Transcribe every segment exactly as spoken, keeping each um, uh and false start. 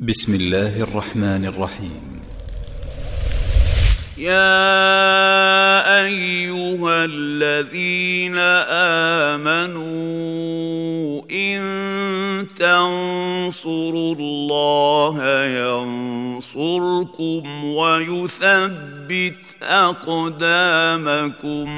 بسم الله الرحمن الرحيم. يا أيها الذين آمنوا إن تنصروا الله ينصركم ويثبت أقدامكم.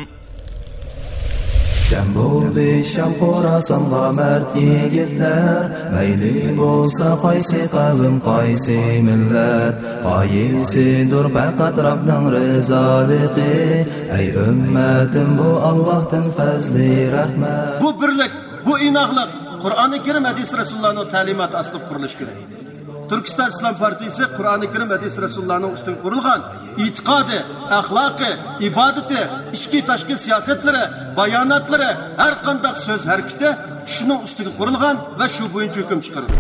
جەم بولدى شام خوراسانغا مەرد يىگىتلەر، مەيلى بولسا قايسى قەۋم، قايسى مىللەت، غايىسىدۇر پەقەت رەبنىڭ رىزالىقى. ئەي ئۈممەتىم، بۇ ئاللاھتىن پەزلى رەھمەت. بۇ بىرلىك، بۇ ئىناقلىق قۇرئانى كەرىم، ھەدىس رەسۇلۇللانىڭ تەلىماتى ئاستىدا قۇرۇلۇشى كېرەك. تۈركىستان ئىسلام پارتىيىسى قۇرئانى كەرىم، ھەدىس رەسۇلۇللانىڭ ئۈستىگە قۇرۇلغان ئېتىقادى، ئەخلاقى، ئىبادىتى، ئىچكى تاشقى سىياسەتلىرى، باياناتلىرى، ھەر قانداق سۆز ھەرىكىتى شۇنىڭ ئۈستىگە قۇرۇلغان ۋە شۇ بويىچە ھۆكۈم چىقىرىدۇ.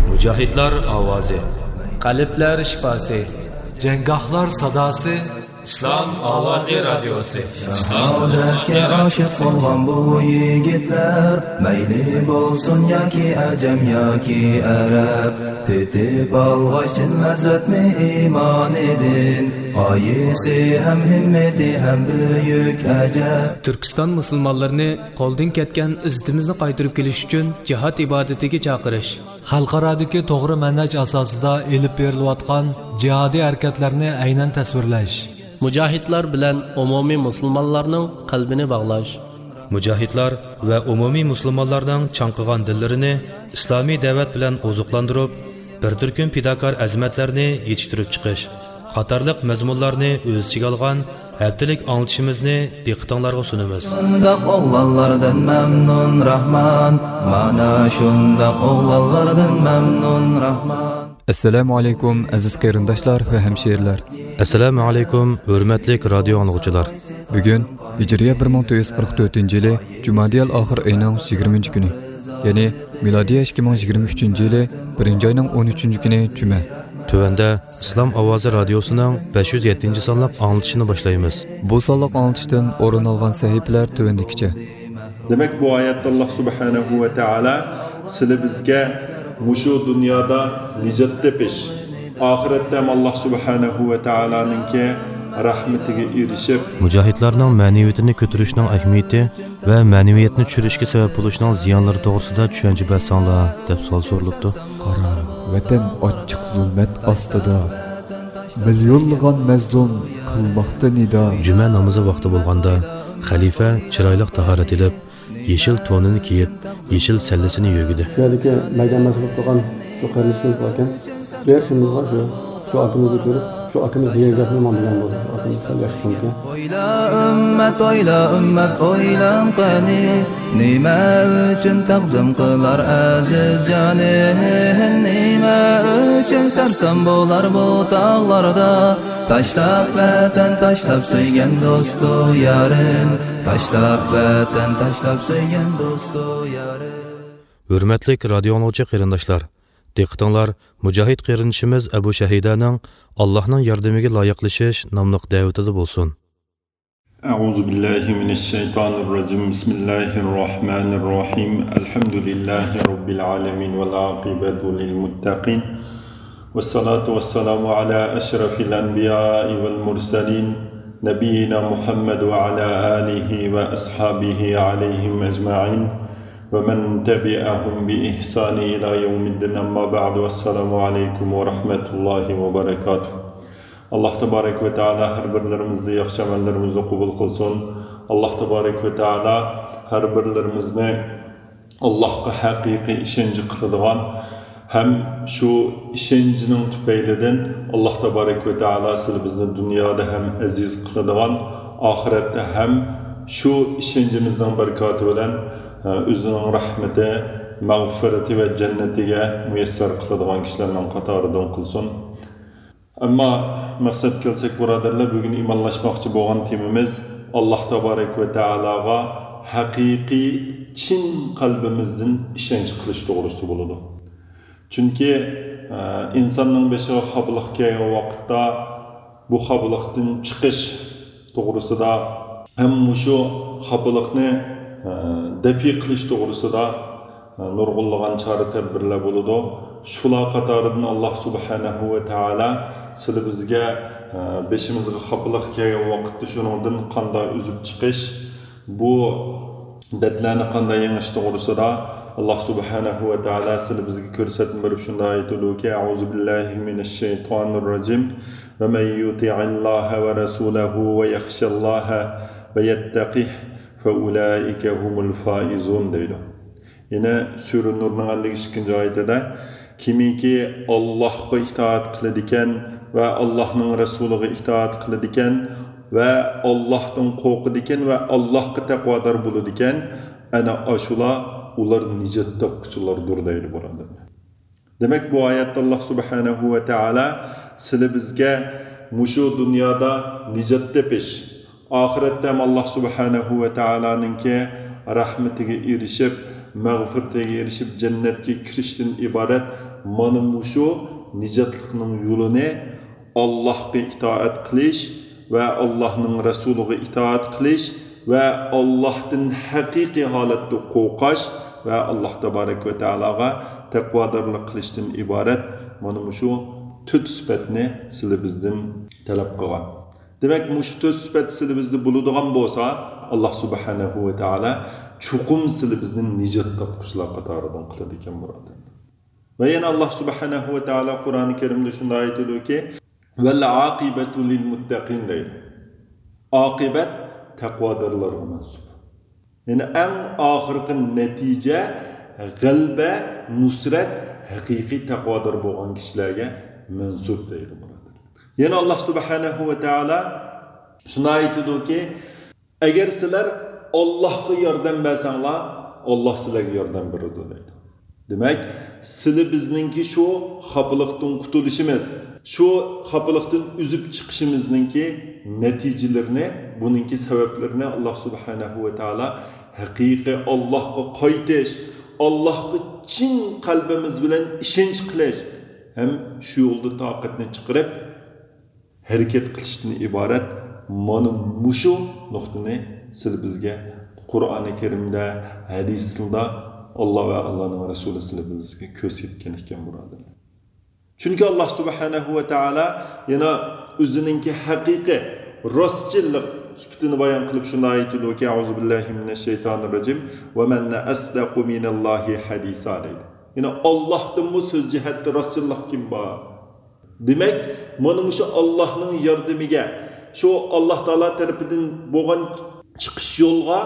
مۇجاھىدلار ئاۋازى. قەلبلەر شىپاسى. جەڭگاھلار ساداسى. ئىسلام ئاۋازى رادىيوسى. شاھادەتكە ئاشىق بولغان بۇ يىگىتلەر، مەيلى بولسۇن ياكى ئەجەم ياكى ئەرەب، تېتىپ ئالغاچ چىن لەززەتنى ئىمانىدىن، غايىسى ھەم ھىممىتى ھەم بۈيۈك ئەجەب. تۈركىستان مۇسۇلمانلىرىنى قولدىن كەتكەن ئىززىتىمىزنى قايتۇرۇپ كېلىش ئۈچۈن جىھاد ئىبادىتىگە چاقىرىش. خەلقئارادىكى توغرا مەنھەج ئاساسىدا ئېلىپ بېرىلىۋاتقان جىھادىي ھەرىكەتلەرنى ئەينەن تەسۋىرلەش. مۇجاھىدلار بىلەن ئومۇمىي مۇسۇلمانلارنىڭ قەلبىنى باغلاش. مۇجاھىدلار ۋە ئومۇمىي مۇسۇلمانلارنىڭ چاڭقىغان دىللىرىنى ئىسلامىي دەۋەت بىلەن ئوزۇقلاندۇرۇپ، بىر تۈركۈم پىداكار ئەزىمەتلەرنى يېتىشتۈرۈپ چىقىش قاتارلىق مەزمۇنلارنى ئۆز ئىچىگە ئالغان ھەپتىلىك ئاڭلىتىشىمىزنى دىققىتىڭلارغا سۇنىمىز. شۇنداق ئوغلانلاردىن مەمنۇن راھمان، مانا شۇنداق ئوغلانلاردىن مەمنۇن راھمان. ئەسسالامۇ ئەلەيكۇم، ئەزىز قېرىنداشلار ۋە ھەمشىرىلەر. ئەسسالامۇ ئەلەيكۇم، ھۆرمەتلىك رادىيو ئاڭلىغۇچىلار. بۈگۈن ھىجرىيە بىر مىڭ تۆت يۈز قىرىق تۆتىنچى يىلى جۇمادىيەل ئاخىر ئېيىنىڭ يىگىرمىنچى كۈنى، يەنى مىلادىيە ئىككى مىڭ يىگىرمە ئۈچىنچى يىلى بىرىنچى ئاينىڭ ئون ئۈچىنچى كۈنى جۈمە. تۆۋەندە ئىسلام ئاۋازى رادىيوسىنىڭ بەش يۈز يەتتىنچى سانلىق ئاڭلىتىشىنى باشلايمىز. بۇ سانلىق ئاڭلىتىشتىن ئورۇن ئالغان سەھىپىلەر تۆۋەندىكىچە. دېمەك، بۇ ئايەتتە ئاللاھ سۇبھانەھۇ ۋە تائالا سىلى بىزگە مۇشۇ دۇنيادا نىجات تېپىش، ئاخىرەتتە ھەم ئاللاھ سۇبھانەھۇ ۋە تائالانىڭكى رەھمىتىگە ئېرىشىپ، مۇجاھىدلارنىڭ مەنىۋىيىتىنى كۆتۈرۈشنىڭ ئەھمىيىتى ۋە مەنىۋىيەتنى چۈشۈرۈشكە سەۋەب بولۇشنىڭ زىيانلىرى توغرىسىدا چۈشەنچە بەرسەڭلار، دەپ سوئال سورىلىپتۇ. قارا، ۋەتەن ئاچچىق زۇلمەت ئاستىدا، مىليونلىغان مەزلۇم قىلماقتا نىدا. جۈمە نامىزى ۋاقتى بولغاندا، خەلىپە چىرايلىق تاھارەت ئېلىپ، يېشىل تونىنى كىيىپ، يېشىل سەللىسىنى يۆگىدى. شۇ يەردىكى مەيدان مەسئۇل بولۇپ تۇرغان شۇ قېرىندىشىمىز باركەن، بېرىشىمىزغا شۇ، شۇ ئاكىمىزنى كۆرۈپ، شۇ ئاكىمىز دېگەن گەپنى ماڭا دېگەن بولدى. شۇ ئاكىمىز سەل ياخشى چۈشەنكەن. ئويلا ئۈممەت، ئويلا ئۈممەت، ئويلاڭ قېنى، نېمە ئۈچۈن تەقدىم قىلار ئەزىز جانى؟ نېمە ئۈچۈن سەرسان بولار بۇ تاغلاردا؟ تاشلاپ ۋەتەن، تاشلاپ سۆيگەن دوستۇ يارىن، تاشلاپ ۋەتەن، تاشلاپ سۆيگەن دوستۇ يارىن. ھۆرمەتلىك رادىيو ئاڭلىغۇچى قېرىنداشلار، دىققىتىڭلار مۇجاھىد قېرىندىشىمىز ئەبۇ شەھىدانىڭ «ئاللاھنىڭ ياردىمىگە لايىقلىشىش» ناملىق دەۋىتىدە بولسۇن. أعوذ بالله من الشيطان الرجيم. بسم الله الرحمن الرحيم. الحمد لله رب العالمين والعاقبة للمتقين. والصلاة والسلام على أشرف الأنبياء والمرسلين نبينا محمد وعلى آله وأصحابه عليهم أجمعين ومن تبعهم بإحسان إلى يوم الدين. أما بعد. والسلام عليكم ورحمة الله وبركاته. ئاللاھ تابارەك ۋە تائالا ھەر بىرلىرىمىزنى ياخشى ئەمەللىرىمىزنى قوبۇل قىلسۇن. ئاللاھ تابارەك ۋە تائالا ھەر بىرلىرىمىزنى ئاللاھقا ھەقىقىي ئىشەنچ قىلىدىغان ھەم شۇ ئىشەنچنىڭ تۈپەيلىدىن ئاللاھ تابارەك ۋە تائالا سىلى بىزنى دۇنيادا ھەم ئەزىز قىلىدىغان، ئاخىرەتتە ھەم شۇ ئىشەنچىمىزنىڭ بەرىكاتى بىلەن، ئە، ئۆزىنىڭ رەھمىتى، مەغپىرىتى ۋە جەننىتىگە مۇيەسسەر قىلىدىغان كىشىلەرنىڭ قاتارىدىن قىلسۇن. ئەمما مەقسەتكە كەلسەك، بۇرادەرلەر، بۈگۈن ئىمانلاشماقچى بولغان تېمىمىز ئاللاھ تابارەك ۋە تائالاغا ھەقىقىي، چىن قەلبىمىزدىن ئىشەنچ قىلىش توغرىسىدا بولىدۇ. چۈنكى، ئە، ئىنساننىڭ بېشىغا خاپىلىق كەلگەن ۋاقىتتا بۇ خاپىلىقتىن چىقىش توغرىسىدا ھەم مۇشۇ خاپىلىقنى، ئە، دەپئى قىلىش توغرىسىدا نۇرغۇنلىغان چارە-تەدبىرلەر بولىدۇ. شۇلار قاتارىدىن ئاللاھ سۇبھانەھۇ ۋە تائالا سىلى بىزگە، ئە، بېشىمىزغا خاپىلىق كەلگەن ۋاقىتتا شۇنىڭدىن قانداق ئۈزۈپ چىقىش، بۇ دەردلەرنى قانداق يېڭىش توغرىسىدا ئاللاھ سۇبھانەھۇ ۋە تائالا سىلى بىزگە كۆرسەتمە بېرىپ شۇنداق ئېيتىدۇكى، أعوذ بالله من الشيطان الرجيم، ومن يطع الله ورسوله ويخش الله ويتقه فأولئك هم الفائزون دەيدۇ. يەنە سۈرە نۇرنىڭ ئەللىك ئىككىنچى ئايىتىدە، كىمكى ئاللاھقا ئىتائەت قىلىدىكەن ۋە ئاللاھنىڭ رەسۇلىغا ئىتائەت قىلىدىكەن ۋە ئاللاھتىن قورقىدىكەن ۋە ئاللاھقا تەقۋادار بولىدىكەن، ئەنە ئاشۇلار، ئۇلار نىجات تاپقۇچىلاردۇر دەيدۇ، بۇرادەرلەر. دېمەك، بۇ ئايەتتە ئاللاھ سۇبھانەھۇ ۋە تائالا سىلى بىزگە مۇشۇ دۇنيادا نىجات تېپىش، ئاخىرەتتە ھەم ئاللاھ سۇبھانەھۇ ۋە تائالانىڭكى رەھمىتىگە ئېرىشىپ، مەغپىرىتىگە ئېرىشىپ، جەننەتكە كىرىشتىن ئىبارەت مانا مۇشۇ نىجاتلىقنىڭ يولىنى ئاللاھقا ئىتائەت قىلىش ۋە ئاللاھنىڭ رەسۇلىغا ئىتائەت قىلىش ۋە ئاللاھتىن ھەقىقىي ھالەتتە قورقاش ۋە ئاللاھ تابارەك ۋە تائالاغا تەقۋادارلىق قىلىشتىن ئىبارەت مانا مۇشۇ تۆت سۈپەتنى سىلى بىزدىن تەلەپ قىلغان. دېمەك، مۇشۇ تۆت سۈپەت سىلى بىزدە بولىدىغان بولسا، ئاللاھ سۇبھانەھۇ ۋە تائالا چوقۇم سىلى بىزنى نىجات تاپقۇچىلار قاتارىدىن قىلىدىكەن، بۇرادەرلەر. ۋە يەنە ئاللاھ سۇبھانەھۇ ۋە تائالا قۇرئانى كەرىمدە شۇنداق ئېيتىدۇكى، ۋەل ئاقىبەتۇ لىل مۇتتەقىن دەيدۇ. ئاقىبەت تەقۋادارلارغا مەنسۇپ. يەنى ئەڭ ئاخىرقى نەتىجە، غەلىبە، نۇسرەت ھەقىقىي تەقۋادار بولغان كىشىلەرگە مەنسۇپ دەيدۇ، بۇرادەرلەر. يەنە ئاللاھ سۇبھانەھۇ ۋە تائالا شۇنداق ئېيتىدۇكى، ئەگەر سىلەر ئاللاھقا ياردەم بەرسەڭلار، ئاللاھ سىلەرگە ياردەم بېرىدۇ دەيدۇ. دېمەك، سىلى بىزنىڭكى شۇ خاپىلىقتىن قۇتۇلۇشىمىز، شۇ خاپىلىقتىن ئۈزۈپ چىقىشىمىزنىڭكى نەتىجىلىرىنى، بۇنىڭكى سەۋەبلىرىنى ئاللاھ سۇبھانەھۇ ۋە تائالا ھەقىقىي ئاللاھقا قايتىش، ئاللاھقا چىن قەلبىمىز بىلەن ئىشەنچ قىلىش ھەم شۇ يولدا تاقەتنى چىقىرىپ، ھەرىكەت قىلىشتىن ئىبارەت مانا مۇشۇ نۇقتىنى سىلى بىزگە قۇرئانى كەرىمدە، ھەدىسلىرىدە ئاللاھ ۋە ئاللاھنىڭ رەسۇلى سىلى بىزگە كۆرسەتكەن ئىكەن، بۇرادەرلەر. چۈنكى ئاللاھ سۇبھانەھۇ ۋە تائالا يەنە ئۆزىنىڭكى ھەقىقىي راستچىللىق سۈپىتىنى بايان قىلىپ شۇنداق ئېيتىدۇكى، أعوذ بالله من الشيطان الرجيم، ومن أصدق من الله حديثا دەيدۇ. يەنى ئاللاھتىنمۇ سۆز جەھەتتە راستچىللىق كىم بار؟ دېمەك، مانا مۇشۇ ئاللاھنىڭ ياردىمىگە، شۇ ئاللاھ تائالا تەرىپىدىن بولغان چىقىش يولغا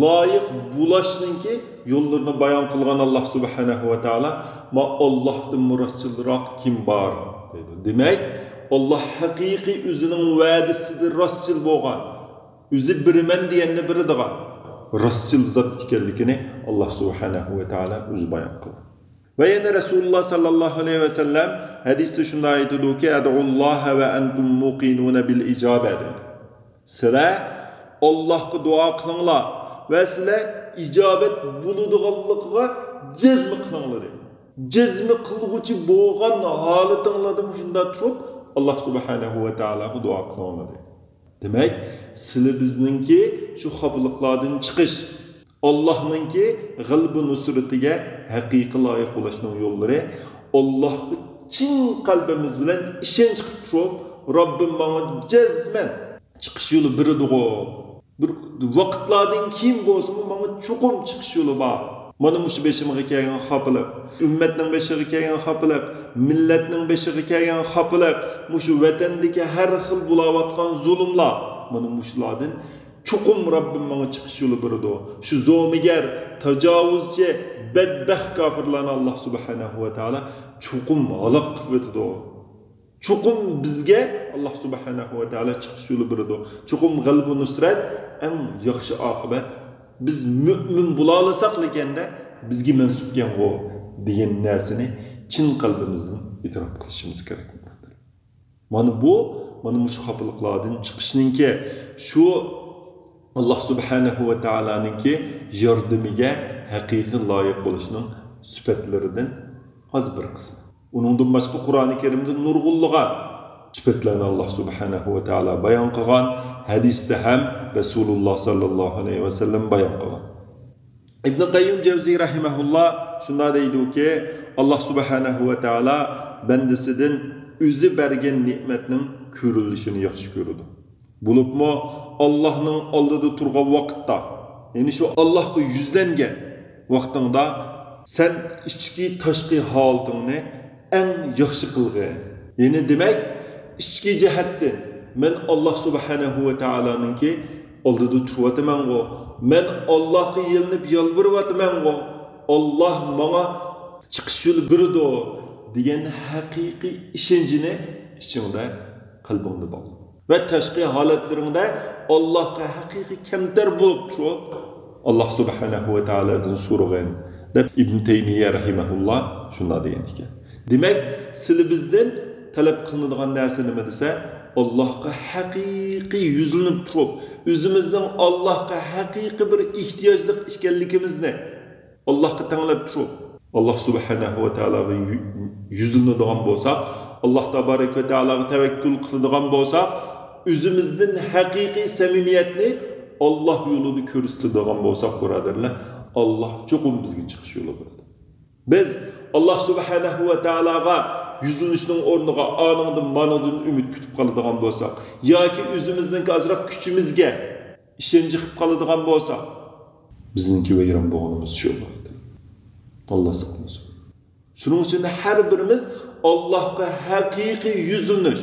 لايىق بولۇشنىڭكى يوللىرىنى بايان قىلغان ئاللاھ سۇبھانەھۇ ۋە تائالا، ما ئاللاھتىنمۇ راستچىلراق كىم بار؟ دەيدۇ. دېمەك، ئاللاھ ھەقىقىي ئۆزىنىڭ ۋەدىسىدە راستچىل بولغان، ئۆزى بېرىمەن دېگەننى بېرىدىغان راستچىل زات ئىكەنلىكىنى ئاللاھ سۇبھانەھۇ ۋە تائالا ئۆزى بايان قىلغان. ۋە يەنە رەسۇلۇللاھ ساللاللاھۇ ئەلەيھى ۋەسەللەم ھەدىستە شۇنداق ئېيتىدۇكى، ادعوا الله وأنتم موقنون بالإجابة دەيدۇ. سىلەر ئاللاھقا دۇئا قىلىڭلار ۋە سىلەر ئىجابەت بولىدىغانلىقىغا جەزم قىلىڭلار دەيدۇ. جەزم قىلغۇچى بولغان ھالىتىڭلاردا مۇشۇنداق تۇرۇپ، ئاللاھ سۇبھانەھۇ ۋە تائالاغا دۇئا قىلىڭلار دەيدۇ. دېمەك، سىلى بىزنىڭكى شۇ خاپىلىقلاردىن چىقىش، ئاللاھنىڭكى غەلىبە نۇسرىتىگە ھەقىقىي لايىق بولۇشنىڭ يوللىرى، ئاللاھقا چىن قەلبىمىز بىلەن ئىشەنچ قىلىپ تۇرۇپ، رەببىم ماڭا جەزمەن چىقىش يولى بېرىدىغۇ، بىر ۋاقىتلاردىن كېيىن بولسىمۇ ماڭا چوقۇم چىقىش يولى بار. مانا مۇشۇ بېشىمغا كەلگەن خاپىلىق، ئۈممەتنىڭ بېشىغا كەلگەن خاپىلىق، مىللەتنىڭ بېشىغا كەلگەن خاپىلىق، مۇشۇ ۋەتەندىكى ھەر خىل بولاۋاتقان زۇلۇملار، مانا مۇشۇلاردىن چوقۇم رەببىم ماڭا چىقىش يولى بېرىدۇ. شۇ زومىگەر، تاجاۋۇزچى، بەدبەخت كاپىرلارنى ئاللاھ سۇبھانەھۇ ۋە تائالا چوقۇم ھالاك قىلىۋېتىدۇ. چوقۇم بىزگە ئاللاھ سۇبھانەھۇ ۋە تائالا چىقىش يولى بېرىدۇ. چوقۇم غەلىبە نۇسرەت، ئەڭ ياخشى ئاقىۋەت، بىز مۆمىن بولالىساقلىكەندە بىزگە مەنسۇپكەنغۇ دېگەن نەرسىنى چىن قەلبىمىزدىن ئېتىراپ قىلىشىمىز كېرەك. مانا بۇ، مانا مۇشۇ خاپىلىقلاردىن چىقىشنىڭكى، شۇ ئاللاھ سۇبھانەھۇ ۋە تائالانىڭكى ياردىمىگە ھەقىقىي لايىق بولۇشنىڭ سۈپەتلىرىدىن ئاز بىر قىسمى. ئۇنىڭدىن باشقا قۇرئانى كەرىمدە نۇرغۇنلىغان سۈپەتلەرنى ئاللاھ سۇبھانەھۇ ۋە تائالا بايان قىلغان، ھەدىستە ھەم رەسۇلۇللاھ ساللاللاھۇ ئەلەيھى ۋەسەللەم بايان قىلغان. ئىبن قەييۇم جەۋزىي رەھىمەھۇللا شۇنداق دەيدۇكى، ئاللاھ سۇبھانەھۇ ۋە تائالا بەندىسىدىن ئۆزى بەرگەن نېمەتنىڭ كۆرۈلۈشىنى ياخشى كۆرىدۇ. بولۇپمۇ ئاللاھنىڭ ئالدىدا تۇرغان ۋاقىتتا، يەنى شۇ ئاللاھقا يۈزلەنگەن ۋاقتىڭدا سەن ئىچكى، تاشقى ھالىتىڭنى ئەڭ ياخشى قىلغىن. يەنى دېمەك، ئىچكى جەھەتتىن مەن ئاللاھ سۇبھانەھۇ ۋە تائالانىڭكى ئالدىدا تۇرۇۋاتىمەنغۇ، مەن ئاللاھقا يېلىنىپ يالۋۇرۇۋاتىمەنغۇ، ئاللاھ ماڭا چىقىش يولى بېرىدۇ دېگەن ھەقىقىي ئىشەنچنى ئىچىڭدە، قەلبىڭدە باغلا. ۋە تاشقى ھالەتلىرىڭدە ئاللاھقا ھەقىقىي كەمتەر بولۇپ تۇرۇپ، ئاللاھ سۇبھانەھۇ ۋە تائالادىن سورىغىن، دەپ ئىبن تەيمىيە رەھىمەھۇللا شۇنداق دېگەن ئىكەن. دېمەك، سىلى بىزدىن تەلەپ قىلىنىدىغان نەرسە نېمە دېسە، ئاللاھقا ھەقىقىي يۈزلىنىپ تۇرۇپ، ئۆزىمىزنىڭ ئاللاھقا ھەقىقىي بىر ئېھتىياجلىق ئىكەنلىكىمىزنى، ئاللاھقا تەڭلەپ تۇرۇپ، ئاللاھ سۇبھانەھۇ ۋە تائالاغا يۈ-، يۈزلىنىدىغان بولساق، ئاللاھ تابارەك ۋە تائالاغا تەۋەككۈل قىلىدىغان بولساق، ئۆزىمىزدىن ھەقىقىي سەمىمىيەتنى ئاللاھ يولىدا كۆرسىتىدىغان بولساق، بۇرادەرلەر، ئاللاھ چوقۇم بىزگە چىقىش يولى بېرىدۇ. بىز ئاللاھ سۇبھانەھۇ ۋە تائالاغا يۈزلىنىشنىڭ ئورنىغا ئانىڭدىن، مانىڭدىن ئۈمىد كۈتۈپ قالىدىغان بولساق، ياكى ئۆزىمىزنىڭكى ئازراق كۈچىمىزگە ئىشەنچ قىلىپ قالىدىغان بولساق، بىزنىڭكى ۋەيران بولغىنىمىز شۇ بولىدۇ. ئاللاھ ساقلىسۇن. شۇنىڭ ئۈچۈن ھەر بىرىمىز ئاللاھقا ھەقىقىي يۈزلىنىش،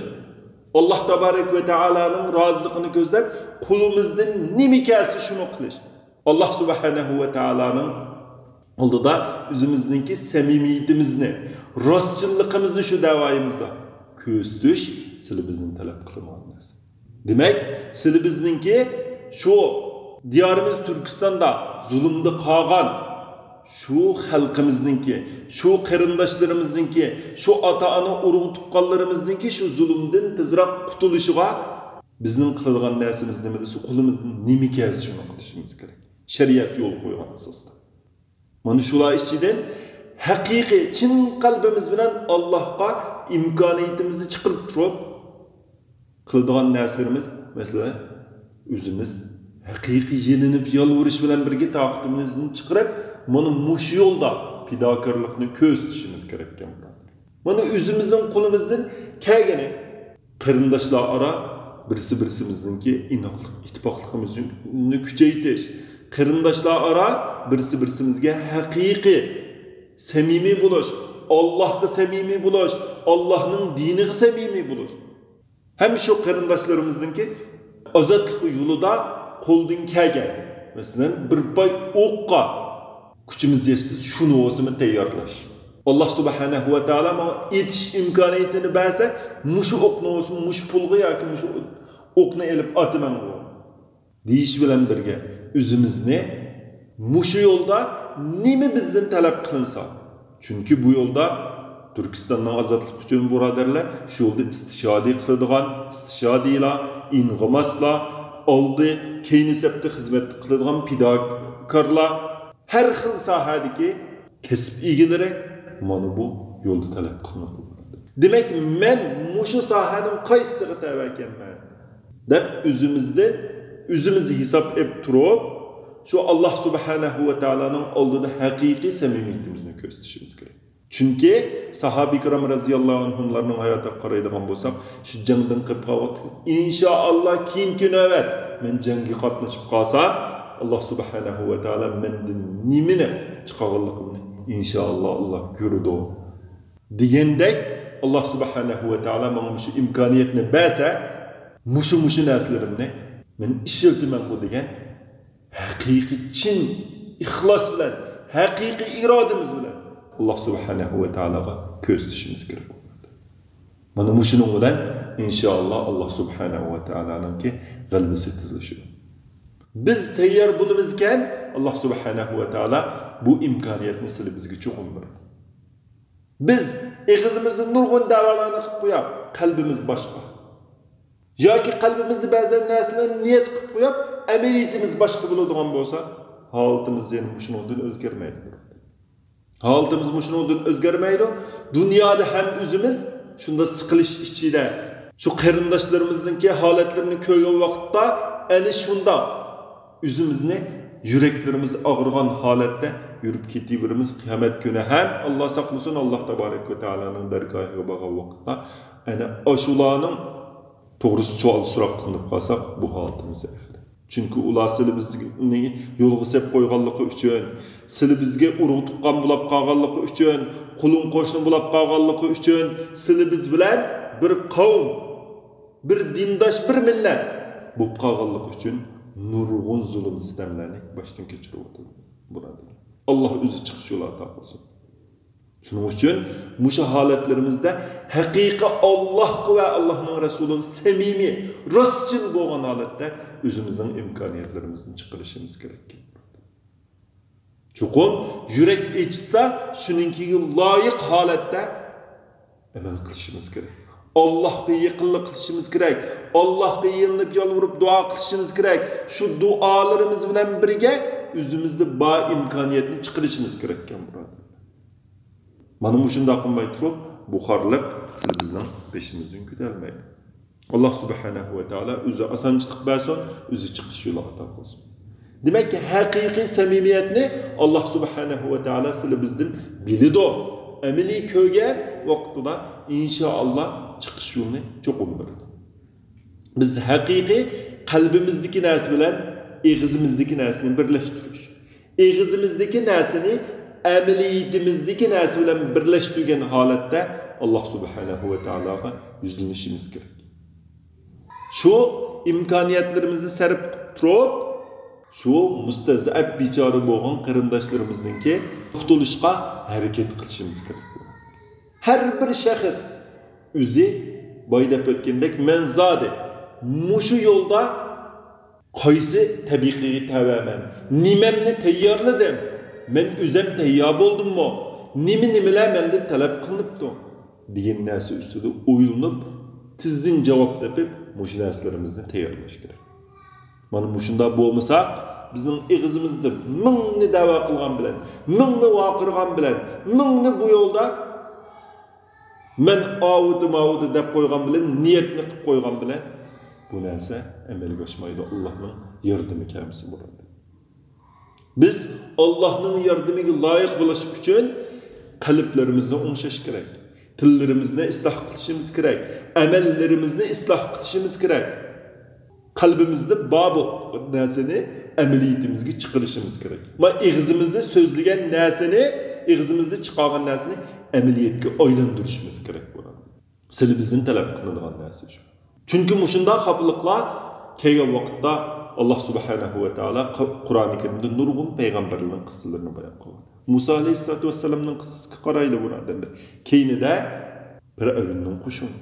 ئاللاھ تابارەك ۋە تائالانىڭ رازىلىقىنى كۆزلەپ، قولىمىزدىن نېمە كەلسە شۇنى قىلىش. ئاللاھ سۇبھانەھۇ ۋە تائالانىڭ ئالدىدا ئۆزىمىزنىڭكى سەمىمىيىتىمىزنى، راستچىللىقىمىزنى شۇ دەۋايىمىزدا كۆرسىتىش سىلى بىزدىن تەلەپ قىلىنغان نەرسە. دېمەك، سىلى بىزنىڭكى شۇ دىيارىمىز تۈركىستاندا زۇلۇمدا قالغان شۇ خەلقىمىزنىڭكى، شۇ قېرىنداشلىرىمىزنىڭكى، شۇ ئاتا-ئانا، ئۇرۇق-تۇغقانلىرىمىزنىڭكى شۇ زۇلۇمدىن تېزراق قۇتۇلۇشىغا بىزنىڭ قىلىدىغان نەرسىمىز نېمە دېسە، قولىمىزدىن نېمە كەلسە شۇنى قىلىشىمىز كېرەك. شەرىئەت يول قويغان ئاساستا. مانا شۇلار ئىچىدىن ھەقىقىي، چىن قەلبىمىز بىلەن ئاللاھقا ئىمكانىيىتىمىزنى چىقىرىپ تۇرۇپ قىلىدىغان نەرسىلىرىمىز، مەسىلەن، ئۆزىمىز ھەقىقىي يېلىنىپ يالۋۇرۇش بىلەن بىرگە تاقىتىمىزنى چىقىرىپ، مانا مۇشۇ يولدا پىداكارلىقنى كۆرسىتىشىمىز كېرەككەن، بۇرادەر. مانا ئۆزىمىزنىڭ قولىمىزدىن كەلگىنى، قېرىنداشلار ئارا بىرسى-بىرسىمىزنىڭكى ئىناقلىق، ئىتتىپاقلىقىمىزنى كۈچەيتىش، قېرىنداشلار ئارا بىرسى-بىرسىمىزگە ھەقىقىي سەمىمىي بولۇش، ئاللاھقا سەمىمىي بولۇش، ئاللاھنىڭ دىنىغا سەمىمىي بولۇش. ھەم شۇ قېرىنداشلىرىمىزنىڭكى ئازادلىق يولىدا قولدىن كەلگەن، مەسىلەن، بىر پاي ئوققا كۈچىمىز يەتسە، شۇنى بولسىمۇ تەييارلاش. ئاللاھ سۇبھانەھۇ ۋە تائالا ماڭا ئېتىش ئىمكانىيىتىنى بەرسە، مۇشۇ ئوقنى بولسىمۇ، مۇشۇ پۇلغا ياكى مۇشۇ ئوقنى ئېلىپ ئاتىمەنغۇ، دېيىش بىلەن بىرگە، ئۆزىمىزنى مۇشۇ يولدا نېمە بىزدىن تەلەپ قىلىنسا، چۈنكى بۇ يولدا تۈركىستاننىڭ ئازادلىقى ئۈچۈن بۇرادەرلەر، شۇ يولدا ئىستىشادى قىلىدىغان ئىستىشادىيلار، ئىنغىماسلار، ئالدى، كەينى سەپتە خىزمەت قىلىدىغان پىداكارلار، ھەر خىل ساھەدىكى كەسىپ ئىگىلىرى مانا بۇ يولدا تەلەپ قىلىنىدۇ. دېمەك، مەن مۇشۇ ساھەنىڭ قايسىسىغا تەۋە ئىكەنمەن؟ دەپ ئۆزىمىزدىن ئۆزىمىز ھېساب ئېلىپ تۇرۇپ، شۇ ئاللاھ سۇبھانەھۇ ۋە تائالانىڭ ئالدىدا ھەقىقىي سەمىمىيىتىمىزنى كۆرسىتىشىمىز كېرەك. چۈنكى ساھابە كىرام رەزىياللاھۇ ئەنھۇملارنىڭ ھاياتىغا قارايدىغان بولساق، شۇ جەڭدىن قېلىپ قالغان، ئىنشائاللا، كېيىنكى نۆۋەت مەن جەڭگە قاتنىشىپ قالسام، ئاللاھ سۇبھانەھۇ ۋە تائالا مەندىن نېمىنى چىقارغانلىقىمنى، ئىنشائاللا، ئاللاھ كۆرىدۇ. دېگەندەك، ئاللاھ سۇبھانەھۇ ۋە تائالا ماڭا مۇشۇ ئىمكانىيەتنى بەرسە، مۇشۇ، مۇشۇ نەرسىلىرىمنى مەن ئىشلىتىمەنغۇ دېگەن ھەقىقىي چىن ئىخلاس بىلەن، ھەقىقىي ئىرادىمىز بىلەن ئاللاھ سۇبھانەھۇ ۋە تائالاغا كۆزىتىشىمىز كېرەك. مانا مۇشۇنىڭ بىلەن، ئىنشائاللا، ئاللاھ سۇبھانەھۇ ۋە تائالانىڭكى غەلىبىسى تېزلىشىدۇ. بىز تەييار بولىمىزكەن، ئاللاھ سۇبھانەھۇ ۋە تائالا بۇ ئىمكانىيەتنى سىلى بىزگە چوقۇم بېرىدۇ. بىز ئېغىزىمىزدا نۇرغۇن دەۋالارنى قىلىپ قوياپ، قەلبىمىز باشقا. ياكى قەلبىمىزدە بەزى نەرسىلەرنى نىيەت قىلىپ قويۇپ، ئەمەلىيىتىمىز باشقا بولىدىغان بولسا، ھالىتىمىز يەنە مۇشۇنىڭدىن ئۆزگەرمەيدۇ. ھالىتىمىز مۇشۇنىڭدىن ئۆزگەرمەيدۇ. دۇنيادا ھەم ئۆزىمىز شۇنداق سىقىلىش ئىچىدە، شۇ قېرىنداشلىرىمىزنىڭكى ھالەتلىرىنى كۆرگەن ۋاقىتتا، ئەنە شۇنداق ئۆزىمىزنى يۈرەكلىرىمىز ئاغرىغان ھالەتتە يۈرۈپ كېتىۋېرىمىز. قىيامەت كۈنى ھەم، ئاللا ساقلىسۇن، ئاللا تابارەك ۋە تائالانىڭ دەرگاھىغا بارغان ۋاقىتتا ئەنە ئاشۇلارنىڭ توغرىسىدا سوئال سوراق قىلىنىپ قالساق، بۇ ھالىتىمىز ئېغىر. چۈنكى ئۇلار سىلى بىزنى يولغا سېلىپ قويغانلىقى ئۈچۈن، سىلى بىزگە ئۇرۇق تۇغقان بولاپ قالغانلىقى ئۈچۈن، قولۇم قوشنا بولاپ قالغانلىقى ئۈچۈن، سىلى بىز بىلەن بىر قەۋم، بىر دىنداش، بىر مىللەت بولۇپ قالغانلىقى ئۈچۈن نۇرغۇن زۇلۇم سىتەملەرنى باشتىن كەچۈرۈۋاتىدۇ، بۇرادەر. ئاللا ئۆزى چىقىش يولى ئاتا قىلسۇن. شۇنىڭ ئۈچۈن مۇشۇ ھالەتلىرىمىزدە ھەقىقىي ئاللاھقا ۋە ئاللاھنىڭ رەسۇلىغا سەمىمىي، راستچىل بولغان ھالەتتە ئۆزىمىزنىڭ ئىمكانىيەتلىرىمىزنى چىقىرىشىمىز كېرەك. چوقۇم يۈرەك ئېچىشسا، شۇنىڭكىگە لايىق ھالەتتە ئەمەل قىلىشىمىز كېرەك. ئاللاھقا يېقىنلىق قىلىشىمىز كېرەك. ئاللاھقا يېلىنىپ، يالۋۇرۇپ، دۇئا قىلىشىمىز كېرەك. شۇ دۇئالىرىمىز بىلەن بىرگە ئۆزىمىزدە بار ئىمكانىيەتنى چىقىرىشىمىز كېرەككەن، بۇرادەرلەر. مانا مۇشۇنداق قىلماي تۇرۇپ، بۇ خارلىق سىلى بىزنىڭ بېشىمىزدىن كۆتەرمەيدۇ. ئاللا سۇبھانەھۇ ۋە تائالا ئۆزى ئاسانچىلىق بەرسۇن، ئۆزى چىقىش يولى ئاتا قىلسۇن. دېمەك، ھەقىقىي سەمىمىيەتنى ئاللا سۇبھانەھۇ ۋە تائالا سىلى بىزدىن بىلىدۇ. ئەمەلىي كۆرگەن ۋاقتىدا، ئىنشائاللا، چىقىش يولىنى چوقۇم بىلىدۇ. بىز ھەقىقىي قەلبىمىزدىكى نەرسە بىلەن ئېغىزىمىزدىكى نەرسىنى بىرلەشتۈرۈش، ئېغىزىمىزدىكى نەرسىنى ئەمەلىيىتىمىزدىكى نەرسە بىلەن بىرلەشتۈرگەن ھالەتتە ئاللا سۇبھانەھۇ ۋە تائالاغا يۈزلىنىشىمىز كېرەك. شۇ ئىمكانىيەتلىرىمىزنى سەرپ قىلىپ تۇرۇپ، شۇ مۇستەزئەپ بىچارە بولغان قېرىنداشلىرىمىزنىڭكى قۇتۇلۇشقا ھەرىكەت قىلىشىمىز كېرەك. ھەر بىر شەخس ئۆزى بايا دەپ ئۆتكەندەك، مەن زادى مۇشۇ يولدا قايسى تەبىقىگە تەۋەمەن؟ نېمەمنى تەييارلىدىم؟ مەن ئۆزەم تەييار بولدۇممۇ؟ نېمە-نېمىلەر مەندىن تەلەپ قىلىنىپتۇ؟ دېگەن نەرسە ئۈستىدە ئويلىنىپ، تېزدىن جاۋاب تېپىپ، مۇشۇ نەرسىلىرىمىزنى تەييارلاش كېرەك. مانا مۇشۇنداق بولمىساق، بىزنىڭ ئېغىزىمىزدا مىڭنى دەۋا قىلغان بىلەن، مىڭنى ۋارقىرىغان بىلەن، مىڭنى بۇ يولدا مەن ئاۋۇدا-ماۋۇدا دەپ قويغان بىلەن، نىيەتنى قىلىپ قويغان بىلەن بۇ نەرسە ئەمەلگە ئاشمايدۇ، ئاللانىڭ ياردىمى كەلمىسە بۇرادەر. بىز ئاللانىڭ ياردىمىگە لايىق بولۇش ئۈچۈن قەلبلىرىمىزنى ئوڭشاش كېرەك، تىللىرىمىزنى ئىسلاھ قىلىشىمىز كېرەك، ئەمەللىرىمىزنى ئىسلاھ قىلىشىمىز كېرەك. قەلبىمىزدە بار بۇ نەرسىنى ئەمەلىيىتىمىزگە چىقىرىشىمىز كېرەك. ما ئېغىزىمىزدا سۆزلىگەن نەرسىنى، ئېغىزىمىزدا چىقارغان نەرسىنى ئەمەلىيەتكە ئايلاندۇرۇشىمىز كېرەك بولىدۇ. سىلى بىزدىن تەلەپ قىلىنىدىغان نەرسە شۇ. چۈنكى مۇشۇنداق خاپىلىقلار كەلگەن ۋاقىتتا، ئاللا سۇبھانەھۇ ۋە تائالا ق-، قۇرئانى كەرىمدە نۇرغۇن پەيغەمبەرلەرنىڭ قىسسىلىرىنى بايان قىلغان. مۇسا ئەلەيھىسسالاتۇ ۋەسسالامنىڭ قىسسىسىگە قارايلى، بۇرادەرلەر. كەينىدە پىرئەۋننىڭ قوشۇنى.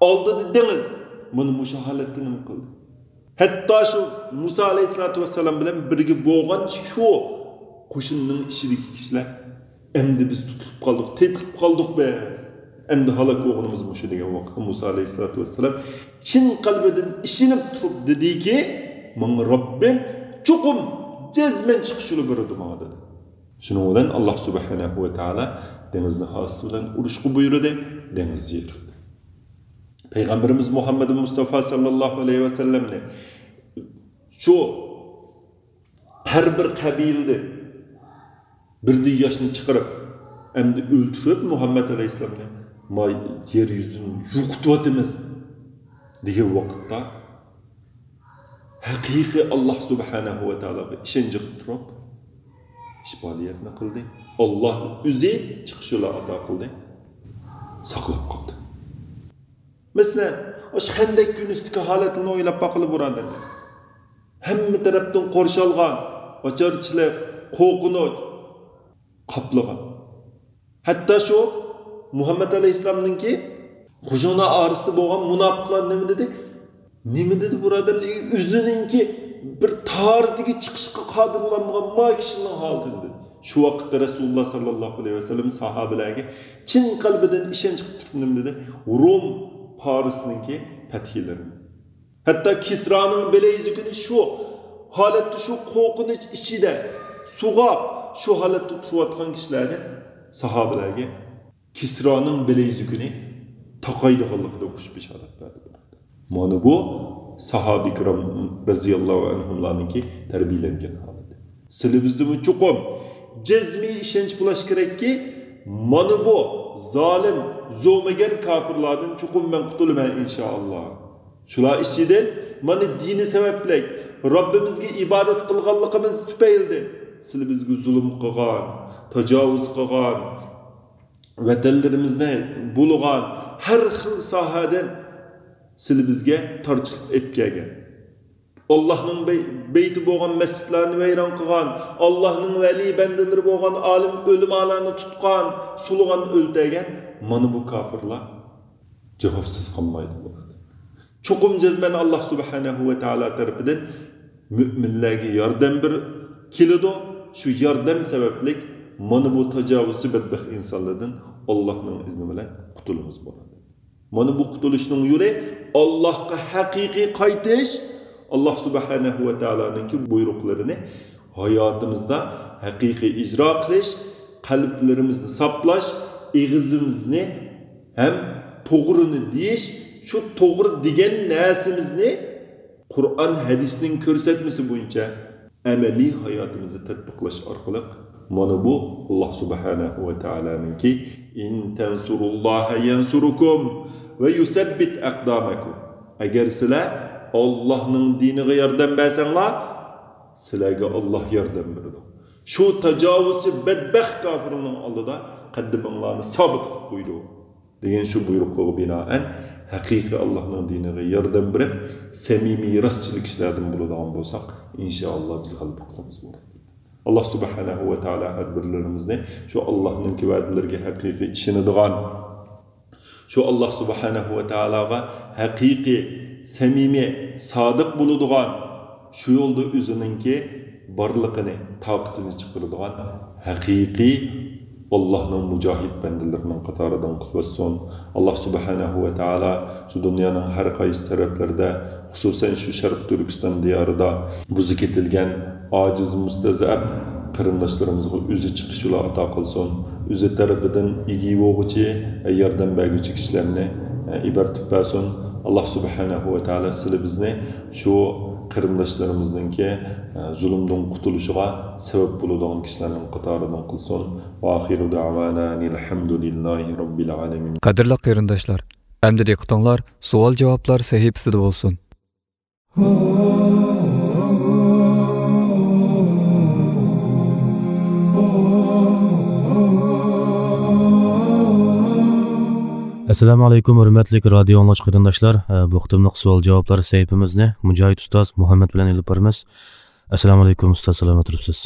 ئالدىدا دېڭىز. مانا مۇشۇ ھالەتتە نېمە قىلدى؟ ھەتتا شۇ مۇسا ئەلەيھىسسالاتۇ ۋەسسالام بىلەن بىرگە بولغان شۇ قوشۇننىڭ ئىچىدىكى كىشىلەر، «ئەمدى بىز تۇتۇلۇپ قالدۇق، تېپىلىپ قالدۇق بىز. ئەمدى ھالاك بولغىنىمىز مۇشۇ» دېگەن ۋاقىتتا مۇسا ئەلەيھىسسالاتۇ ۋەسسالام چىن قەلبىدىن ئىشىنىپ تۇرۇپ دېدىكى، «ماڭا رەببىم چوقۇم جەزمەن چىقىش يولى بېرىدۇ ماڭا» دېدى. شۇنىڭ بىلەن ئاللا سۇبھانەھۇ ۋە تائالا دېڭىزنى ھاسىسى بىلەن ئۇرۇشقا بۇيرۇدى، دېڭىز يېرىلدى. پەيغەمبىرىمىز مۇھەممەد مۇستافا ساللاللاھۇ ئەلەيھى ۋەسەللەمنى شۇ ھەر بىر قەبىلىدىن بىردىن ياشنى چىقىرىپ، ئەمدى ئۆلتۈرۈپ مۇھەممەد ئەلەيھىسسالامنى، ما يەر يۈزىدىن يوقىتىۋاتىمىز دېگەن ۋاقىتتا، ھەقىقىي ئاللا سۇبھانەھۇ ۋە تائالاغا ئىشەنچ قىلىپ تۇرۇپ، شىپالىيەتنى قىلدى. ئاللا ئۆزى چىقىش يولى ئاتا قىلدى. ساقلاپ قالدى. مەسىلەن، ئاشۇ خەندەك كۈنىسىدىكى ھالەتنى ئويلاپ باقىلى، بۇرادەرلەر. ھەممە تەرەپتىن قورشالغان، ئاچارچىلىق، قورقۇنچ قاپلىغان. ھەتتا شۇ مۇھەممەد ئەلەيھىسسالامنىڭكى قوشۇنلار ئارىسىدا بولغان مۇناپىقلار نېمە دېدى؟ نېمە دېدى، بۇرادەرلەر؟ ئۆزىنىڭكى بىر تارىتىگە چىقىشقا قادىر بولالمىغان ما كىشىنىڭ ھالىتىنى دېدى. شۇ ۋاقىتتا رەسۇلۇللا ساللاللاھۇ ئەلەيھى ۋەسەللەم ساھابىلەرگە چىن قەلبىدىن ئىشەنچ قىلىپ تۇرۇپ نېمە دېدى؟ روم پارسنىڭكى پەتھىيلىرىنى. ھەتتا كىسرانىڭ بىلەيزۈكىنى شۇ ھالەتتە، شۇ قورقۇنچ ئىچىدە سۇغاپ، شۇ ھالەتتە تۇرۇۋاتقان كىشىلەرنى، ساھابىلەرگە كىسرانىڭ بىلەيزۈكىنى تاقايدىغانلىقىدا ئوخشاش بېشارەت بەردى. مانا بۇ ساھابە كىرام رەزىياللاھۇ ئەنھۇملارنىڭكى تەربىيەلەنگەن ھالىتى. سىلىبىزدىمۇ چوقۇم جەزمىي ئىشەنچ بولۇش كېرەككى، مانا بۇ زالىم، زومىگەر كاپىرلاردىن چوقۇم مەن قۇتۇلىمەن، ئىنشائاللا. شۇلار ئىچىدىن مانا دىنى سەۋەبلىك، رەببىمىزگە ئىبادەت قىلغانلىقىمىز تۈپەيلىدىن سىلىبىزگە زۇلۇم قىلغان، تاجاۋۇز قىلغان، ۋەتەنلىرىمىزنى بۇلىغان، ھەر خىل ساھەدىن سىلىبىزگە تارچىلىق ئېلىپ كەلگەن. ئاللاھنىڭ بەي-، بەيتى بولغان مەسچىتلەرنى ۋەيران قىلغان، ئاللاھنىڭ ۋەلىي بەندىلىرى بولغان ئالىم ئۆلىمالارنى تۇتقان، سولىغان، ئۆلتۈرگەن، مانا بۇ كاپىرلار جاۋابسىز قالمايدۇ. چوقۇم جەزمەن ئاللاھ سۇبھانەھۇ ۋە تائالا تەرىپىدىن مۆمىنلەرگە ياردەم بىر كېلىدۇ. شۇ ياردەم سەۋەبلىك مانا بۇ تاجاۋۇزچى بەتبەخت ئىنسانلاردىن ئاللاھنىڭ ئىزنى بىلەن قۇتۇلىمىز بولىدۇ. مانا بۇ قۇتۇلۇشنىڭ يولى ئاللاھقا ھەقىقىي قايتىش، ئاللاھ سۇبھانەھۇ ۋە تائالانىڭكى بۇيرۇقلىرىنى ھاياتىمىزدا ھەقىقىي ئىجرا قىلىش، قەلبلىرىمىزنى ساپلاش، ئېغىزىمىزنى ھەم توغرىنى دېيىش، شۇ توغرا دېگەن نەرسىمىزنى قۇرئان ھەدىسنىڭ كۆرسەتمىسى بويىچە ئەمەلىي ھاياتىمىزدا تەتبىقلاش ئارقىلىق، مانا بۇ ئاللاھ سۇبھانەھۇ ۋە تائالانىڭكى، «ئىن تەنسۇرۇللاھە يەنسۇركۇم ۋە يۇسەببىت ئەقدامەكۇم.» ئەگەر سىلەر ئاللاھنىڭ دىنىغا ياردەم بەرسەڭلار، سىلەرگە ئاللاھ ياردەم بېرىدۇ. شۇ تاجاۋۇزچى بەتبەخت كاپىرنىڭ ئالدىدا قەددىمىڭلارنى سابىت قىلىپ قويىدۇ. دېگەن شۇ بۇيرۇقىغا بىنائەن، ھەقىقىي ئاللاھنىڭ دىنىغا ياردەم بېرىپ، سەمىمىي، راستچىل كىشىلەردىن بولىدىغان بولساق، ئىنشائاللا بىز غەلىبە قىلىمىز. ئاللاھ سۇبھانەھۇ ۋە تائالا ھەر بىرلىرىمىزنى شۇ ئاللاھنىڭكى ۋەدىلىرىگە ھەقىقىي ئىشىنىدىغان، شۇ ئاللاھ سۇبھانەھۇ ۋە تائالاغا ھەقىقىي، سەمىمىي، سادىق بولىدىغان، شۇ يولدا ئۆزىنىڭكى بارلىقىنى، تاقىتىنى چىقىرىدىغان ھەقىقىي ئاللاھنىڭ مۇجاھىد بەندىلىرىنىڭ قاتارىدىن قىلىۋەتسۇن. ئاللاھ سۇبھانەھۇ ۋە تائالا شۇ دۇنيانىڭ ھەر قايسى تەرەپلىرىدە، خۇسۇسەن شۇ شەرقىي تۈركىستان دىيارىدا بۇزا كېتىلگەن، ئاجىز، مۇستەزئەپ قېرىنداشلىرىمىزغا ئۆزى چىقىش يولى ئاتا قىلسۇن. ئۆزى تەرىپىدىن ئىگە بولغۇچى، ياردەم بەرگۈچى كىشىلەرنى ئىبەرتىپ بەرسۇن. ئاللاھ سۇبھانەھۇ ۋە تائالا سىلى بىزنى شۇ قېرىنداشلىرىمىزنىڭكى زۇلۇمدىن قۇتۇلۇشىغا سەۋەب بولىدىغان كىشىلەرنىڭ قاتارىدىن قىلسۇن. ۋە ئاخىرۇ دەۋانا ئەنىل ھەمدۇلىللاھى رەببىل ئالەمىن. قەدىرلىك قېرىنداشلار، ئەمدى دىققىتىڭلار سوئال-جاۋابلار سەھىپىسىدە بولسۇن. ئەسسالامۇ ئەلەيكۇم، ھۆرمەتلىك رادىيو ئاڭلىغۇچى قېرىنداشلار. ئە، بۇ قېتىملىق سوئال-جاۋابلار سەھىپىمىزنى مۇجاھىد ئۇستاز مۇھەممەد بىلەن ئېلىپ بارىمىز. ئەسسالامۇ ئەلەيكۇم ئۇستاز، سالامەت تۇرۇپسىز؟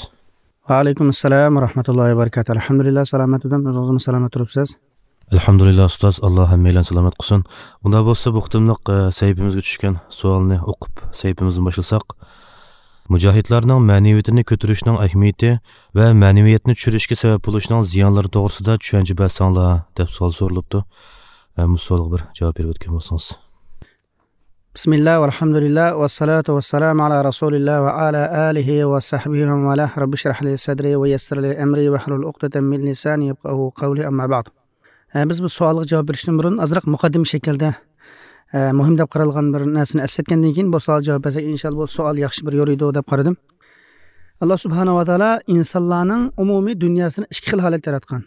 ۋەئەلەيكۇم ئەسسالام ۋە رەھمەتۇللاھى ۋە بەرىكاتۇھ. ئەلھەمدۇلىللا، سالامەت تۇردۇم. ئۆزىڭىزمۇ سالامەت تۇرۇپسىز؟ ئەلھەمدۇلىللا ئۇستاز، ئاللا ھەممەيلەن سالامەت قىلسۇن. ئۇنداق بولسا بۇ قېتىملىق، ئە، سەھىپىمىزگە چۈشكەن سوئالنى ئوقۇپ سەھىپىمىزنى باشلىساق. مۇجاھىدلارنىڭ مەنىۋىيىتىنى كۆتۈرۈشنىڭ ئەھمىيىتى ۋە مەنىۋىيەتنى چۈشۈرۈشكە سەۋەب بولۇشنىڭ زىيانلىرى توغرىسىدا چۈشەنچە بەرسەڭلار، دەپ سوئال سورىلىپتۇ. ئە، مۇشۇ سوئالغا بىر جاۋاب بېرىپ ئۆتكەن بولسىڭىز. بىسمىللا، ۋەلھەمدۇلىللا، ۋەسسالاتۇ ۋەسسالامۇ ئەلا رەسۇلىللا ۋە ئەلا ئالىھى ۋە سەھبىھى ۋە مەن ۋالاھ. رەببىشرەھلى سەدرى ۋە يەسسىرلى ئەمرى ۋەھلۇل ئۇقدەتەن مىن لىسانى يەفقەھۇ قەۋلى، ئەمما بەئد. ئە، بىز بۇ سوئالغا جاۋاب بېرىشتىن بۇرۇن ئازراق مۇقەددىمە شەكىلدە، ئە، مۇھىم دەپ قارالغان بىر نەرسىنى ئەسلەتكەندىن كېيىن بۇ سوئالغا جاۋاب بەرسەك، ئىنشاللا بۇ سوئال ياخشى بىر يورۇيدۇ دەپ قارىدىم. ئاللا سۇبھانەھۇ ۋە تائالا ئىنسانلارنىڭ ئومۇمىي دۇنياسىنى ئىككى خىل ھالەتتە ياراتقان.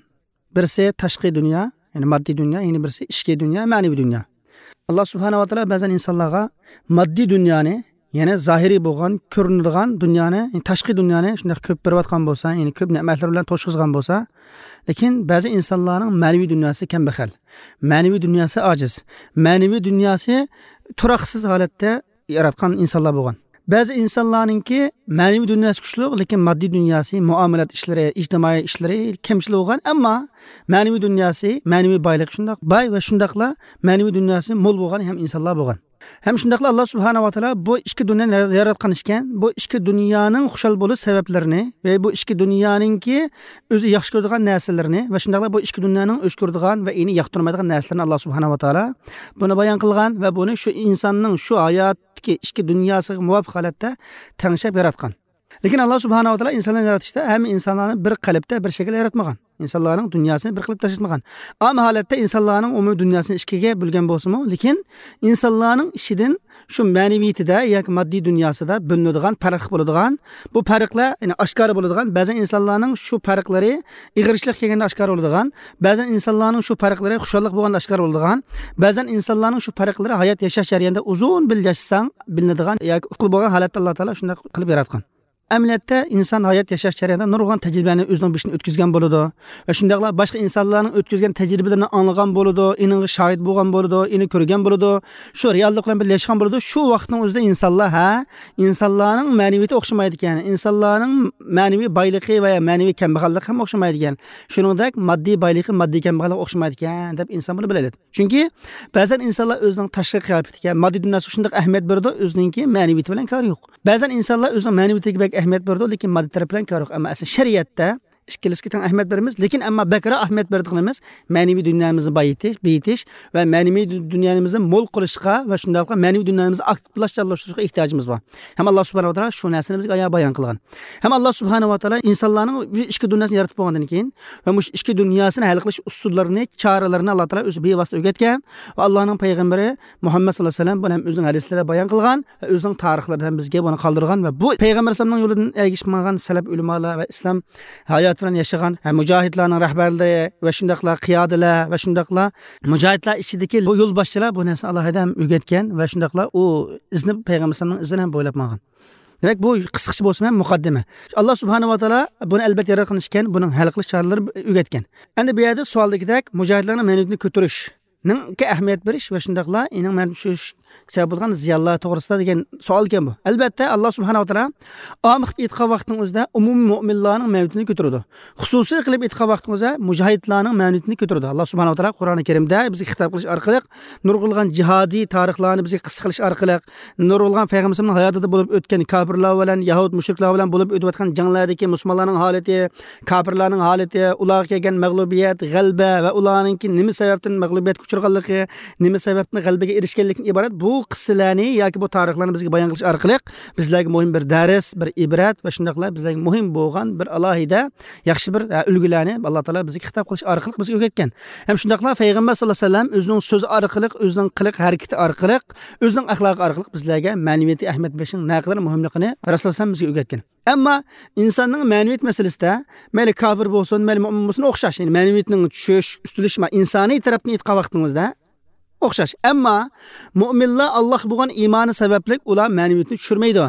بىرسى تاشقى دۇنيا، يەنى ماددىي دۇنيا، يەنە بىرسى ئىچكى دۇنيا، مەنىۋى دۇنيا. ئاللا سۇبھانەھۇ ۋە تائالا بەزەن ئىنسانلارغا ماددىي دۇنيانى، يەنى زاھىرىي بولغان، كۆرۈنىدىغان دۇنيانى، يەنى تاشقى دۇنيانى شۇنداق كۆپ بېرىۋاتقان بولسا، يەنى كۆپ نېمەتلەر بىلەن توشقۇزغان بولسا، لېكىن بەزى ئىنسانلارنىڭ مەنىۋى دۇنياسى كەمبەغەل، مەنىۋى دۇنياسى ئاجىز، مەنىۋى دۇنياسى تۇراقسىز ھالەتتە ياراتقان ئىنسانلار بولغان. بەزى ئىنسانلارنىڭكى مەنىۋى دۇنياسى كۈچلۈك، لېكىن ماددىي دۇنياسى، مۇئامىلات ئىشلىرى، ئىجتىمائىي ئىشلىرى كەمچىل بولغان، ئەمما مەنىۋى دۇنياسى، مەنىۋى بايلىقى شۇنداق باي ۋە شۇنداقلا مەنىۋى دۇنياسى مول بولغان ھەم ئىنسانلار بولغان. ھەم شۇنداقلا ئاللا سۇبھانەھۇ ۋە تائالا بۇ ئىككى دۇنيانى ياراتقان ئىكەن، بۇ ئىككى دۇنيانىڭ خۇشال بولۇش سەۋەبلىرىنى ۋە بۇ ئىككى دۇنيانىڭكى ئۆزى ياخشى كۆرىدىغان نەرسىلىرىنى ۋە شۇنداقلا بۇ ئىككى دۇنيانىڭ ئۆچ كۆرىدىغان ۋە ئېنى ياقتۇرمايدىغان نەرسىلىرىنى ئاللا سۇبھانەھۇ ۋە تائالا بۇنى بايان قىلغان ۋە بۇنى شۇ ئىنساننىڭ شۇ ھايات ئىككى، ئىككى دۇنياسىغا مۇۋاپىق ھالەتتە تەڭشەپ ياراتقان. لېكىن ئاللا سۇبھانەھۇ ۋە تائالا ئىنسانلارنى يارىتىشتا ھەممە ئىنسانلارنى بىر قەلبتە، بىر شەكىلدە ياراتمىغان. ئىنسانلارنىڭ دۇنياسىنى بىر قىلىپ تاشلاتمىغان. ئام ھالەتتە ئىنسانلارنىڭ ئومۇمىي دۇنياسىنى ئىككىگە بۆلگەن بولسىمۇ، لېكىن ئىنسانلارنىڭ ئىچىدىن شۇ مەنىۋىيىتىدە ياكى ماددىي دۇنياسىدا بۆلۈنىدىغان، پەرق بولىدىغان، بۇ پەرقلەر، يەنى ئاشكارا بولىدىغان، بەزەن ئىنسانلارنىڭ شۇ پەرقلىرى ئېغىرچىلىق كەلگەندە ئاشكارا بولىدىغان، بەزەن ئىنسانلارنىڭ شۇ پەرقلىرى خۇشاللىق بولغاندا ئاشكارا بولىدىغان، بەزەن ئىنسانلارنىڭ شۇ پەرقلىرى ھايات ياشاش جەريانىدا ئۇزۇن بىللە ياشىساڭ بىلىنىدىغان ياكى ئۇقۇل بولغان ھالەتتە ئاللا تائالا شۇنداق قىلىپ ياراتقان. ئەمەلىيەتتە ئىنسان ھايات ياشاش جەريانىدا نۇرغۇن تەجرىبىلەرنى ئۆزىنىڭ بېشىدىن ئۆتكۈزگەن بولىدۇ. ۋە شۇنداقلا باشقا ئىنسانلارنىڭ ئۆتكۈزگەن تەجرىبىلىرىنى ئاڭلىغان بولىدۇ، ئېنىڭغا شاھىت بولغان بولىدۇ، ئېنى كۆرگەن بولىدۇ. شۇ رېئاللىق بىلەن بىللە ياشىغان بولىدۇ. شۇ ۋاقىتنىڭ ئۆزىدە ئىنسانلار، ھە، ئىنسانلارنىڭ مەنىۋىيىتى ئوخشىمايدىكەن، ئىنسانلارنىڭ مەنىۋى بايلىقى ۋە مەنىۋى كەمبەغەللىكى ھەم ئوخشىمايدىكەن. شۇنىڭدەك ماددىي بايلىقى، ماددىي كەمبەغەللىكى ئوخشىمايدىكەن دەپ ئىنسان بۇنى بىلەلەيدۇ. چۈنكى بەزەن ئىنسانلار ئۆزىنىڭ تاشقى قىياپىتىگە، ماددىي دۇنياسىغا شۇنداق ئەھمىيەت بېرىدۇ، ئۆزىنىڭكى مەنىۋىيىتى بىلەن كارى يوق. بەزەن ئىنسانلار ئۆزىنىڭ مەنىۋىيىتىگە بەك ئەھمىيەت بېرىدۇ، لېكىن ماددىي تەرەپ بىلەن كارى يوق. ئەمما ئەسلى شەرىئەتتە ئىككىلىسىگە تەڭ ئەھمىيەت بېرىمىز، لېكىن ئەمما بەكرەك ئەھمىيەت بېرىدىغىنىمىز مەنىۋى دۇنيامىزنى بايىتىش، بېيىتىش ۋە مەنىۋى دۇنيامىزنى مول قىلىشقا ۋە شۇنداقلا مەنىۋى دۇنيامىزنى ئاكتىپلاشتۇرۇشقا ئېھتىياجىمىز بار. ھەم ئاللا سۇبھانەھۇ ۋە تائالا شۇ نەرسىنى بىزگە ئايان بايان قىلغان. ھەم ئاللا سۇبھانەھۇ ۋە تائالا ئىنسانلارنىڭ بۇ ئىچكى دۇنياسىنى يارىتىپ بولغاندىن كېيىن ۋە مۇشۇ ئىچكى دۇنياسىنى ھەل قىلىش ئۇسۇللىرىنى، چارىلىرىنى ئاللا تائالا ئۆزى بىۋاسىتە ئۆگەتكەن ۋە ئاللانىڭ پەيغەمبىرى مۇھەممەد ساللاللاھۇ ئەلەيھى ۋەسەللەم بۇنى ھەم ئۆزىنىڭ ھەدىسلىرىدە بايان قىلغان ۋە ئۆزىنىڭ تارىخلىرىدا ھەم بىزگە بۇنى قالدۇرغان ۋە بۇ پەيغەمبەر ئەلەيھىسسالامنىڭ يولىدىن ئەگىشىپ ماڭغان سەلەپ ئۆلىمالار ۋە ئىسلام ھاياتى بىلەن ياشىغان ھە، مۇجاھىدلارنىڭ رەھبەرلىرى ۋە شۇنداقلا قىيادىلەر ۋە شۇنداقلا مۇجاھىدلار ئىچىدىكى بۇ يولباشچىلار بۇ نەرسىنى ئالاھىدە ھەم ئۆگەتكەن ۋە شۇنداقلا ئۇ ئىزنى، پەيغەمبەر ئەلەيھىسسالامنىڭ ئىزىنى ھەم بويلاپ ماڭغان. دېمەك، بۇ قىسقىچە بولسىمۇ ھەم مۇقەددىمە. ئاللا سۇبھانەھۇ ۋە تائالا بۇنى ئەلۋەتتە ياراتقان ئىكەن، بۇنىڭ ھەل قىلىش چارىلىرى ئۆگەتكەن. ئەمدى بۇ يەردە سوئالدىكىدەك مۇجاھىدلارنىڭ مەنىۋىيىتىنى كۆتۈرۈش نىڭكى ئەھمىيەت بېرىش ۋە شۇنداقلا ئېنىڭ مەنىۋىيەتنى چۈشۈرۈش سەۋەب بولىدىغان زىيانلار توغرىسىدا دېگەن سوئالكەن بۇ. ئەلۋەتتە، ئاللا سۇبھانەھۇ ۋە تائالا ئام قىلىپ ئېيتقان ۋاقىتنىڭ ئۆزىدە ئومۇمىي مۆمىنلارنىڭ مەنىۋىيىتىنى كۆتۈرىدۇ. خۇسۇسىي قىلىپ ئېيتقان ۋاقتىمىزدا مۇجاھىدلارنىڭ مەنىۋىيىتىنى كۆتۈرىدۇ. ئاللا سۇبھانەھۇ ۋە تائالا قۇرئانى كەرىمدە بىزگە خىتاب قىلىش ئارقىلىق نۇرغۇنلىغان جىھادىي تارىخلارنى بىزگە قىسسە قىلىش ئارقىلىق، نۇرغۇنلىغان پەيغەمبىرىمىزنىڭ ھاياتىدا بولۇپ ئۆتكەن كاپىرلار بىلەن، يەھۇد مۇشرىكلار بىلەن بولۇپ ئۆتۈۋاتقان جەڭلەردىكى مۇسۇلمانلارنىڭ ھالىتى، كاپىرلارنىڭ ھالىتى، ئۇلارغا كەلگەن مەغلۇبىيەت، غەلىبە ۋە ئۇلارنىڭكى نېمە سەۋەبتىن مەغلۇبىيەتكە ئۇچرىغانلىقى، نېمە سەۋەبتىن غەلىبىگە ئېرىشكەنلىكتىن ئىبارەت بۇ قىسسىلەرنى ياكى بۇ تارىخلارنى بىزگە بايان قىلىش ئارقىلىق بىزلەرگە مۇھىم بىر دەرس، بىر ئىبرەت ۋە شۇنداقلا بىزلەرگە مۇھىم بولغان بىر ئالاھىدە ياخشى بىر، ئە، ئۈلگىلەرنى ئاللا تائالا بىزگە خىتاب قىلىش ئارقىلىق بىزگە ئۆگەتكەن. ھەم شۇنداقلا پەيغەمبەر ساللاللاھۇ ئەلەيھى ۋەسەللەم ئۆزىنىڭ سۆزى ئارقىلىق، ئۆزىنىڭ قىلىق ھەرىكىتى ئارقىلىق، ئۆزىنىڭ ئەخلاقى ئارقىلىق بىزلەرگە مەنىۋىيەتكە ئەھمىيەت بېرىشنىڭ نەقەدەر مۇھىملىقىنى رەسۇلۇللاھ ئەلەيھىسسالام بىزگە ئۆگەتكەن. ئەمما ئىنساننىڭ مەنىۋىيەت مەسىلىسىدە مەيلى كاپىر بولسۇن، مەيلى مۆمىن بولسۇن ئوخشاش. يەنى مەنىۋىيەتنىڭ چۈشۈش، ئۈستۈنلىشىش، ئىنسانىي تەرەپتىن ئېيتقان ۋاقتىمىزدا ئوخشاش. ئەمما مۆمىنلار ئاللاھقا بولغان ئىمانى سەۋەبلىك ئۇلار مەنىۋىيەتنى چۈشۈرمەيدۇ.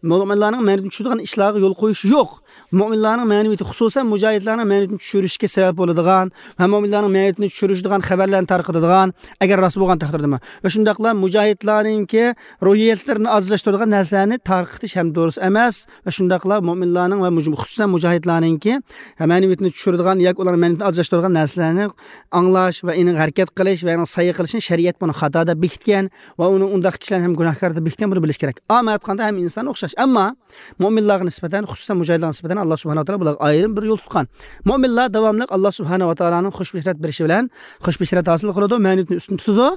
مۆمىنلارنىڭ مەنىۋىيەتنى چۈشۈرىدىغان ئىشلارغا يول قويۇش يوق. مۆمىنلارنىڭ مەنىۋىيىتى، خۇسۇسەن مۇجاھىدلارنىڭ مەنىۋىيىتىنى چۈشۈرۈشكە سەۋەب بولىدىغان ۋە مۆمىنلارنىڭ مەنىۋىيىتىنى چۈشۈرۈشىدىغان خەۋەرلەرنى تارقىتىدىغان، ئەگەر راست بولغان تەقدىردىمۇ، ۋە شۇنداقلا مۇجاھىدلارنىڭكى روھىيەتلىرىنى ئاجىزلاشتۇرىدىغان نەرسىلەرنى تارقىتىش ھەم دۇرۇس ئەمەس. ۋە شۇنداقلا مۆمىنلارنىڭ ۋە مۇج-، خۇسۇسەن مۇجاھىدلارنىڭكى مەنىۋىيىتىنى چۈشۈرىدىغان ياكى ئۇلارنىڭ مەنىۋىيىتىنى ئاجىزلاشتۇرىدىغان نەرسىلەرنى ئاڭلاش ۋە ئېنىڭ ھەرىكەت قىلىش ۋە ئېنىڭ سەي قىلىشنى شەرىئەت بۇنى خاتا دەپ بېكىتكەن ۋە ئۇنى ئۇنداق كىشىلەرنى ھەم گۇناھكار دەپ بېكىتكەن، بۇنى بىلىش كېرەك. ئامما ئېيتقاندا ھەممە ئىنسان ئوخشاش. ئەمما مۆمىنلارغا نىسبەتەن، خۇسۇسەن مۇجاھىدلارغا نىسبەتەن ئاللا سۇبھانەھۇ ۋە تائالا بۇلارغا ئايرىم بىر يول تۇتقان. مۆمىنلار داۋاملىق ئاللا سۇبھانەھۇ ۋە تائالانىڭ خۇش بېشارەت بېرىشى بىلەن خۇش بېشارەت ھاسىل قىلىدۇ، مەنىۋىيىتىنى ئۈستۈن تۇتىدۇ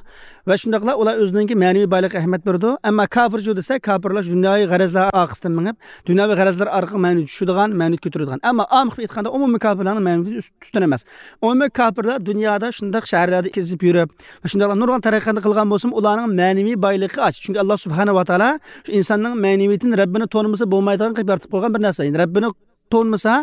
ۋە شۇنداقلا ئۇلار ئۆزىنىڭكى مەنىۋى بايلىقىغا ئەھمىيەت بېرىدۇ. ئەمما كاپىرچۇ دېسە، كاپىرلار دۇنياۋى غەرەزلەر ئارقىسىدىن مېڭىپ، دۇنياۋى غەرەزلەر ئارقىلىق مەنىۋىيىتى چۈشىدىغان، مەنىۋىيىتى كۆتۈرىدىغان. ئەمما ئام قىلىپ ئېيتقاندا ئومۇمىي كاپىرلارنىڭ مەنىۋىيىتى ئۈست-، ئۈستۈن ئەمەس. ئومۇمىي كاپىرلار دۇنيادا شۇنداق شەھەرلەردە كېزىپ يۈرۈپ، شۇنداقلا نۇرغۇن تەرەققىياتنى قىلغان بولسىمۇ، ئۇلارنىڭ مەنىۋى بايلىقى ئاز. چۈنكى ئاللا سۇبھانەھۇ ۋە تائالا شۇ ئىنساننىڭ مەنىۋىيىتىنى رەببىنى تونۇمىسا بولمايدىغان قىلىپ يارىتىپ قويغان بىر نەرسە. يەنى رەببىنى تونۇمىسا،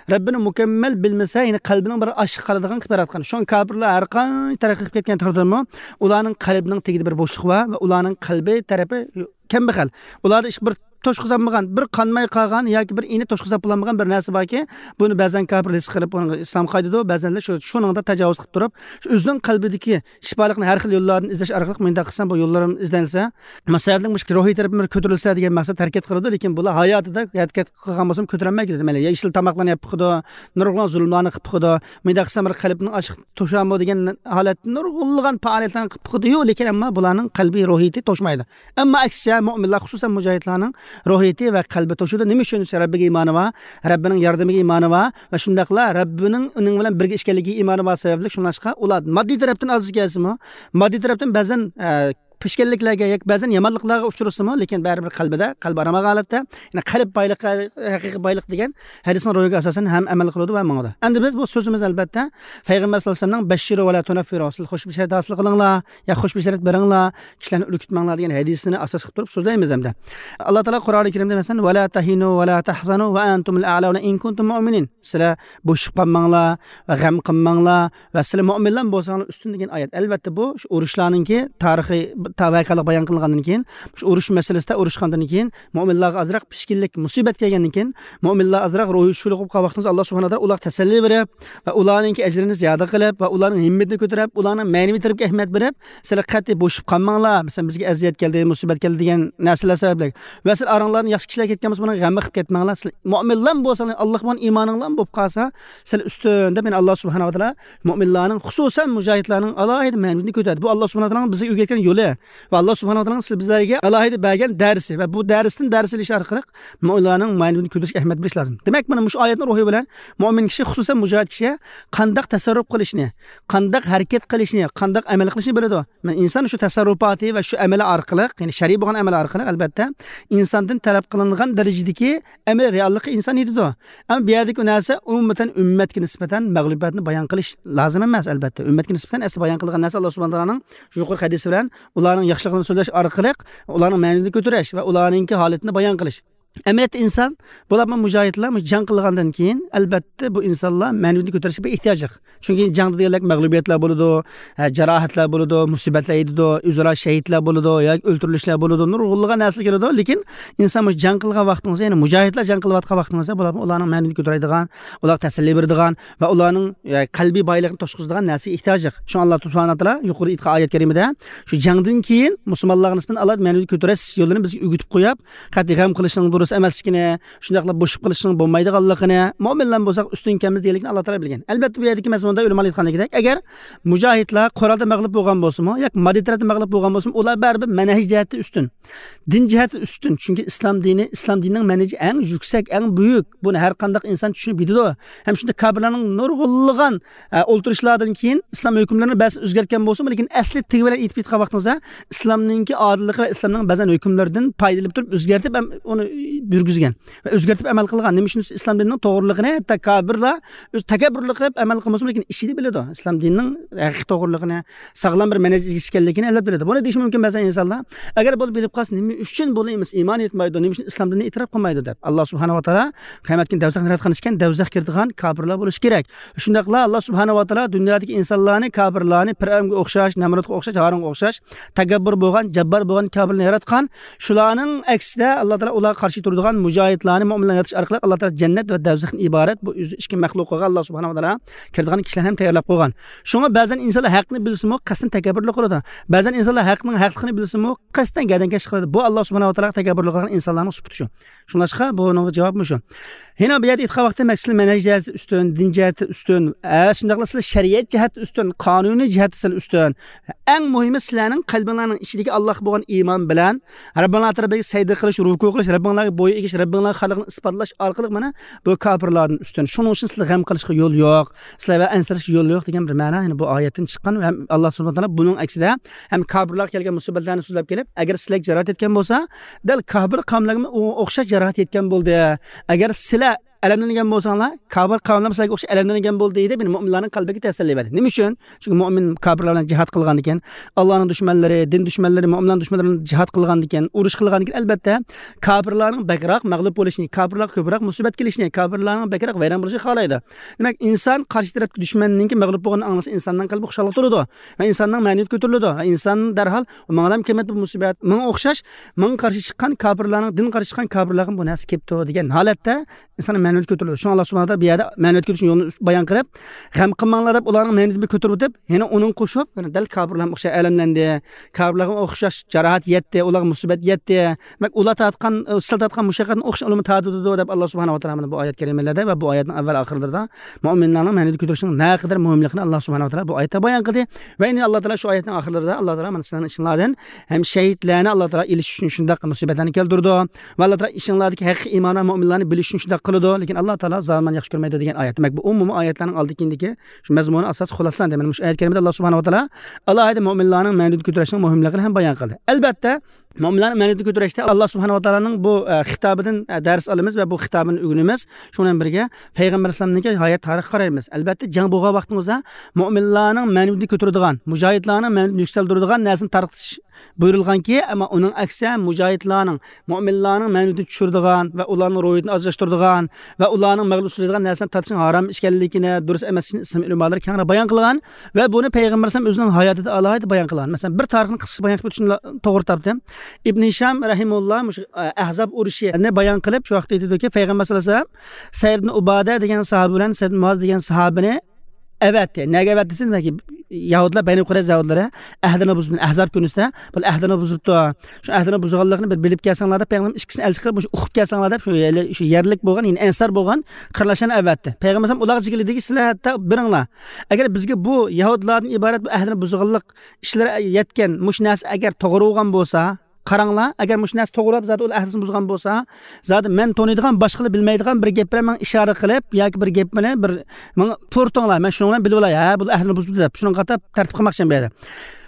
رەببىنى مۇكەممەل بىلمىسە، يەنى قەلبىنىڭ بىر ئاشلىقى قالىدىغان قىلىپ ياراتقان. شۇڭا كاپىرلار ھەر قانچە تەرەققىي قىلىپ كەتكەن تەقدىردىمۇ، ئۇلارنىڭ قەلبىنىڭ تېگىدە بىر بوشلۇق بار ۋە ئۇلارنىڭ قەلبى تەرىپى كەمبەغەل. ئۇلاردا ئىش بىر توشقۇزالمىغان، بىر قانماي قالغان ياكى بىر ئېنى توشقۇزاپ بولالمىغان بىر نەرسە باركى، بۇنى بەزەن كاپىر ھېس قىلىپ، ئۇنى ئىسلامغا قايتىدۇ، بەزەنلەر شۇ، شۇنىڭدا تاجاۋۇز قىلىپ تۇرۇپ، شۇ ئۆزىنىڭ قەلبىدىكى شىپالىقنى ھەر خىل يوللاردىن ئىزدەش ئارقىلىق، مۇنداق قىلسام بۇ يوللىرىم ئىزدەنسە، مۇشۇ سەۋەبلىك مۇشۇ روھىي تەرىپىم بىر كۆتۈرۈلسە دېگەن مەقسەت ھەرىكەت قىلىدۇ، لېكىن بۇلار ھاياتىدا ھەرىكەت قىلغان بولسىمۇ كۆتۈرەلمەي كېتىدۇ. مەيلى يېشىل تاماقلارنى يەپ بېقىدۇ، نۇرغۇنلىغان زۇلۇملارنى قىلىپ بېقىدۇ، مۇنداق قىلسام بىر قەلبىنىڭ ئاشلىقى توشامدۇ دېگەن ھالەتتە نۇرغۇنلىغان پائالىيەتلەرنى قىلىپ بېقىدۇ، لېكىن ئەمما بۇلارنىڭ قەلبى روھىيىتى توشمايدۇ. ئەمما ئەكسىچە مۆمىنلار، خۇسۇسەن مۇجاھىدلارنىڭ روھىيىتى ۋە قەلبى توشىدۇ. نېمە ئۈچۈن دېسە، رەببىگە ئىمانى بار، رەببىنىڭ ياردىمىگە ئىمانى بار ۋە شۇنداقلا رەببىنىڭ ئۇنىڭ بىلەن بىرگە ئىكەنلىكىگە ئىمانى بار سەۋەبلىك، شۇڭلاشقا ئۇلار ماددىي تەرەپتىن ئاز كەلسىمۇ، ماددىي تەرەپتىن بەزەن، ئە، پېشكەللىكلەرگە ياكى بەزەن يامانلىقلارغا ئۇچرىسىمۇ، لېكىن بەرىبىر قەلبىدە، قەلبى ئارام ھالەتتە، يەنى قەلب بايلىقى، ھەقىقىي بايلىق دېگەن ھەدىسنىڭ روھىغا ئاساسەن ھەم ئەمەل قىلىدۇ ۋە ماڭىدۇ. ئەمدى بىز بۇ سۆزىمىز، ئەلبەتتە، پەيغەمبەر سەللەللاھۇ ئەلەيھى ۋەسەللەمنىڭ «بەششىرۇ ۋە لا تۇنەففىرۇ»، سىز خۇش بېشارەت ھاسىل قىلىڭلار، يا خۇش بېشارەت بېرىڭلار، كىشىلەرنى ئۈركۈتمەڭلار دېگەن ھەدىسىنى ئاساس قىلىپ تۇرۇپ سۆزلەيمىز ئەمدى. ئاللا تائالا قۇرئانى كەرىمدە، مەسىلەن، «ۋە لا تەھىنۇ ۋە لا تەھزەنۇ ۋە ئەنتۇمۇل ئەئلەۋنە ئىن كۇنتۇم مۇئمىنىن»، سىلەر بوشىشىپ قالماڭلار ۋە غەم قىلماڭلار ۋە سىلەر مۆمىنلار بولساڭلار ئۈستۈن دېگەن ئايەت. ئەلۋەتتە، بۇ شۇ ئۇرۇشلارنىڭكى تارىخىي تا ۋەقەلىك بايان قىلىنغاندىن كېيىن، شۇ ئۇرۇش مەسىلىسىدە ئۇرۇشقاندىن كېيىن، مۆمىنلارغا ئازراق پىشكىنلىك، مۇسىبەت كەلگەندىن كېيىن، مۆمىنلار ئازراق روھى چۈشكۈنلۈك بولۇپ قالغان ۋاقتىڭىزدا، ئاللا سۇبھانەھۇ ۋە تائالا ئۇلارغا تەسەللى بېرىپ ۋە ئۇلارنىڭكى ئەجرىنى زىيادە قىلىپ ۋە ئۇلارنىڭ ھىممىتىنى كۆتۈرۈپ، ئۇلارنىڭ مەنىۋى تەرەپكە ئەھمىيەت بېرىپ، سىلەر قەتئىي بوشىشىپ قالماڭلار، مەسىلەن، بىزگە ئەزىيەت كەلدى، مۇسىبەت كەلدى دېگەن نەرسىلەر سەۋەبلىك ۋە سىلەر ئاراڭلاردىن ياخشى كىشىلەر كەتكەن بولسا، بۇنىڭغا غەم قىلىپ كەتمەڭلار. سىلەر مۆمىنلار بولساڭلار، ئاللاغا بولغان ئىمانىڭلار بولۇپ قالسا، سىلەر ئۈستۈن دەپ، يەنى ئاللا سۇبھانەھۇ ۋە تائالا مۆمىنلارنىڭ، خۇسۇسەن مۇجاھىدلارنىڭ ئالاھىدە مەنىۋىيىتىنى كۆتۈردى. بۇ ئاللا سۇبھانەھۇ ۋە تائالانىڭ بىزگە ئۆگەتكەن يولى ۋە ئاللا سۇبھانەھۇ ۋە تائالانىڭ سىز بىزلەرگە ئالاھىدە بەرگەن دەرسى ۋە بۇ دەرستىن دەرس ئېلىش ئارقىلىق مۆمىنلارنىڭ مەنىۋىيىتىنى كۆتۈرۈشكە ئەھمىيەت بېرىش لازىم. دېمەك، مانا مۇشۇ ئايەتنىڭ روھى بىلەن مۆمىن كىشى، خۇسۇسەن مۇجاھىد كىشى قانداق تەسەررۇپ قىلىشنى، قانداق ھەرىكەت قىلىشنى، قانداق ئەمەل قىلىشنى بىلىدۇ. مەن ئىنسان شۇ تەسەررۇپاتى ۋە شۇ ئەمەلى ئارقىلىق، يەنى شەرئىي بولغان ئەمەل ئارقىلىق، ئەلبەتتە، ئىنساندىن تەلەپ قىلىنغان دەرىجىدىكى ئەمەلىي رېئاللىققا ئىنسان يېتىدۇ. ئەمما بۇ يەردىكى نەرسە ئومۇمەن ئۈممەتكە نىسبەتەن مەغلۇبىيەتنى بايان قىلىش لازىم ئەمەس، ئەلبەتتە. ئۈممەتكە نىسبەتەن ئەسلى بايان قىلغان نەرسە ئاللا سۇبھانەھۇ ۋە تائالانىڭ يۇقىرىقى ھەدىسى بىلەن ئۇلارنىڭ ياخشىلىقىنى سۆزلەش ئارقىلىق ئۇلارنىڭ مەنىۋىيىتىنى كۆتۈرۈش ۋە ئۇلارنىڭكى ھالىتىنى بايان قىلىش. ئەمەلىيەتتە ئىنسان، بولۇپمۇ مۇجاھىدلار جەڭ قىلغاندىن كېيىن، ئەلبەتتە، بۇ ئىنسانلار مەنىۋىيىتىنى كۆتۈرۈشكە بىر ئېھتىياجلىق. چۈنكى جەڭدە دېگەنلىك مەغلۇبىيەتلەر بولىدۇ، ھە، جاراھەتلەر بولىدۇ، مۇسىبەتلەر يېتىدۇ، ئۆزئارا شەھىدلەر بولىدۇ ياكى ئۆلتۈرۈلۈشلەر بولىدۇ، نۇرغۇنلىغان نەرسىلەر كېلىدۇ. لېكىن ئىنسان مۇشۇ جەڭ قىلغان ۋاقتىڭىزدا، يەنى مۇجاھىدلار جەڭ قىلىۋاتقان ۋاقتىڭىزدا، بۇلار ئۇلارنىڭ مەنىۋىيىتىنى كۆتۈرەيدىغان، ئۇلارغا تەسەللى بېرىدىغان ۋە ئۇلارنىڭ، يە، قەلبىي بايلىقىنى توشقۇزىدىغان نەرسىگە ئېھتىياجلىق. شۇڭا ئاللا سۇبھانەھۇ ۋە تائالا يۇقىرىدا ئېيتقان ئايەت كەرىمىدە، شۇ جەڭدىن كېيىن مۇسۇلمانلارغا نىسبەتەن ئاللا مەنىۋىيىتىنى كۆتۈرۈش يولىنى بىزگە ئۆگىتىپ قويۇپ، قەتئىي غەم قىلىشنىڭ دۇرۇس ئەمەسلىكىنى، شۇنداقلا بوشىشىپ قېلىشنىڭ بولمايدىغانلىقىنى، مۆمىنلار بولساق ئۈستۈن ئىكەنمىز دېگەنلىكىنى ئاللا تائالا بىلگەن. ئەلبەتتە، بۇ يەردىكى مەزمۇندا ئۆلىمالار ئېيتقاندەك، ئەگەر مۇجاھىدلار قورالدا مەغلۇپ بولغان بولسىمۇ ياكى ماددىي تەرەپتە مەغلۇپ بولغان بولسىمۇ، ئۇلار بەرىبىر مەنھەج جەھەتتە ئۈستۈن، دىن جەھەتتە ئۈستۈن. چۈنكى ئىسلام دىنى، ئىسلام دىنىنىڭ مەنھىجى ئەڭ يۈكسەك، ئەڭ بۈيۈك. بۇنى ھەر قانداق ئىنسان چۈشىنىپ يېتىدۇ. ھەم شۇنداق كاپىرلارنىڭ نۇرغۇنلىغان، ئە، ئولتۇرۇشلاردىن كېيىن ئىسلام ھۆكۈملىرىنى بەزى ئۆزگەرتكەن بولسىمۇ، لېكىن ئەسلى تېگى بىلەن ئېيتىپ ئېيتقان ۋاقتىڭىزدا، ئىسلامنىڭكى ئادىللىقى ۋە ئىسلامنىڭ بەزەن ھۆكۈملىرىدىن پايدىلىنىپ تۇرۇپ ئۆزگەرتىپ ئەم-، ئۇنى يۈرگۈزگەن ۋە ئۆزگەرتىپ ئەمەل قىلغان. نېمە ئۈچۈن دېسە، ئىسلام دىنىنىڭ توغرىلىقىنى ھەتتا كاپىرلار ئۆز تەكەببۇرلۇق قىلىپ ئەمەل قىلمىسىمۇ، لېكىن ئىچىدە بىلىدۇ ئىسلام دىنىنىڭ ھەقىقىي توغرىلىقىنى، ساغلام بىر مەنھەجگە ئىگە ئىكەنلىكىنى ئەلۋەتتە بىلىدۇ. بۇنى دېيىشى مۇمكىن بەزى ئىنسانلار، ئەگەر بۇنى بىلىپ قالسا، نېمە ئۈچۈن بۇنى ئىمان ئېيتمايدۇ، نېمە ئۈچۈن ئىسلام دىنىنى ئېتىراپ قىلمايدۇ دەپ. ئاللا سۇبھانەھۇ ۋە تائالا قىيامەت كۈنى دەۋزەخنى ياراتقان ئىكەن، دەۋزەخكە كىرىدىغان كاپىرلار بولۇشى كېرەك. شۇنداقلا ئاللا سۇبھانەھۇ ۋە تائالا دۇنيادىكى ئىنسانلارنى، كاپىرلارنى، پىرئەۋنگە ئوخشاش، نەمرۇتقا ئوخشاش، ھارۇنغا ئوخشاش تەكەببۇر بولغان، جاببار بولغان كاپىرلارنى ياراتقان. شۇلارنىڭ ئەكسىدە، ئاللا تائالا ئۇلارغا قارشى تۇرىدىغان مۇجاھىدلارنى، مۆمىنلارنى يارىتىش ئارقىلىق ئاللا تائالا جەننەت ۋە دەۋزەختىن ئىبارەت بۇ ئۆزى ئىككى مەخلۇقىغا ئاللا سۇبھانەھۇ ۋە تائالا كىرىدىغان كىشىلەرنى ھەم تەييارلاپ قويغان. شۇڭا بەزەن ئىنسانلار ھەقنى بىلسىمۇ، قەستەن تەكەببۇرلۇق قىلىدۇ. بەزەن ئىنسانلار ھەقنىڭ ھەقلىقىنى بىلسىمۇ، قەستەن گەدەنكەشلىك قىلىدۇ. بۇ ئاللا سۇبھانەھۇ ۋە تائالاغا تەكەببۇرلۇق قىلغان ئىنسانلارنىڭ سۈپىتى شۇ. شۇڭلاشقا بۇنىڭغا جاۋاب مۇشۇ. يەنە بۇ يەردە ئېيتقان ۋاقتىدا، دېمەك، سىلەر مەنھەج جەھەتتە ئۈستۈن، دىن جەھەتتە ئۈستۈن، ھە، شۇنداقلا سىلەر شەرىئەت جەھەتتە ئۈستۈن، قانۇنىي جەھەتتە سىلەر ئۈستۈن. ئەڭ مۇھىمى، سىلەرنىڭ قەلبىڭلارنىڭ ئىچىدىكى ئاللاغا بولغان ئىمان بىلەن رەببىڭلار تەرىپىگە سەجدە قىلىش، رۇكۇ قىلىش، رەببىڭلارغا بويۇن ئېگىش، رەببىڭلارغا خالىقنى ئىسپاتلاش ئارقىلىق مانا بۇ كاپىرلاردىن ئۈستۈن. شۇنىڭ ئۈچۈن سىلەر غەم قىلىشقا يول يوق، سىلەر ۋە ئەنسىرەشكە يول يوق دېگەن بىر مەنا، يەنى بۇ ئايەتتىن چىققان ۋە ئاللا سۇبھانەھۇ ۋە تائالا بۇنىڭ ئەكسىدە ھەم كاپىرلارغا كەلگەن مۇسىبەتلەرنى سۆزلەپ كېلىپ، ئەگەر سىلەرگە جاراھەت يەتكەن بولسا، دەل كاپىر قەۋملەرگىمۇ ئو-، ئوخشاش جاراھەت يەتكەن بولدى. ئەگەر سىلەر ئەلەملەنگەن بولساڭلار، كاپىر قەۋملەر سىلەرگە ئوخشاش ئەلەملەنگەن بولدى دەپ، مۆمىنلارنىڭ قەلبىگە تەسەللى بەردى. نېمە ئۈچۈن؟ چۈنكى مۆمىن كاپىرلار بىلەن جىھاد قىلغاندىكىن، ئاللانىڭ دۈشمەنلىرى، دىن دۈشمەنلىرى، مۆمىنلارنىڭ دۈشمەنلىرى بىلەن جىھاد قىلغاندىكىن، ئۇرۇش قىلغاندىكىن، ئەلبەتتە، كاپىرلارنىڭ بەكرەك مەغلۇپ بولۇشىنى، كاپىرلارغا كۆپرەك مۇسىبەت كېلىشىنى، كاپىرلارنىڭ بەكرەك ۋەيران بولۇشىنى خالايدۇ. دېمەك، ئىنسان قارشى تەرەپتىكى دۈشمەننىڭكى مەغلۇپ بولغىنىنى ئاڭلىسا، ئىنساننىڭ قەلبى خۇشاللىققا تولىدۇ ۋە ئىنساننىڭ مەنىۋىيىتى كۆتۈرۈلىدۇ ۋە ئىنسان دەرھال، ماڭىلا كەلمەپتۇ بۇ مۇسىبەت، ماڭا ئوخشاش، ماڭا قارشى چىققان كاپىرلارنىڭ، دىنغا قارشى چىققان كاپىرلارغا بۇ نەرسە كېلىپتۇ دېگەن ھالەتتە ئىنساننىڭ مەنىۋىيىتى كۆتۈرۈلىدۇ. شۇڭا ئاللا سۇبھانەھۇ ۋە تائالا بۇ يەردە مەنىۋىيەتكە كۆتۈرۈشنىڭ يولىنى بايان قىلىپ، غەم قىلماڭلار دەپ، ئۇلارنىڭ مەنىۋىيىتىنى بىر كۆتۈرۈۋېتىپ، يەنە ئۇنىڭغا قوشۇپ، يەنە دەل كاپىرلارغا ئوخشاش ئەلەملەندى، كاپىرلارغا ئوخشاش جاراھەت يەتتى، ئۇلارغا مۇسىبەت يەتتى. دېمەك، ئۇلار تارتقان، سىلەر تارتقان مۇشەققەتنى ئوخشاش ئۇلارمۇ تارتىۋاتىدۇ دەپ، ئاللا سۇبھانەھۇ ۋە تائالا مانا بۇ ئايەت كەرىمىلەردە ۋە بۇ ئايەتنىڭ ئەۋۋەل ئاخىرلىرىدا مۆمىنلارنىڭ مەنىۋىيىتىنى كۆتۈرۈشنىڭ نەقەدەر مۇھىملىقىنى ئاللا سۇبھانەھۇ ۋە تائالا بۇ ئايەتتە بايان قىلدى. ۋە يەنە ئاللا تائالا شۇ ئايەتنىڭ ئاخىرلىرىدا، ئاللا تائالا مانا سىلەرنىڭ ئىچىڭلاردىن ھەم شەھىدلەرنى ئاللا تائالا ئېلىش ئۈچۈن شۇنداق مۇسىبەتلەرنى كەلتۈرىدۇ. ۋە ئاللا تائالا ئىچىڭلاردىكى ھەقىقىي ئىمان ۋە مۆمىنلارنى بىلىش ئۈچۈن شۇنداق قىلىدۇ. لېكىن ئاللا تائالا زالىملارنى ياخشى كۆرمەيدۇ دېگەن ئايەت. دېمەك، بۇ ئومۇمىي ئايەتلەرنىڭ ئالدى كېيىندىكى شۇ مەزمۇنى ئاساسلىق خۇلاسىلەندى. مانا مۇشۇ ئايەت كەرىمىدە ئاللا سۇبھانەھۇ ۋە تائالا ئالاھىدە مۆمىنلارنىڭ مەنىۋىيىتىنى كۆتۈرۈشنىڭ مۇھىملىقىنى ھەم بايان قىلدى. ئەلۋەتتە، مۆمىنلارنىڭ مەنىۋىيىتىنى كۆتۈرۈشتە ئاللا سۇبھانەھۇ ۋە تائالانىڭ بۇ، ئە، خىتابىدىن، ئە، دەرس ئالىمىز ۋە بۇ خىتابىنى ئۆگىنىمىز. شۇنىڭ بىلەن بىرگە پەيغەمبەر ئەلەيھىسسالامنىڭكى ھايات تارىخىغا قارايمىز. ئەلۋەتتە، جەڭ بولغان ۋاقتىمىزدا مۆمىنلارنىڭ مەنىۋىيىتىنى كۆتۈرىدىغان، مۇجاھىدلارنىڭ مەنىۋىيىتىنى يۈكسەلدۈرىدىغان نەرسىنى تارقىتىش بۇيرۇلغانكى، ئەمما ئۇنىڭ ئەكسىچە مۇجاھىدلارنىڭ، مۆمىنلارنىڭ مەنىۋىيىتىنى چۈشۈرىدىغان ۋە ئۇلارنىڭ روھىيىتىنى ئازلاشتۇرىدىغان ۋە ئۇلارنىڭ مەغلۇپ قىلىدىغان نەرسىلەرنى تارتىشنىڭ ھارام ئىش ئىكەنلىكىنى، دۇرۇس ئەمەس ئىكەنلىكىنى ئىسلام ئۆلىمالىرى كەڭرى بايان قىلغان ۋە بۇنى پەيغەمبەر ئەلەيھىسسالام ئۆزىنىڭ ھاياتىدا ئالاھىدە بايان قىلغان. مەسىلەن، بىر تارىخنى قىسقىچە بايان قىلىپ ئۆتۈشنى توغرا تاپتىم. ئىبن ھىشام رەھىمۇللا مۇشۇ، ئە، ئەھزاب ئۇرۇشىنى بايان قىلىپ، شۇ ۋاقىتتا ئېيتىدۇكى، پەيغەمبەر سەللەللاھۇ ئەلەيھى ۋەسەللەم سەئىد ئىبن ئۇبادە دېگەن ساھابە بىلەن سەئىد مۇئاز دېگەن ساھابىنى ئەۋەتتى. نەگە ئەۋەتتى دېسە، دېمەك، يەھۇدىيلار، بەنى قۇرەيزە يەھۇدىيلىرى ئەھدىنى بۇزۇپتۇ، ئەھزاب كۈنىسىدە بۇ ئەھدىنى بۇزۇپتۇ. شۇ ئەھدىنى بۇزغانلىقىنى بىر بىلىپ كەلسەڭلار دەپ، پەيغەمبەر ئىككىسىنى ئەلچى قىلىپ، مۇشۇ ئۇقۇپ كەلسەڭلار دەپ، شۇ يەرلىك، شۇ يەرلىك بولغان، يەنى ئەنسار بولغان قېرىنداشلارنى ئەۋەتتى. پەيغەمبەر ئەلەيھىسسالام ئۇلارغا جىگىلى دېگەن، سىلەر ھەتتا بېرىڭلار. ئەگەر بىزگە بۇ يەھۇدىيلاردىن ئىبارەت بۇ ئەھدىنى بۇزغانلىق ئىشلىرى يەتكەن مۇشۇ نەرسە ئەگەر توغرا بولغان بولسا، قاراڭلار، ئەگەر مۇشۇ نەرسە توغرا، زادى ئۇ ئەھدىسىنى بۇزغان بولسا، زادى مەن تونۇيدىغان، باشقىلار بىلمەيدىغان بىر گەپلەر ماڭا ئىشارە قىلىپ ياكى بىر گەپنى بىر ماڭا تۇرتۇڭلار، مەن شۇنىڭ بىلەن بىلىپ ئالاي، ھە، بۇ ئەھدىنى بۇزۇپتۇ دەپ، شۇنىڭغا قاراپ تەرتىپ قىلماقچى بۇ يەردە.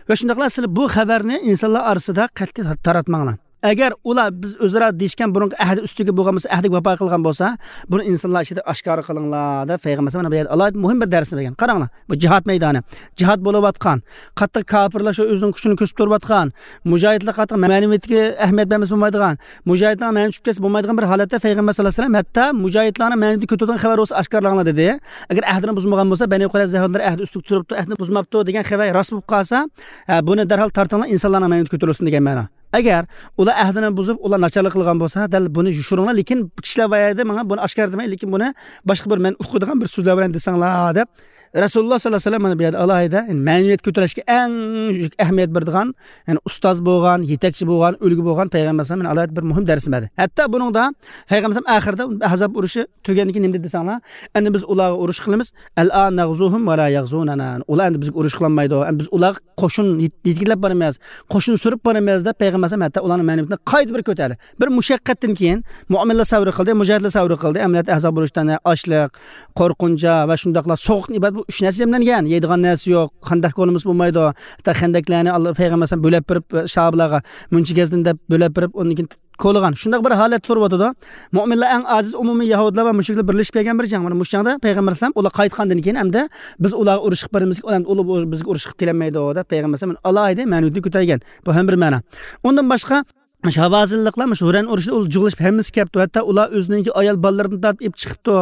ۋە شۇنداقلا سىلەر بۇ خەۋەرنى ئىنسانلار ئارىسىدا قەتئىي تاراتماڭلار. ئەگەر ئۇلار بىز ئۆزئارا دېيىشكەن بۇرۇنقى ئەھدى ئۈستىگە بولغان بولسا، ئەھدىگە ۋاپا قىلغان بولسا، بۇنى ئىنسانلار ئىچىدە ئاشكارا قىلىڭلار دەپ پەيغەمبەر ئەلەيھىسسالام مانا بۇ يەردە ئالاھىدە مۇھىم بىر دەرسنى بەرگەن. قاراڭلار، بۇ جىھاد مەيدانى. جىھاد بولۇۋاتقان، قاتتىق كاپىرلار شۇ ئۆزىنىڭ كۈچىنى كۆرسىتىپ تۇرۇۋاتقان، مۇجاھىدلار قاتتىق مەنىۋىيەتكە ئەھمىيەت بەرمىسە بولمايدىغان، مۇجاھىدلارنىڭ مەنىۋىيىتى چۈشۈپ كەتسە بولمايدىغان بىر ھالەتتە پەيغەمبەر سەللەللاھۇ ئەلەيھى ۋەسەللەم ھەتتا مۇجاھىدلارنىڭ مەنىۋىيىتىنى كۆتۈرىدىغان خەۋەر بولسا ئاشكارىلاڭلار دېدى. ئەگەر ئەھدىنى بۇزمىغان بولسا، بەنى قۇرەيزە يەھۇدىيلار ئەھدى ئۈستىگە تۇرۇپتۇ، ئەھدىنى بۇزماپتۇ دېگەن خەۋەر راست بولۇپ قالسا، ھە، بۇنى دەرھال تارتىڭلار، ئىنسانلارنىڭ مەنىۋىيىتى كۆتۈرۈلسۇن دېگەن مەنا. ئەگەر ئۇلار ئەھدىنى بۇزۇپ، ئۇلار ناچارلىق قىلغان بولسا، دەل بۇنى يوشۇرۇڭلار، لېكىن كىشىلەر بار يەردە ماڭا بۇنى ئاشكارا دېمەي، لېكىن بۇنى باشقا بىر مەن ئۇقىدىغان بىر سۆزلەر بىلەن دېسەڭلار دەپ، رەسۇلۇللا سەللەللاھۇ ئەلەيھى ۋەسەللەم مانا بۇ يەردە ئالاھىدە، يەنى مەنىۋىيەت كۆتۈرۈشكە ئەڭ ئەھمىيەت بېرىدىغان، يەنى ئۇستاز بولغان، يېتەكچى بولغان، ئۈلگە بولغان پەيغەمبەر ئەلەيھىسسالام مانا ئالاھىدە بىر مۇھىم دەرسنى بەردى. ھەتتا بۇنىڭدا پەيغەمبەر ئەلەيھىسسالام ئاخىرىدا ئەھزاب ئۇرۇشى تۈگىگەندىن كېيىن نېمە دېدى دېسەڭلار، ئەمدى بىز ئۇلارغا ئۇرۇش قىلىمىز، ئەلئان نەغزۇھۇم ۋە لا يەغزۇنەنا. ئۇلار ئەمدى بىزگە ئۇرۇش قىلالمايدۇ. ئەمدى بىز ئۇلارغا قوشۇن يېت-، يېتىكلەپ بارىمىز، قوشۇن سۈرۈپ بارىمىز دەپ پەيغەمبەر ئەلەيھىسسالام ھەتتا ئۇلارنىڭ مەنىۋىيىتىنى قايتا بىر كۆتەردى. بىر مۇشەققەتتىن كېيىن مۆمىنلەر سەۋر قىلدى، مۇجاھىدلار سەۋر قىلدى، ئەمەلىيەتتە ئەھزاب ئۇرۇشتا ئاچلىق، قورقۇنچ ۋە شۇنداقلا سوغۇقتىن ئىبارەت بۇ ئۈچ نەرسە جەملەنگەن. يەيدىغان نەرسە يوق، خەندەق كولىمىز بولمايدۇ. ھەتتا خەندەكلەرنى ئاللا پەيغەمبەر ئەلەيھىسسالام بۆلەپ بېرىپ، ساھابىلارغا مۇنچە گەزدىن دەپ بۆلەپ بېرىپ، ئۇندىن كېيىن كولىغان. شۇنداق بىر ھالەتتە تۇرۇۋاتىدۇ. مۆمىنلەر ئەڭ ئاجىز ئومۇمىي يەھۇدىيلار ۋە مۈشرىكلەر بىرلىشىپ كەلگەن بىر جەڭ. مانا مۇشۇ جەڭدە پەيغەمبەر ئەلەيھىسسالام ئۇلار قايتقاندىن كېيىن ئەمدى بىز ئۇلارغا ئۇرۇش قىلىپ بارىمىز، ئۇلار ئۇلار بىزگە ئۇرۇش قىلىپ كېلەلمەيدۇ دەپ پەيغەمبەر ئەلەيھىسسالام ئالاھىدە مەنىۋىيىتىنى كۆتەرگەن. بۇ ھەم بىر مەنا. ئۇندىن باشقا، مۇشۇ ھاۋازىنلىقلار مۇشۇ ھۇرەن ئۇرۇشىدا ئۇلار جۇغلىشىپ ھەممىسى كەپتۇ. ھەتتا ئۇلار ئۆزىنىڭكى ئايال بالىلىرىدىن تارتىپ ئېلىپ چىقىپتۇ.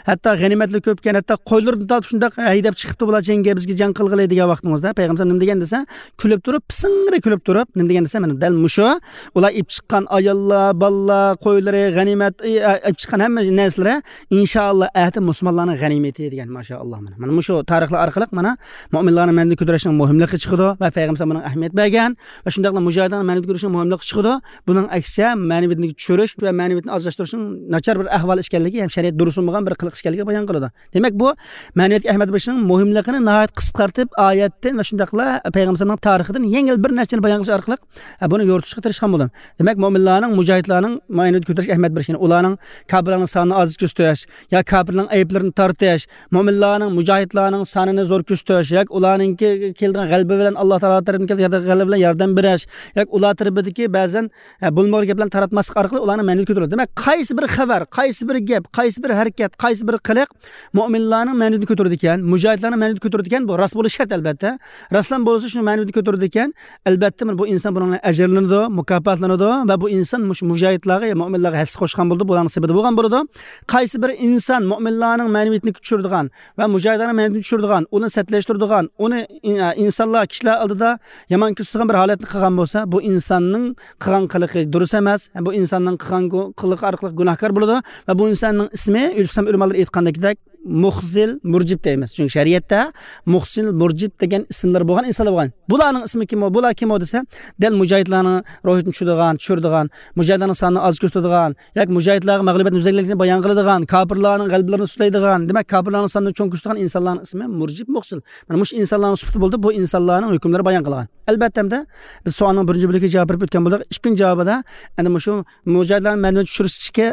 ھەتتا غەنىيمەتلىك كۆپكەن، ھەتتا قويلىرىدىن تارتىپ شۇنداق ھەيدەپ چىقىپتۇ، بۇلار جەڭگە بىزگە جەڭ قىلغىلى دېگەن ۋاقتىڭىزدا پەيغەمبەر نېمە دېگەن دېسە، كۈلۈپ تۇرۇپ، پىسىڭرى كۈلۈپ تۇرۇپ، نېمە دېگەن دېسە، مانا دەل مۇشۇ، ئۇلار ئېلىپ چىققان ئاياللار، بالىلار، قويلىرى، غەنىيمەت، ئېلىپ چىققان ھەممە نەرسىلىرى، ئىنشائاللا، ئەتە مۇسۇلمانلارنىڭ غەنىيمىتى دېگەن، ماشائاللا، مانا. مانا مۇشۇ تارىخلار ئارقىلىق، مانا، مۆمىنلارنىڭ مەنىۋىيىتىنى كۆتۈرۈشنىڭ مۇھىملىقى چىقىدۇ ۋە پەيغەمبەر بۇنىڭغا ئەھمىيەت بەرگەن ۋە شۇنداقلا مۇجاھىدلارنىڭ مەنىۋىيىتىنى كۆتۈرۈشنىڭ مۇھىملىقى چىقىدۇ. بۇنىڭ ئەكسىچە، مەنىۋىيىتىنى چۈشۈرۈش ۋە مەنىۋىيىتىنى ئازلاشتۇرۇشنىڭ ناچار بىر ئەھۋال ئىكەنلىكى ھەم شەرىئەت دۇرۇس بولمىغان بىر قىلىق ئىكەنلىكىنى بايان قىلىدۇ. دېمەك، بۇ مەنىۋىيەتكە ئەھمىيەت بېرىشنىڭ مۇھىملىقىنى ناھايىتى قىسقارتىپ، ئايەتتىن ۋە شۇنداقلا پەيغەمبەر ئەلەيھىسسالامنىڭ تارىخىدىن يەڭگىل بىر نەرسىنى بايان قىلىش ئارقىلىق، ئە، بۇنى يورۇتۇشقا تىرىشقان بولدۇم. دېمەك، مۆمىنلارنىڭ، مۇجاھىدلارنىڭ مەنىۋىيەتكە كۆتۈرۈش ئەھمىيەت بېرىش، يەنى ئۇلارنىڭ كاپىرلارنىڭ سانىنى ئاز كۆرسىتىش يا كاپىرلارنىڭ ئەيىبلىرىنى تارتىش، مۆمىنلارنىڭ، مۇجاھىدلارنىڭ سانىنى زور كۆرسىتىش ياكى ئۇلارنىڭكى كېلىدىغان غەلىبە بىلەن، ئاللا تائالا تەرىپىدىن كېلىدىغان غەلىبە بىلەن ياردەم بېرىش ياكى ئۇلار تەرىپىدىكى بەزەن ھە، بولمىغۇر گەپلەرنى تاراتماسلىق ئارقىلىق ئۇلارنىڭ مەنىۋىيىتى كۆتۈرۈلدى. دېمەك، قايسى بىر خەۋەر، قايسى بىر گەپ، قايسى بىر ھەرىكەت، قايسى بىر قىلىق مۆمىنلارنىڭ مەنىۋىيىتىنى كۆتۈرىدىكەن، مۇجاھىدلارنىڭ مەنىۋىيىتىنى كۆتۈرىدىكەن، بۇ راست بولۇشى شەرت، ئەلبەتتە. راستلا بولسا شۇ مەنىۋىيىتىنى كۆتۈرىدىكەن، ئەلبەتتە، بۇ ئىنسان بۇنىڭ بىلەن ئەجىرلىنىدۇ، مۇكاپاتلىنىدۇ ۋە بۇ ئىنسان مۇشۇ مۇجاھىدلارغا يا مۆمىنلارغا ھەسسە قوشقان بولىدۇ، بۇلارنىڭ سېپىدە بولغان بولىدۇ. قايسى بىر ئىنسان مۆمىنلارنىڭ مەنىۋىيىتىنى چۈشۈرىدىغان، ۋە مۇجاھىدلارنىڭ مەنىۋىيىتىنى چۈشۈرىدىغان، ئۇنى سەتلەشتۈرىدىغان، ئۇنى ئىن-، ئىنسانلار، كىشىلەر ئالدىدا يامان كۆرسىتىدىغان بىر ھالەتنى قىلغان بولسا، بۇ ئىنساننىڭ قىلغان قىلىقى دۇرۇس ئەمەس. بۇ ئىنساننىڭ قىلغان گۇ-، قىلىقى ئارقىلىق گۇناھكار بولىدۇ ۋە بۇ ئىنساننىڭ ئىسمى، ئۆلۈپسەم ئۆلىمالار ئېيتقاندىكىدەك، مۇخزىل، مۇرجىپ دەيمىز. چۈنكى شەرىئەتتە مۇخزىل، مۇرجىپ دېگەن ئىسىملار بولغان ئىنسانلار بولغان. بۇلارنىڭ ئىسمى كىم ئۇ؟ بۇلار كىم ئۇ دېسە، دەل مۇجاھىدلارنىڭ روھىنى چۈشۈرىدىغان، چۈشۈرىدىغان، مۇجاھىدلارنىڭ سانىنى ئاز كۆرسىتىدىغان، ياكى مۇجاھىدلارغا مەغلۇبىيەتنى يۈزلەنگەنلىكىنى بايان قىلىدىغان، كاپىرلارنىڭ غەلىبىلىرىنى سۈپلەيدىغان، دېمەك، كاپىرلارنىڭ سانىنى چوڭ كۆرسىتىدىغان ئىنسانلارنىڭ ئىسمى مۇرجىپ، مۇخزىل. مانا مۇشۇ ئىنسانلارنىڭ سۈپىتى بولدى، بۇ ئىنسانلارنىڭ ھۆكۈملىرى بايان قىلغان. ئەلبەتتە، ئەمدى بىز سوئالنىڭ بىرىنچى بۆلىكىگە جاۋاب بېرىپ ئۆتكەن بولدۇق. ئىككىنچى جاۋابىدا، ئەنە مۇشۇ مۇجاھىدلارنى مەنىۋىيەتكە چۈشۈرۈشتىكى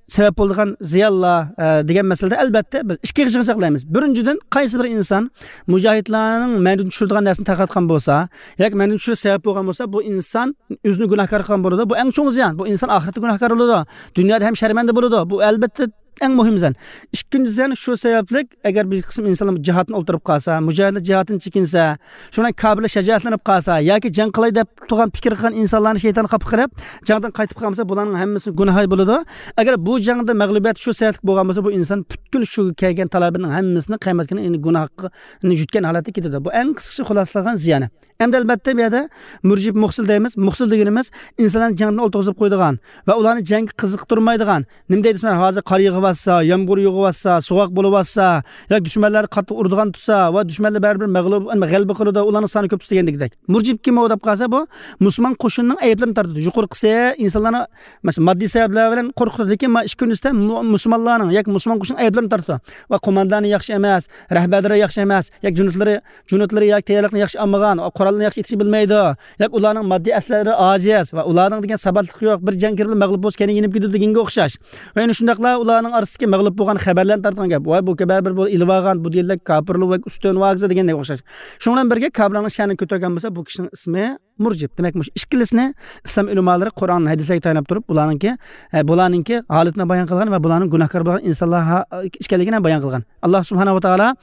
سەۋەب بولىدىغان زىيانلار، ئە، دېگەن مەسىلىدە، ئەلۋەتتە، بىز ئىككى يىغىنچاقلايمىز. بىرىنچىدىن، قايسى بىر ئىنسان مۇجاھىدلارنىڭ مەندىن چۈشۈرىدىغان نەرسىنى تارقاتقان بولسا ياكى مەندىن چۈشۈرۈش سەۋەب بولغان بولسا، بۇ ئىنسان ئۆزىنى گۇناھكار قىلغان بولىدۇ. بۇ ئەڭ چوڭ زىيان. بۇ ئىنسان ئاخىرەتتە گۇناھكار بولىدۇ. دۇنيادا ھەم شەرمەندە بولىدۇ. بۇ، ئەلۋەتتە، ئەڭ مۇھىم زىيان. ئىككىنچى زىيان شۇ سەۋەبلىك، ئەگەر بىر قىسىم ئىنسانلار جىھادتىن ئولتۇرۇپ قالسا، مۇجاھىدلار جىھادتىن چېكىنسە، شۇنىڭ بىلەن كاپىرلار شاجائەتلىنىپ قالسا ياكى جەڭ قىلاي دەپ تۇرغان پىكىر قىلغان ئىنسانلارنى شەيتان خاپا قىلىپ، جەڭدىن قايتىپ قالمىسا، بۇلارنىڭ ھەممىسىنىڭ گۇناھى بولىدۇ. ئەگەر بۇ جەڭدە مەغلۇبىيەت شۇ سەۋەبلىك بولغان بولسا، بۇ ئىنسان پۈتكۈل شۇ كەلگەن تالابىنىڭ ھەممىسىنى قىيامەت كۈنى، يەنى گۇناھنى يۈتكەن ھالەتتە كېتىدۇ. بۇ ئەڭ قىسقىچە خۇلاسىلىغان زىيانى. ئەمدى ئەلۋەتتە بۇ يەردە مۇرجىپ مۇخسىل دەيمىز. مۇخسىل دېگىنىمىز ئىنسانلارنى جەڭدىن ئولتۇرغۇزۇپ قويىدىغان ۋە ئۇلارنى جەڭگە قىزىقتۇرمايدىغان. نېمە دەيدۇ دېسەم، ھازىر قار يېغىۋاتسا، يامغۇر يېغىۋاتسا، سوغۇق بولۇۋاتسا، ياكى دۈشمەنلەر قاتتىق ئۇرىدىغان تۇرسا ۋە دۈشمەنلەر بەرىبىر مەغلۇپ، غەلىبە قىلىدۇ، ئۇلارنىڭ سانى كۆپ دېگەندەك. مۇرجىپ كىم ئۇ دەپ قالسا، بۇ مۇسۇلمان قوشۇننىڭ ئەيىبلىرىنى تارتىدۇ. يۇقىرىقىسى ئىنسانلارنى، مەسىلەن، ماددىي سەۋەبلەر بىلەن قورقۇتىدۇ، لېكىن ما ئىككىنچىسىدە مۇ-، مۇسۇلمانلارنىڭ ياكى مۇسۇلمان قوشۇننىڭ ئەيىبلىرىنى تارتىدۇ. ۋە قوماندانى ياخشى ئەمەس، رەھبەرلىرى ياخشى ئەمەس، ياكى جۇنۇتلىرى، جۇنۇتلىرى ياكى تەييارلىقنى ياخشى ئالمىغان، قورالنى ياخشى ئېتىشنى بىلمەيدۇ، ياكى ئۇلارنىڭ ماددىي ئەسلىھەلىرى ئاجىز ۋە ئۇلارنىڭ دېگەن ساباتلىقى يوق، بىر جەڭ كىرىپ مەغلۇپ بولسا كەينىگە يېنىپ كېتىدۇ دېگەنگە ئوخشاش. ۋە يەنە شۇنداقلا ئۇلارنىڭ ئارىسىدىكى مەغلۇپ بولغان خەۋەرلەرنى تارتقان گەپ. ۋاي، بۇ بەرىبىر بۇ ئېلىۋالغان، بۇ دېگەنلەر كاپىرلار ۋە ئۈستۈن ۋاگىزا دېگەندەك ئوخشاش. شۇنىڭ بىلەن بىرگە كاپىرلارنىڭ شەنى كۆتۈرگەن بولسا، بۇ كىشىنىڭ ئىسمى مۇرجىپ. دېمەك، مۇشۇ ئىككىلىسىنى ئىسلام ئۆلىمالىرى قۇرئان، ھەدىسلەرگە تايىنىپ تۇرۇپ، بۇلارنىڭكى، ئە، بۇلارنىڭكى ھالىتىنى بايان قىلغان ۋە بۇلارنىڭ گۇناھكار بولغان ئىنسانلار ھا-، ئىكەنلىكىنى بايان قىلغان. ئاللا سۇبھانەھۇ ۋە تائالا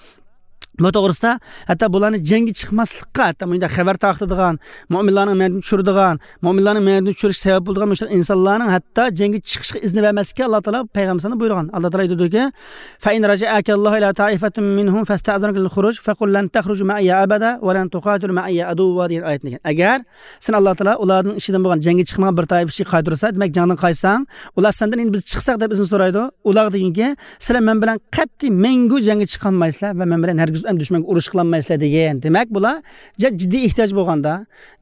بۇ توغرىسىدا ھەتتا بۇلارنى جەڭگە چىقماسلىققا، ھەتتا مۇنداق خەۋەر تارقىتىدىغان، مۆمىنلارنىڭ مەدىنىدىن چۈشۈرىدىغان، مۆمىنلارنىڭ مەدىنىدىن چۈشۈرۈش سەۋەب بولىدىغان مۇشۇ ئىنسانلارنىڭ ھەتتا جەڭگە چىقىشقا ئىزنى بەرمەسلىككە ئاللا تائالا پەيغەمبىرىمىزگە بۇيرۇغان. ئاللا تائالا ئېيتىدۇكى، فَإِنْ رَجَعَكَ اللَّهُ إِلَى طَائِفَةٍ مِنْهُمْ فَاسْتَأْذَنُكَ لِلْخُرُوجِ فَقُلْ لَنْ تَخْرُجُوا مَعِيَّ أَبَدًا وَلَنْ تُقَاتِلُوا مَعِيَّ عَدُوًّا دېگەن ئايەتنى دېگەن. ئەگەر سېنى ئاللا تائالا ئۇلاردىن ئىچىدىن بولغان جەڭگە چىقمىغان بىر تائىپە ئىچىگە قايتۇرسا، دېمەك، جەڭدىن قايتساڭ، ئۇلار سەندىن ئەمدى بىز چىقساق دەپ ئىزىن سورايدۇ. ئۇلارغا دېگىنكى، سىلەر مەن بىلەن قەتئىي مەڭگۈ جەڭگە چىقالمايسىلەر ۋە مەن بىلەن ھەرگىز ئەمدى دۈشمەنگە ئۇرۇش قىلالمايسىلەر دېگەن. دېمەك، بۇلار جە-، جىددىي ئېھتىياج بولغاندا،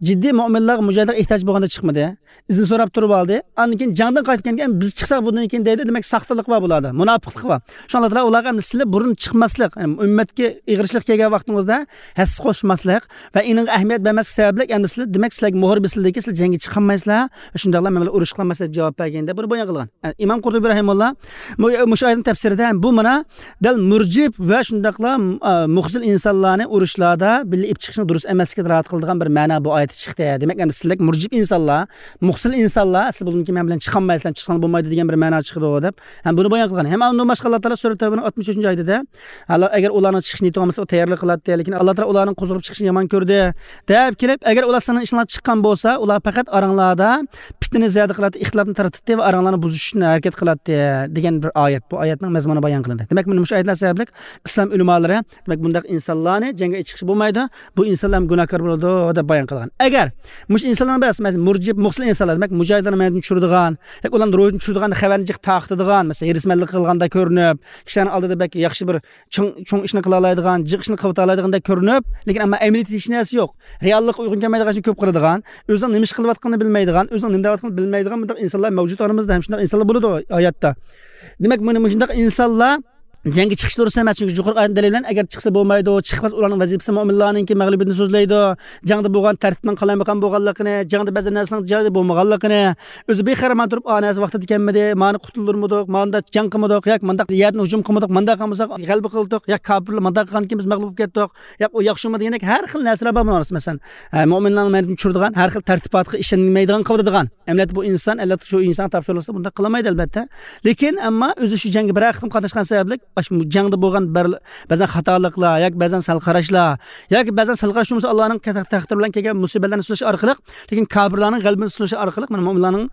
جىددىي مۆمىنلارغا، مۇجاھىدلارغا ئېھتىياج بولغاندا چىقمىدى. ئىزىن سوراپ تۇرۇپ ئالدى. ئاندىن كېيىن جەڭدىن قايتىپ كەلگەن، بىز چىقساق بۇندىن كېيىن دەيدۇ. دېمەك، ساختىلىق بار بۇلاردا، مۇناپىقلىق بار. شۇڭا ئاللا تائالا ئۇلارغا ئەمدى سىلەر بۇرۇن چىقماسلىق، يەنى ئۈممەتكە ئېغىرچىلىق كەلگەن ۋاقتىڭىزدا ھەسسە قوشماسلىق ۋە ئېنىڭغا ئەھمىيەت بەرمەسلىك سەۋەبلىك، ئەمدى سىلەر، دېمەك، سىلەرگە مۆھۈر بېسىلدىكى، سىلەر جەڭگە چىقالمايسىلەر، شۇنداقلا مەن بىلەن ئۇرۇش قىلالمايسىلەر دەپ جاۋاب بەرگەن دەپ بۇنى بايان قىلغان. ئىمام قۇرتۇبى رەھىمۇللا مۇ-، مۇشۇ ئايەتنىڭ تەپسىرىدە ھەم بۇ مانا دەل مۇرجىپ ۋە شۇنداقلا، ئا، مۇخزىل ئىنسانلارنى ئۇرۇشلاردا بىللە ئېلىپ چىقىشنىڭ دۇرۇس ئەمەسلىكىگە دالالەت قىلىدىغان بىر مەنا بۇ ئايەتتە چىقتى. دېمەك، ئەمدى سىلەر مۇرجىپ ئىنسانلار، مۇخزىل ئىنسانلار، سىلەر بۇندىن كېيىن مەن بىلەن چىقالمايسىلەر، چىقساڭلار بولمايدۇ دېگەن بىر مەنا چىقىدۇ دەپ ھەم بۇنى بايان قىلغان. ھەم ئۇندىن باشقا ئاللا تائالا سۈرە تەۋبىنىڭ ئاتمىش ئۈچىنچى ئايىتىدە، ئەگەر ئۇلارنىڭ چىقىش نىيىتى بولمىسا، ئۇ تەييارلىق قىلاتتى، لېكىن ئاللا تائالا ئۇلارنىڭ قوزغىلىپ چىقىشىنى يامان كۆردى دەپ كېلىپ، ئەگەر ئۇلار سىلەرنىڭ ئىشىڭلار چىققان بولسا، ئۇلار پەقەت ئاراڭلاردا پىتنىنى زىيادە قىلاتتى، ئىختىلاپنى تارقىتاتتى ۋە ئاراڭلارنى بۇزۇش ئۈچۈن ھەرىكەت قىلاتتى دېگەن بىر ئايەت. بۇ ئايەتنىڭ مەزمۇنى بايان قىلىندى. دېمەك، مانا مۇشۇ ئايەتلەر سەۋەبلىك ئىسلام ئۆلىمالىرى، دېمەك، بۇنداق ئىنسانلارنى جەڭگە چىقىشقا بولمايدۇ، بۇ ئىنسانلار ھەم گۇناھكار بولىدۇ دەپ بايان قىلغان. ئەگەر مۇشۇ ئىنسانلارنىڭ بىرەرسى، مەسىلەن، مۇرجىپ، مۇخسىل ئىنسانلار، دېمەك، مۇجاھىدلارنى مەيدىدىن چۈشۈرىدىغان، ياكى ئۇلارنى روھىدىن چۈشۈرىدىغان خەۋەرنى جىق تارقىتىدىغان، مەسىلەن، ھېرىسمەنلىك قىلغاندا كۆرۈنۈپ، كىشىلەرنىڭ ئالدىدا بەك ياخشى بىر چوڭ، چوڭ ئىشنى قىلالايدىغان، جىق ئىشنى قىلىۋېتەلايدىغاندەك كۆرۈنۈپ، لېكىن ئەمما ئەمەلىيەتتە ھېچ نەرسە يوق. رېئاللىققا ئۇيغۇن كەلمەيدىغان ئىشنى كۆپ قىلىدىغان، ئۆزىنىڭ نېمە ئىش قىلىۋاتقىنىنى بىلمەيدىغان، ئۆزىنىڭ نېمە دەۋاتقىنىنى بىلمەيدىغان بۇنداق ئىنسانلار مەۋجۇت ئارىمىزدا، ھەم شۇنداق ئىنسانلار بولىدۇ ھاياتتا. دېمەك، مانا مۇشۇنداق ئىنسانلار جەڭگە چىقىش دۇرۇس ئەمەس، چۈنكى يۇقىرىقى ئايەتنىڭ دەلىلى بىلەن، ئەگەر چىقسا بولمايدۇ، چىقماس، ئۇلارنىڭ ۋەزىپىسى مۆمىنلارنىڭكى مەغلۇبىيىتىنى سۆزلەيدۇ، جەڭدە بولغان تەرتىپنىڭ قالايمىقان بولغانلىقىنى، جەڭدە بەزى نەرسىلەرنىڭ جايىدا بولمىغانلىقىنى، ئۆزى بىخەۋەر مانا تۇرۇپ، ئا نەرسە ۋاقتىدا كەلمىدى، مانا قۇتۇلدۇرمىدۇق، مانداق جەڭ قىلمىدۇق، ياكى مانداق يەردىن ھۇجۇم قىلمىدۇق، مانداق قىلمىساق غەلىبە قىلدۇق، ياكى كاپىرلار مانداق قىلغاندىكىن بىز مەغلۇپ بولۇپ كەتتۇق، ياكى ئۇ ياخشىمۇ دېگەندەك ھەر خىل نەرسىلەر بار بۇنىڭ ئارىسىدا. مەسىلەن، ئە، مۆمىنلارنىڭ مەيدىدىن چۈشۈرىدىغان، ھەر خىل تەرتىپاتقا ئىشەنمەيدىغان قىلىۋېتىدىغان. ئەمەلىيەتتە بۇ ئىنسان، ئەلۋەتتە، شۇ ئىنسانغا تاپشۇرۇلسا بۇنداق قىلالمايدۇ، ئەلۋەتتە. لېكىن ئەمما ئۆزى شۇ جەڭگە بىرەر قېتىم قاتناشقان سەۋەبلىك، ئاشۇ جەڭدە بولغان بەر-، بەزەن خاتالىقلار ياكى بەزەن سەل قاراشلار ياكى بەزەن سەل قاراش بولمىسا، ئاللانىڭ تەق-، تەقدىرى بىلەن كەلگەن مۇسىبەتلەرنى سۆزلەش ئارقىلىق، لېكىن كاپىرلارنىڭ غەلىبىنى سۆزلەش ئارقىلىق، مانا، مۆمىنلارنىڭ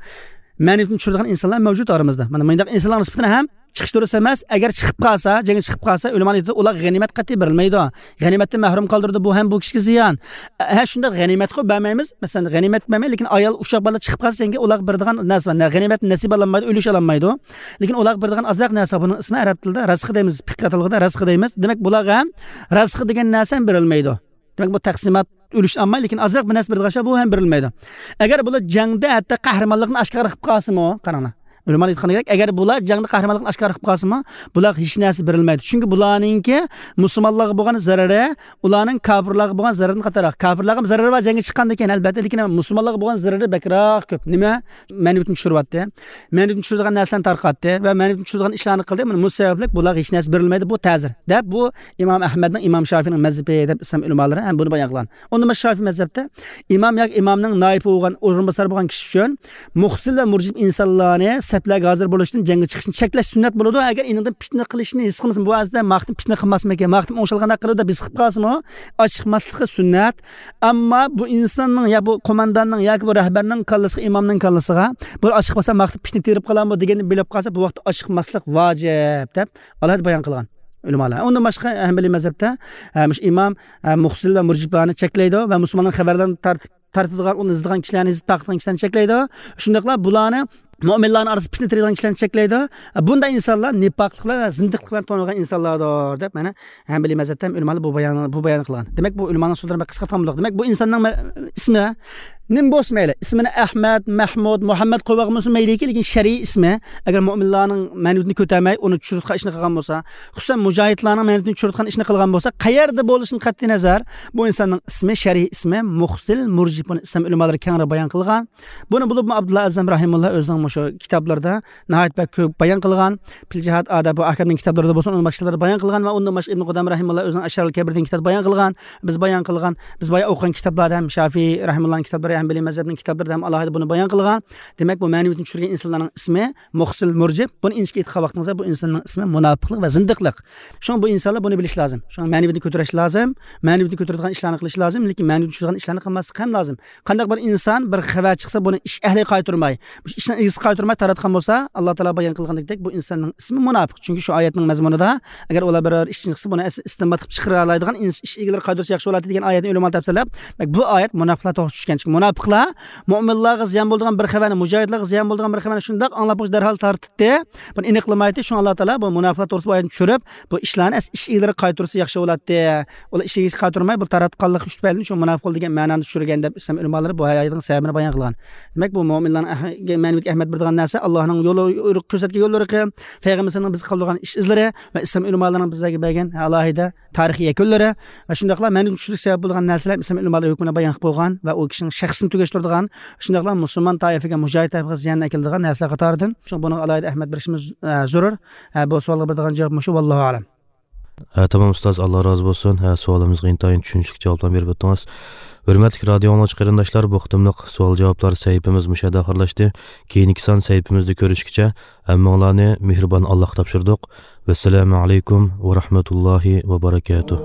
مەنىۋىيىتىنى چۈشۈرىدىغان ئىنسانلار مەۋجۇت ئارىمىزدا. مانا مۇنداق ئىنسانلارنىڭ سۈپىتىنى ھەم چىقىش دۇرۇس ئەمەس. ئەگەر چىقىپ قالسا، جەڭگە چىقىپ قالسا، ئۆلىمالار ئېيتىدۇ، ئۇلارغا غەنىيمەت قەتئىي بېرىلمەيدۇ. غەنىيمەتتىن مەھرۇم قالدۇرىدۇ، بۇ ھەم بۇ كىشىگە زىيان. ھە، شۇنداق غەنىيمەتقۇ بەرمەيمىز. مەسىلەن، غەنىيمەت بەرمەي، لېكىن ئايال، ئۇششاق بالىلار چىقىپ قالسا جەڭگە، ئۇلارغا بېرىدىغان نەرسە بار. نە-، غەنىيمەتتىن نەسىب ئالالمايدۇ، ئۈلۈش ئالالمايدۇ. لېكىن ئۇلارغا بېرىدىغان ئازراق نەرسە بار. بۇنىڭ ئىسمى ئەرەب تىلىدا رەزقى دەيمىز، پىقە تىلىدا رەزقى دەيمىز. دېمەك، بۇلارغا ھەم رەزقى دېگەن نەرسە ھەم بېرىلمەيدۇ. دېمەك، بۇ تەقسىمات ئۈلۈش ئالماي، لېكىن ئازراق بىر نەرسە بېرىدىغان شۇ، بۇ ھەم بېرىلمەيدۇ. ئەگەر بۇلار جەڭدە ھەتتا قەھرىمانلىقنى ئاشكارا قىلىپ قالسىمۇ، قاراڭلار. ئۆلىمالار ئېيتقاندەك، ئەگەر بۇلار جەڭدە قەھرىمانلىقنى ئاشكارا قىلىپ قالسىمۇ، بۇلارغا ھېچ نەرسە بېرىلمەيدۇ. چۈنكى بۇلارنىڭكى مۇسۇلمانلارغا بولغان زەرىرى ئۇلارنىڭ كاپىرلارغا بولغان زەرىرىدىن قاتارراق. كاپىرلارغا زەرىرى بار جەڭگە چىققاندىن كېيىن، ئەلبەتتە، لېكىن مۇسۇلمانلارغا بولغان زەرىرى بەكرەك كۆپ. نېمە؟ مەنىۋىيەتنى چۈشۈرۈۋەتتى. مەنىۋىيەتنى چۈشۈرىدىغان نەرسىلەرنى تارقاتتى ۋە مەنىۋىيەتنى چۈشۈرىدىغان ئىشلارنى قىلدى. مانا بۇ سەۋەبلىك بۇلارغا ھېچ نەرسە بېرىلمەيدۇ. بۇ تەزىر، دەپ، بۇ ئىمام ئەھمەدنىڭ، ئىمام شافىئىنىڭ مەزھىپى دەپ ئىسلام ئۆلىمالىرى ھەم بۇنى بايان قىلغان. ئۇندىن باشقا شافىئى مەزھەپتە ئىمام ياكى ئىمامنىڭ نائىبى بولغان، ئورۇنباسار بولغان كىشى ئۈچۈن مۇخسىل ۋە مۇرجىپ ئىنسانلارنى سەپلەرگە ھازىر بولۇشتىن جەڭگە چىقىشنى چەكلەش سۈننەت بولىدۇ. ئەگەر ئېنىڭدىن پىتنە قىلىشنى ھېس قىلمىسا، بۇ ئەسلىدە ماختىن پىتنە قىلماسمىكىن، ماختىن ئوڭشالغاندەك قىلىدۇ دەپ ھېس قىلىپ قالسىمۇ، ئاچىقماسلىقى سۈننەت. ئەمما بۇ ئىنساننىڭ يا بۇ قومانداننىڭ ياكى بۇ رەھبەرنىڭ كاللىسىغا، ئىمامنىڭ كاللىسىغا بۇ ئاچىقماسا ماختىن پىتنە تېرىپ قالامدۇ دېگەننى بىلىپ قالسا، بۇ ۋاقىتتا ئاچىقماسلىق ۋاجىپ دەپ ئالاھىدە بايان قىلغان ئۆلىمالار. ئۇندىن باشقا ھەمبىلىي مەزھەپتە، ئە، مۇشۇ ئىمام، ئە، مۇخسىل ۋە مۇرجىپلارنى چەكلەيدۇ ۋە مۇسۇلمانلارنىڭ خەۋەرلەرنى تارت-، تارتىدىغان، ئۇنى ئىزدىغان كىشىلەرنى، ئىزدەپ تارقىتىدىغان كىشىلەرنى چەكلەيدۇ. شۇنداقلا بۇلارنى مۆمىنلارنىڭ ئارىسىدا پىتنە تېرىيدىغان كىشىلەرنى چەكلەيدۇ. بۇنداق ئىنسانلار نىپاقلىق بىلەن ۋە زىندىقلىق بىلەن تونۇلغان ئىنسانلاردۇر، دەپ، مانا، ھەمبىلىي مەزھەپتە ھەم ئۆلىمالار بۇ بايان، بۇ بايان قىلغان. دېمەك، بۇ ئۆلىمالارنىڭ سۆزلىرى بەك قىسقارتقان بولدۇق. دېمەك، بۇ ئىنساننىڭ مە-، ئىسمى نېمە بولسا مەيلى، ئىسمىنى ئەھمەد، مەھمۇد، مۇھەممەد قويۇۋالغان بولسا مەيلىكى، لېكىن شەرئىي ئىسمى، ئەگەر مۆمىنلارنىڭ مەنىۋىيىتىنى كۆتەرمەي، ئۇنى چۈشۈرۈۋېتىدىغان ئىشنى قىلغان بولسا، خۇسۇسەن مۇجاھىدلارنىڭ مەنىۋىيىتىنى چۈشۈرۈۋېتىدىغان ئىشنى قىلغان بولسا، قەيەردە بولۇشىدىن قەتئىينەزەر، بۇ ئىنساننىڭ ئىسمى، شەرئىي ئىسمى مۇخسىل مۇرجىپ. بۇنى ئىسلام ئۆلىمالىرى كەڭرى بايان قىلغان. بۇنى بولۇپمۇ ئابدۇللا ئەزەم رەھىمۇللا ئۆزىنىڭ مۇشۇ كىتابلىرىدا ناھايىتى بەك كۆپ بايان قىلغان. پىل جىھاد ئادابۇ ئەھكامنىڭ كىتابلىرىدا بولسۇن، ئۇنىڭ باشقا كىتابلىرىدا بايان قىلغان ۋە ئۇندىن باشقا ئىبن قۇدام رەھىمۇللا ئۆزىنىڭ ئەشرارۇل كەبىر دېگەن كىتابتا بايان قىلغان. بىز بايان قىلغان، بىز بايان ئوقۇغان كىتابلاردا ھەم شافىئىي رەھىمۇللانىڭ كىتابلىرى، ھەمبىلىي مەزھەپنىڭ كىتابلىرىدا ھەم ئالاھىدە بۇنى بايان قىلغان. دېمەك، بۇ مەنىۋىيەتنى چۈشۈرگەن ئىنسانلارنىڭ ئىسمى مۇخسىل مۇرجىپ. بۇنى ئىنچىكە ئېيتقان ۋاقتىمىزدا، بۇ ئىنساننىڭ ئىسمى مۇناپىقلىق ۋە زىندىقلىق. شۇڭا بۇ ئىنسانلار بۇنى بىلىشى لازىم. شۇڭا مەنىۋىيەتنى كۆتۈرۈش لازىم، مەنىۋىيەتنى كۆتۈرىدىغان ئىشلارنى قىلىشى لازىم، لېكىن مەنىۋىيەتنى چۈشۈرىدىغان ئىشلارنى قىلماسلىق ھەم لازىم. قانداق بىر ئىنسان بىر خەۋەر چىقسا، بۇنى ئىش ئەھلىگە قايتۇرماي، مۇشۇ ئىشنىڭ ئىگىسىگە قايتۇرماي تاراتقان بولسا، ئاللا تائالا بايان قىلغىنىدەك، بۇ ئىنساننىڭ ئىسمى مۇناپىق. چۈنكى شۇ ئايەتنىڭ مەزمۇنىدا، ئەگەر ئۇلار بىرەر ئىشنى قىلسا، بۇنى ئەس-، ئىستىنبات قىلىپ چىقىرالايدىغان ئىنس-، ئىش ئىگىلىرى قايتۇرسا ياخشى بولاتتى دېگەن ئايەتنى ئۆلىمالار تەپسىرلەپ، دېمەك، بۇ ئايەت مۇناپىقلار توغرىسىدا چۈشكەن. چۈنكى مۇناپىقلار مۆمىنلارغا زىيان بولىدىغان بىر خەۋەرنى، مۇجاھىدلارغا زىيان بولىدىغان بىر خەۋەرنى شۇنداق ئاڭلاپ، دەرھال تارتىتتى، بۇنى ئېنىقلىمايتتى. شۇڭا ئاللا تائالا بۇ مۇناپىقلار توغرىسىدا بۇ ئايەتنى چۈشۈرۈپ، بۇ ئىشلارنى ئەس-، ئىش ئىگىلىرىگە قايتۇرسا ياخشى بولاتتى. ئۇلار ئىش ئىگىسىگە قايتۇرماي، بۇ تاراتقانلىق ئۈچ تۈپەيلىدىن شۇ مۇناپىق بولدى دېگەن مەنانى چۈشۈرگەن دەپ ئىسلام ئۆلىمالىرى بۇ ئايەتنىڭ سەۋەبىنى بايان قىلغان. دېمەك، بۇ مۆمىنلارنىڭ ئەھ-، مەنىۋىيەتكە ئەھمىيەت بېرىدىغان نەرسە ئاللانىڭ يولى، كۆرسەتكەن يوللىرى، پەيغەمبىرىمىزنىڭ بىزگە قالدۇرغان ئىش ئىزلىرى ۋە ئىسلام ئۆلىمالىرىنىڭ بىزلەرگە بەرگەن ئالاھىدە تارىخىي يەكۈنلىرى ۋە شۇنداقلا مەنىۋىيەتنى چۈشۈرۈش سەۋەب بولغان نەرسىلەر ئىسلام ئۆلىمالىرى ھۆكمىنى بايان قىلىپ بولغان ۋە ئۇ كىشىنىڭ شەخسىنى تۈگەشتۈرىدىغان، شۇنداقلا مۇسۇلمان تائىفىگە، مۇجاھىد تائىفىگە زىيان ئەكېلىدىغان نەرسىلەر قاتارىدىن. شۇڭا بۇنىڭغا ئالاھىدە ئەھمىيەت بېرىشىمىز، ئە، زۆرۈر. ئە، بۇ سوئالغا بېرىدىغان جاۋاب مۇشۇ. ۋاللاھۇ ئەلەم. ھە، تامام ئۇستاز، ئاللا رازى بولسۇن. ھە، سوئالىمىزغا ئىنتايىن چۈشىنىشلىك جاۋابلارنى بېرىپ ئۆتتىڭىز. ھۆرمەتلىك رادىئو ئاڭلىغۇچى قېرىنداشلار، بۇ قېتىملىق سوئال جاۋابلار سەھىپىمىز مۇشۇ يەردە ئاخىرلاشتى. كېيىنكى سان سەھىپىمىزدە كۆرۈشكىچە، ھەممىڭلارنى مېھرىبان ئاللاغا تاپشۇردۇق. ۋەسسالامۇ ئەلەيكۇم ۋە رەھمەتۇللاھى ۋە بەرەكاتۇھ.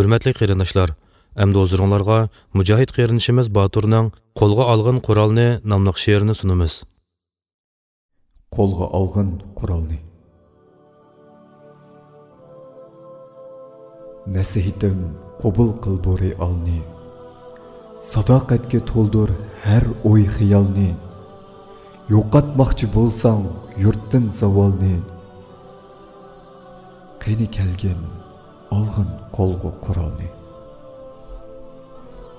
ھۆرمەتلىك قېرىنداشلار، ئەمدى ھۇزۇرۇڭلارغا مۇجاھىد قېرىندىشىمىز باتۇرنىڭ «قولغا ئالغىن قورالنى» ناملىق شېئىرىنى سۇنىمىز. قولغا ئالغىن قورالنى. نەسىھىتىم، قوبۇل قىل بۇ رېئالنى. ساداقەتكە تولدۇر ھەر ئوي-خىيالنى. يوقاتماقچى بولساڭ يۇرتتىن زاۋالنى، قېنى كەلگىن، ئالغىن قولغا قورالنى.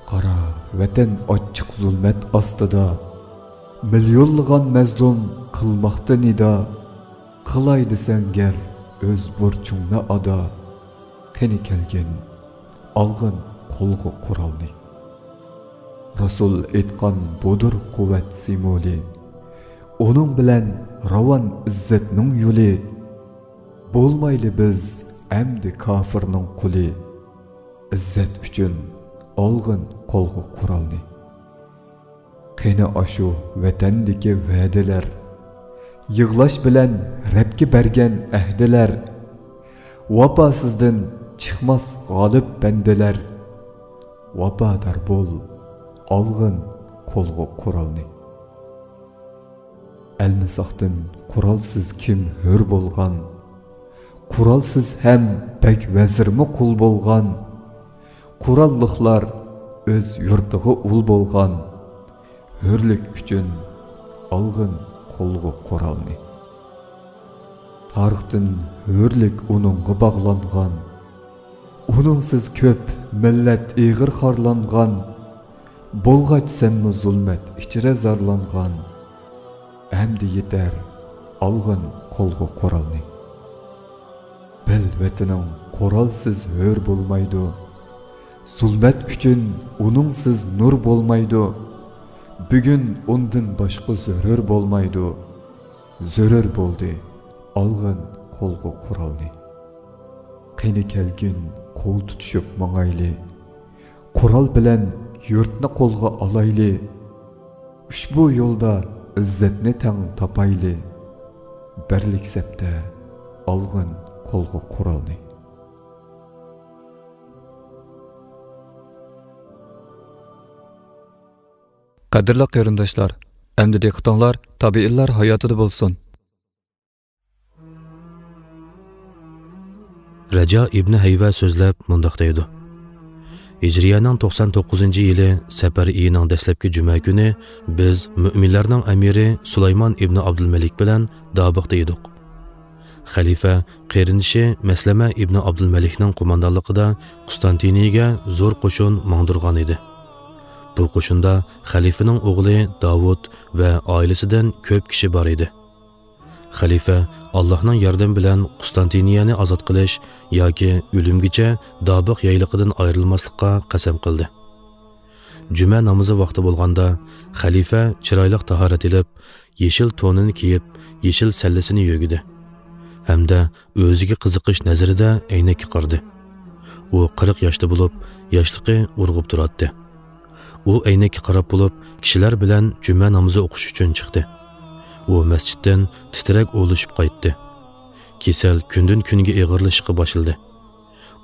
قارا، ۋەتەن ئاچچىق زۇلمەت ئاستىدا، مىليونلىغان مەزلۇم قىلماقتا نىدا. قىلاي دېسەڭ گەر ئۆز بۇرچۇڭنى ئادا، قېنى كەلگىن، ئالغىن قولغا قورالنى. رەسۇل ئېيتقان بۇدۇر قۇۋۋەت سىمۋولى، ئۇنىڭ بىلەن راۋان ئىززەتنىڭ يولى. بولمايلى بىز ئەمدى كاپىرنىڭ قۇلى، ئىززەت ئۈچۈن ئالغىن قولغا قورالنى. قېنى ئاشۇ ۋەتەندىكى ۋەدىلەر، يىغلاش بىلەن رەبكە بەرگەن ئەھدىلەر. ۋاپاسىزدىن چىقماس غالىب بەندىلەر، ۋاپادار بول، ئالغىن قولغا قورالنى. ئەلمىساقتىن قورالسىز كىم ھۆر بولغان؟ قورالسىز ھەم بەگ ۋەزىرمۇ قۇل بولغان. قوراللىقلار ئۆز يۇرتىغا ئۇل بولغان. ھۆرلۈك ئۈچۈن ئالغىن قولغا قورالنى. تارىختىن ھۆرلۈك ئۇنىڭغا باغلانغان، ئۇنىڭسىز كۆپ مىللەت ئېغىر خارلانغان، بولغاچ سەنمۇ زۇلمەت ئىچرە زارلانغان، ئەمدى يېتەر، ئالغىن قولغا قورالنى. بىل، ۋەتىنىڭ قورالسىز ھۆر بولمايدۇ. زۇلمەت ئۈچۈن ئۇنىڭسىز نۇر بولمايدۇ. بۈگۈن ئۇندىن باشقا زۆرۈر بولمايدۇ. زۆرۈر بولدى، ئالغىن قولغا قورالنى. قېنى كەلگىن، قول تۇتۇشۇپ ماڭايلى. قورال بىلەن يۇرتنى قولغا ئالايلى. ئۇشبۇ يولدا ئىززەتنى تەڭ تاپايلى. بىرلىك سەپتە ئالغىن قولغا قورالنى. قەدىرلىك قېرىنداشلار، ئەمدى دىققىتىڭلار تابىئىنلار ھاياتىدا بولسۇن. رەجا ئىبنى ھەيۋە سۆزلەپ مۇنداق دەيدۇ: ھىجرىيەنىڭ توقسان توققۇزىنچى يىلى سەپەر ئېيىنىڭ دەسلەپكى جۈمە كۈنى بىز مۆمىنلەرنىڭ ئەمىرى سۇلايمان ئىبنى ئابدۇلمەلىك بىلەن دابىقتا ئىدۇق. خەلىپە قېرىندىشى مەسلەمە ئىبنى ئابدۇلمەلىكنىڭ قوماندانلىقىدا قۇستانتىنىيەگە زور قوشۇن ماڭدۇرغان ئىدى. بۇ قوشۇندا خەلىپىنىڭ ئوغلى داۋۇت ۋە ئائىلىسىدىن كۆپ كىشى بار ئىدى. خەلىپە ئاللاھنىڭ ياردىمى بىلەن قۇستانتىنىيەنى ئازاد قىلىش ياكى ئۆلۈمگىچە دابىق يايلىقىدىن ئايرىلماسلىققا قەسەم قىلدى. جۈمە نامىزى ۋاقتى بولغاندا، خەلىپە چىرايلىق تاھارەت ئېلىپ، يېشىل تونىنى كىيىپ، يېشىل سەللىسىنى يۆگىدى ھەمدە ئۆزىگە قىزىقىش نەزىرىدە ئەينەككە قارىدى. ئۇ قىرىق ياشتا بولۇپ، ياشلىقى ئۇرغۇپ تۇراتتى. ئۇ ئەينەككە قاراپ بولۇپ، كىشىلەر بىلەن جۈمە نامىزى ئوقۇش ئۈچۈن چىقتى. ئۇ مەسچىتتىن تىترەك ئۇۋۇلىشىپ قايتتى. كېسەل كۈندىن-كۈنگە ئېغىرلىشىشقا باشلىدى.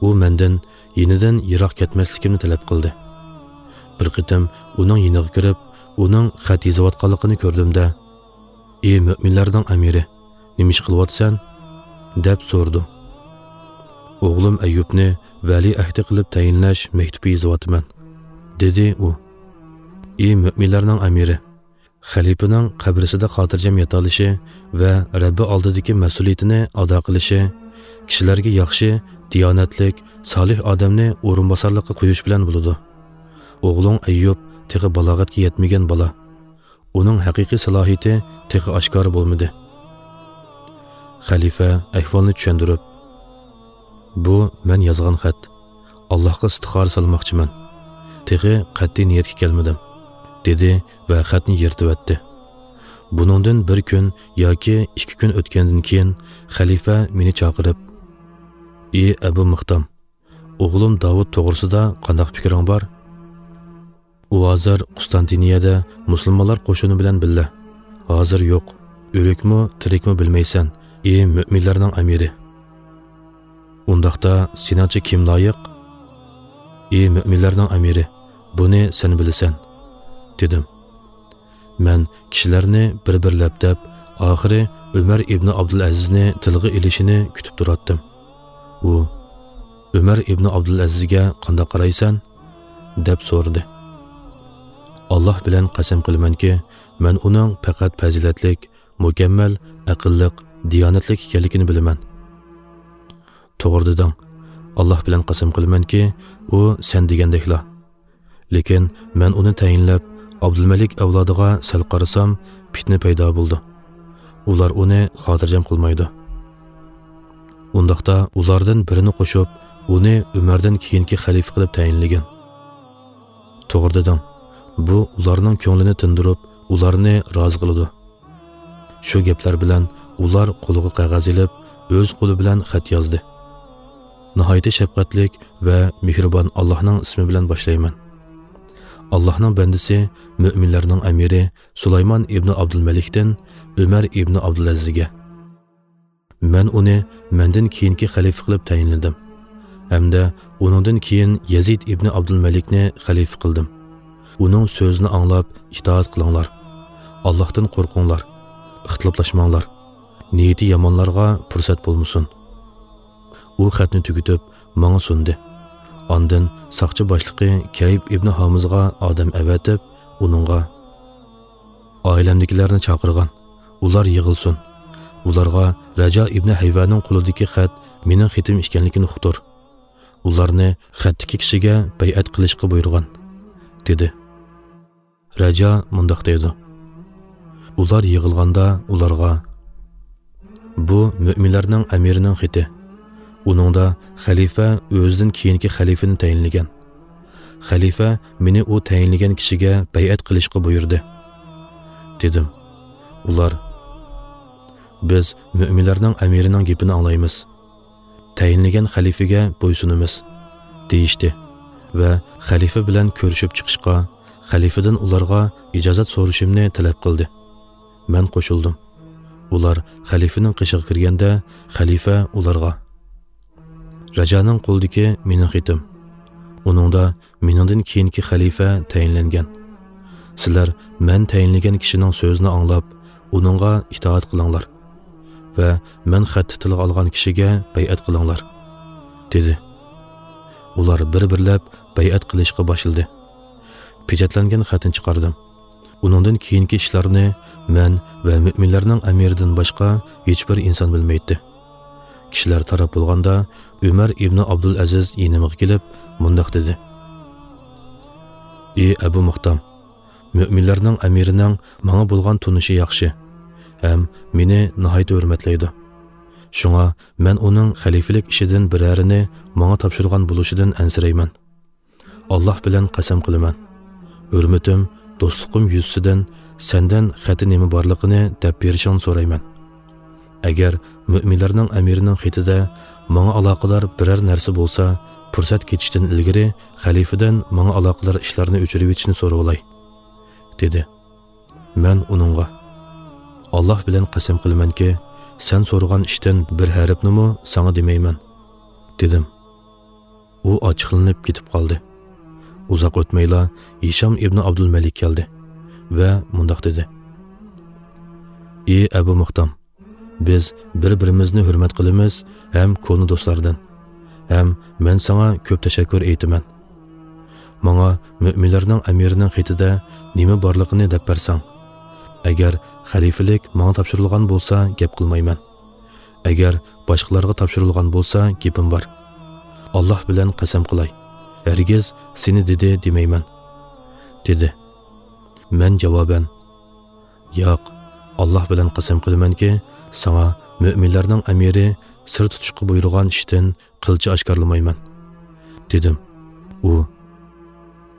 ئۇ مەندىن يېنىدىن يىراق كەتمەسلىكىمنى تەلەپ قىلدى. بىر قېتىم ئۇنىڭ يېنىغا كىرىپ، ئۇنىڭ خەت يېزىۋاتقانلىقىنى كۆردۈم-دە، «ئى مۆمىنلەرنىڭ ئەمىرى، نېمە ئىش قىلىۋاتىسەن؟» دەپ سورىدىم. «ئوغلۇم ئەييۇبنى ۋەلىئەھدى قىلىپ تەيىنلەش مەكتۇبى يېزىۋاتىمەن»، دېدى ئۇ. «ئى مۆمىنلەرنىڭ ئەمىرى، خەلىپىنىڭ قەبرىسىدە خاتىرجەم ياتالىشى ۋە رەببى ئالدىدىكى مەسئۇلىيىتىنى ئادا قىلىشى كىشىلەرگە ياخشى، دىيانەتلىك، سالىھ ئادەمنى ئورۇنباسارلىققا قويۇش بىلەن بولىدۇ. ئوغلۇڭ ئەييۇب تېخى بالاغەتكە يەتمىگەن بالا. ئۇنىڭ ھەقىقىي سالاھىيىتى تېخى ئاشكارا بولمىدى.» خەلىپە ئەھۋالنى چۈشەندۈرۈپ، «بۇ مەن يازغان خەت. ئاللاھقا ئىستىخارە سالماقچىمەن. تېخى قەتئىي نىيەتكە كەلمىدىم»، دېدى ۋە خەتنى يىرتىۋەتتى. بۇنىڭدىن بىر كۈن ياكى ئىككى كۈن ئۆتكەندىن كېيىن خەلىپە مېنى چاقىرىپ، «ئى ئەبۇ مىقدام، ئوغلۇم داۋۇت توغرىسىدا قانداق پىكرىڭ بار؟ ئۇ ھازىر قۇستانتىنىيەدە مۇسۇلمانلار قوشۇنى بىلەن بىللە. ھازىر يوق. ئۆلۈكمۇ، تىرىكمۇ بىلمەيسەن، ئى مۆمىنلەرنىڭ ئەمىرى. ئۇنداقتا سېنىڭچە كىم لايىق؟» «ئى مۆمىنلەرنىڭ ئەمىرى، بۇنى سەن بىلىسەن»، دېدىم. مەن كىشىلەرنى بىر-بىرلەپ دەپ، ئاخىرى ئۆمەر ئىبنى ئابدۇلئەزىزنى تىلغا ئېلىشىنى كۈتۈپ تۇراتتىم. ئۇ، «ئۆمەر ئىبنى ئابدۇلئەزىزگە قانداق قارايسەن؟» دەپ سورىدى. «ئاللاھ بىلەن قەسەم قىلىمەنكى، مەن ئۇنىڭ پەقەت پەزىلەتلىك، مۇكەممەل، ئەقىللىق، دىيانەتلىك ئىكەنلىكىنى بىلىمەن.» «توغرا دېدىڭ. ئاللاھ بىلەن قەسەم قىلىمەنكى، ئۇ سەن دېگەندەكلا. لېكىن مەن ئۇنى تەيىنلەپ، ئابدۇلمەلىك ئەۋلادىغا سەل قارىسام، پىتنە پەيدا بولىدۇ. ئۇلار ئۇنى خاتىرجەم قىلمايدۇ. ئۇنداقتا ئۇلاردىن بىرىنى قوشۇپ، ئۇنى ئۆمەردىن كېيىنكى خەلىپە قىلىپ تەيىنلىگىن.» «توغرا دېدىڭ. بۇ ئۇلارنىڭ كۆڭلىنى تىندۇرۇپ، ئۇلارنى رازى قىلىدۇ.» شۇ گەپلەر بىلەن ئۇلار قولىغا قەغەز ئېلىپ، ئۆز قولى بىلەن خەت يازدى. «ناھايىتى شەپقەتلىك ۋە مېھرىبان ئاللاھنىڭ ئىسمى بىلەن باشلايمەن. ئاللاھنىڭ بەندىسى، مۆمىنلەرنىڭ ئەمىرى سۇلايمان ئىبنى ئابدۇلمەلىكتىن ئۆمەر ئىبنى ئابدۇلئەزىزگە. مەن ئۇنى مەندىن كېيىنكى خەلىپە قىلىپ تەيىنلىدىم ھەمدە ئۇنىڭدىن كېيىن يەزىد ئىبنى ئابدۇلمەلىكنى خەلىپە قىلدىم. ئۇنىڭ سۆزىنى ئاڭلاپ ئىتائەت قىلىڭلار. ئاللاھتىن قورقۇڭلار. ئىختىلاپلاشماڭلار. نىيىتى يامانلارغا پۇرسەت بولمىسۇن.» ئۇ خەتنى تۈگىتىپ، ماڭا سۇندى. ئاندىن ساقچى باشلىقى كەيب ئىبنى ھامىزغا ئادەم ئەۋەتىپ، ئۇنىڭغا، ئائىلەمدىكىلەرنى چاقىرغان، ئۇلار يىغىلسۇن. ئۇلارغا رەجا ئىبنى ھەيۋەنىڭ قولىدىكى خەت مېنىڭ خېتىم ئىكەنلىكىنى ئۇقتۇر. ئۇلارنى خەتتىكى كىشىگە بەيئەت قىلىشقا بۇيرۇغان، دېدى. رەجا مۇنداق دەيدۇ: ئۇلار يىغىلغاندا ئۇلارغا، بۇ مۆمىنلەرنىڭ ئەمىرىنىڭ خېتى. ئۇنىڭدا خەلىپە ئۆزىدىن كېيىنكى خەلىپىنى تەيىنلىگەن. خەلىپە مېنى ئۇ تەيىنلىگەن كىشىگە بەيئەت قىلىشقا بۇيرۇدى، دېدىم. ئۇلار، بىز مۆمىنلەرنىڭ ئەمىرىنىڭ گېپىنى ئاڭلايمىز، تەيىنلىگەن خەلىپىگە بويسۇنىمىز، دېيىشتى ۋە خەلىپە بىلەن كۆرۈشۈپ چىقىشقا، خەلىپىدىن ئۇلارغا ئىجازەت سورىشىمنى تەلەپ قىلدى. مەن قوشۇلدۇم. ئۇلار خەلىپىنىڭ قېشىغا كىرگەندە، خەلىپە ئۇلارغا، رەجانىڭ قولىدىكى مېنىڭ خېتىم. ئۇنىڭدا مېنىڭدىن كېيىنكى خەلىپە تەيىنلەنگەن. سىلەر مەن تەيىنلىگەن كىشىنىڭ سۆزىنى ئاڭلاپ، ئۇنىڭغا ئىتائەت قىلىڭلار ۋە مەن خەتتە تىلغا ئالغان كىشىگە بەيئەت قىلىڭلار، دېدى. ئۇلار بىر-بىرلەپ بەيئەت قىلىشقا باشلىدى. پېچەتلەنگەن خەتنى چىقاردىم. ئۇنىڭدىن كېيىنكى ئىشلارنى مەن ۋە مۆمىنلەرنىڭ ئەمىرىدىن باشقا ھېچبىر ئىنسان بىلمەيتتى. كىشىلەر تاراپ بولغاندا، ئۆمەر ئىبنى ئابدۇلئەزىز يېنىمغا كېلىپ، مۇنداق دېدى: ئى ئەبۇ مۇختام، مۆمىنلەرنىڭ ئەمىرىنىڭ ماڭا بولغان تونۇشى ياخشى ھەم مېنى ناھايىتى ھۆرمەتلەيدۇ. شۇڭا مەن ئۇنىڭ خەلىپىلىك ئىشىدىن بىرەرىنى ماڭا تاپشۇرغان بولۇشىدىن ئەنسىرەيمەن. ئاللاھ بىلەن قەسەم قىلىمەن، ھۆرمىتىم، دوستلۇقۇم يۈزىسىدىن سەندىن خەتتە نېمە بارلىقىنى دەپ بېرىشىڭنى سورايمەن. ئەگەر مۆمىنلەرنىڭ ئەمىرىنىڭ خېتىدە ماڭا ئالاقىدار بىرەر نەرسە بولسا، پۇرسەت كېتىشتىن ئىلگىرى خەلىپىدىن ماڭا ئالاقىدار ئىشلارنى ئۆچۈرۈۋېتىشنى سورىۋالاي، دېدى. مەن ئۇنىڭغا، ئاللاھ بىلەن قەسەم قىلىمەنكى، سەن سورىغان ئىشتىن بىر ھەرپنىمۇ ساڭا دېمەيمەن، دېدىم. ئۇ ئاچچىقلىنىپ كېتىپ قالدى. ئۇزاق ئۆتمەيلا ھىشام ئىبنى ئابدۇلمەلىك كەلدى ۋە مۇنداق دېدى: ئى ئەبۇ مۇختام، بىز بىر-بىرىمىزنى ھۆرمەت قىلىمىز ھەم كونا دوستلاردىن. ھەم مەن ساڭا كۆپ تەشەككۈر ئېيتىمەن. ماڭا مۆمىنلەرنىڭ ئەمىرىنىڭ خېتىدە نېمە بارلىقىنى دەپ بەرسەڭ. ئەگەر خەلىپىلىك ماڭا تاپشۇرۇلغان بولسا، گەپ قىلمايمەن. ئەگەر باشقىلارغا تاپشۇرۇلغان بولسا، گېپىم بار. ئاللاھ بىلەن قەسەم قىلاي، ھەرگىز سېنى دېدى دېمەيمەن، دېدى. مەن جاۋابەن، ياق، ئاللاھ بىلەن قەسەم قىلىمەنكى، ساڭا مۆمىنلەرنىڭ ئەمىرى سىر تۇتۇشقا بۇيرۇغان ئىشتىن قىلچە ئاشكارىلىمايمەن، دېدىم. ئۇ،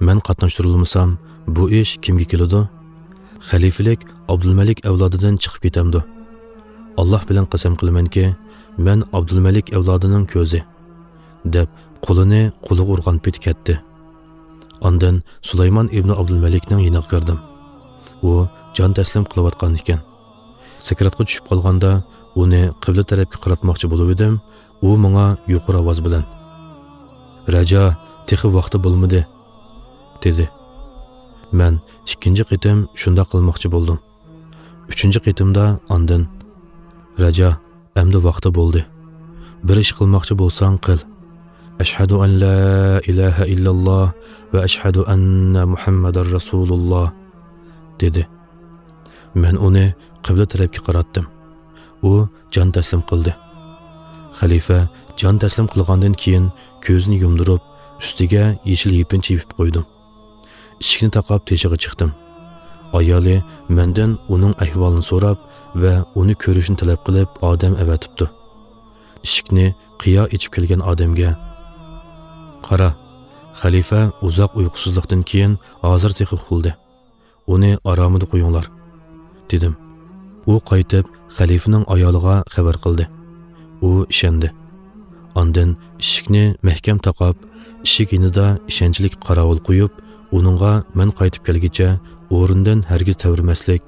مەن قاتناشتۇرۇلمىسام، بۇ ئىش كىمگە كېلىدۇ؟ خەلىپىلىك ئابدۇلمەلىك ئەۋلادىدىن چىقىپ كېتەمدۇ؟ ئاللاھ بىلەن قەسەم قىلىمەنكى، مەن ئابدۇلمەلىك ئەۋلادىنىڭ كۆزى، دەپ، قولىنى قولىغا ئۇرغان پېتى كەتتى. ئاندىن سۇلايمان ئىبنى ئابدۇلمەلىكنىڭ يېنىغا كىردىم. ئۇ جان تەسلىم قىلىۋاتقان ئىكەن. سەكراتقا چۈشۈپ قالغاندا، ئۇنى قىبلە تەرەپكە قاراتماقچى بولۇۋىدىم، ئۇ ماڭا يۇقىرى ئاۋاز بىلەن، رەجا، تېخى ۋاقتى بولمىدى، دېدى. مەن ئىككىنچى قېتىم شۇنداق قىلماقچى بولدۇم. ئۈچىنچى قېتىمدا ئاندىن، رەجا، ئەمدى ۋاقتى بولدى. بىر ئىش قىلماقچى بولساڭ قىل. ئەشھەدۇ ئەن لا ئىلاھە ئىللاللاھ ۋە ئەشھەدۇ ئەننە مۇھەممەدەر رەسۇلۇللاھ، دېدى. مەن ئۇنى قىبلە تەرەپكە قاراتتىم. ئۇ جان تەسلىم قىلدى. خەلىپە جان تەسلىم قىلغاندىن كېيىن كۆزىنى يۇمدۇرۇپ، ئۈستىگە يېشىل يېپىنچا يېپىپ قويدۇم. ئىشىكنى تاقاپ تېشىغا چىقتىم. ئايالى مەندىن ئۇنىڭ ئەھۋالىنى سوراپ ۋە ئۇنى كۆرۈشنى تەلەپ قىلىپ ئادەم ئەۋەتىپتۇ. ئىشىكنى قىيا ئېچىپ كەلگەن ئادەمگە، قارا، خەلىپە ئۇزاق ئۇيقۇسىزلىقتىن كېيىن ھازىر تېخى ئۇخلىدى. ئۇنى ئارامىدا قويۇڭلار، دېدىم. ئۇ قايتىپ خەلىپىنىڭ ئايالىغا خەۋەر قىلدى. ئۇ ئىشەندى. ئاندىن ئىشىكنى مەھكەم تاقاپ، ئىشىك يېنىدا ئىشەنچلىك قاراۋۇل قويۇپ، ئۇنىڭغا مەن قايتىپ كەلگۈچە ئورنىدىن ھەرگىز تەۋرىمەسلىك،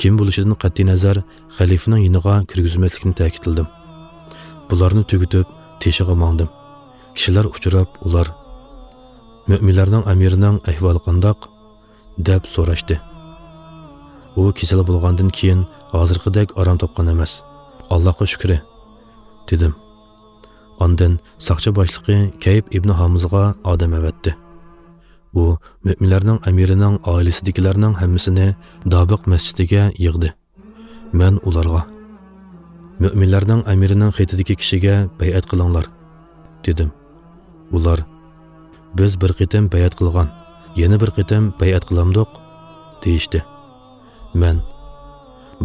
كىم بولۇشىدىن قەتئىينەزەر، خەلىپىنىڭ يېنىغا كىرگۈزمەسلىكنى تەكىتلىدىم. بۇلارنى تۈگىتىپ، تېشىغا ماڭدىم. كىشىلەر ئۇچراپ، ئۇلار، مۆمىنلەرنىڭ ئەمىرىنىڭ ئەھۋالى قانداق؟ دەپ سوراشتى. ئۇ كېسەل بولغاندىن كېيىن ھازىرقىدەك ئارام تاپقان ئەمەس. ئاللاھقا شۈكرى، دېدىم. ئاندىن ساقچى باشلىقى كەيپ ئىبنى ھامىزغا ئادەم ئەۋەتتى. ئۇ مۆمىنلەرنىڭ ئەمىرىنىڭ ئائىلىسىدىكىلەرنىڭ ھەممىسىنى دابىق مەسچىتىگە يىغدى. مەن ئۇلارغا، «مۆمىنلەرنىڭ ئەمىرىنىڭ خېتىدىكى كىشىگە بەيئەت قىلىڭلار» دېدىم. ئۇلار، «بىز بىر قېتىم بەيئەت قىلغان، يەنە بىر قېتىم بەيئەت قىلامدۇق؟» دېيىشتى. مەن،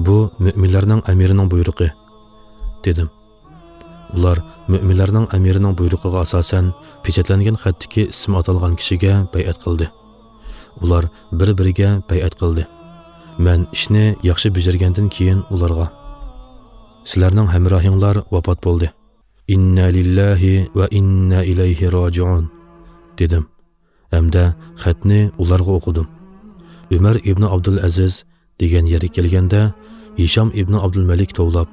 «بۇ مۆمىنلەرنىڭ ئەمىرىنىڭ بۇيرۇقى» دېدىم. ئۇلار مۆمىنلەرنىڭ ئەمىرىنىڭ بۇيرۇقىغا ئاساسەن پېچەتلەنگەن خەتتىكى ئىسمى ئاتالغان كىشىگە بەيئەت قىلدى. ئۇلار بىر-بىرىگە بەيئەت قىلدى. مەن ئىشنى ياخشى بېجىرگەندىن كېيىن ئۇلارغا، «سىلەرنىڭ ھەمراھىڭلار ۋاپات بولدى. ئىننا لىللاھى ۋە ئىننا ئىلەيھى راجىئۇن» دېدىم ھەمدە خەتنى ئۇلارغا ئوقۇدۇم. ئۆمەر ئىبنى ئابدۇلئەزىز دېگەن يەرگە كەلگەندە، ھىشام ئىبنى ئابدۇلمەلىك توۋلاپ،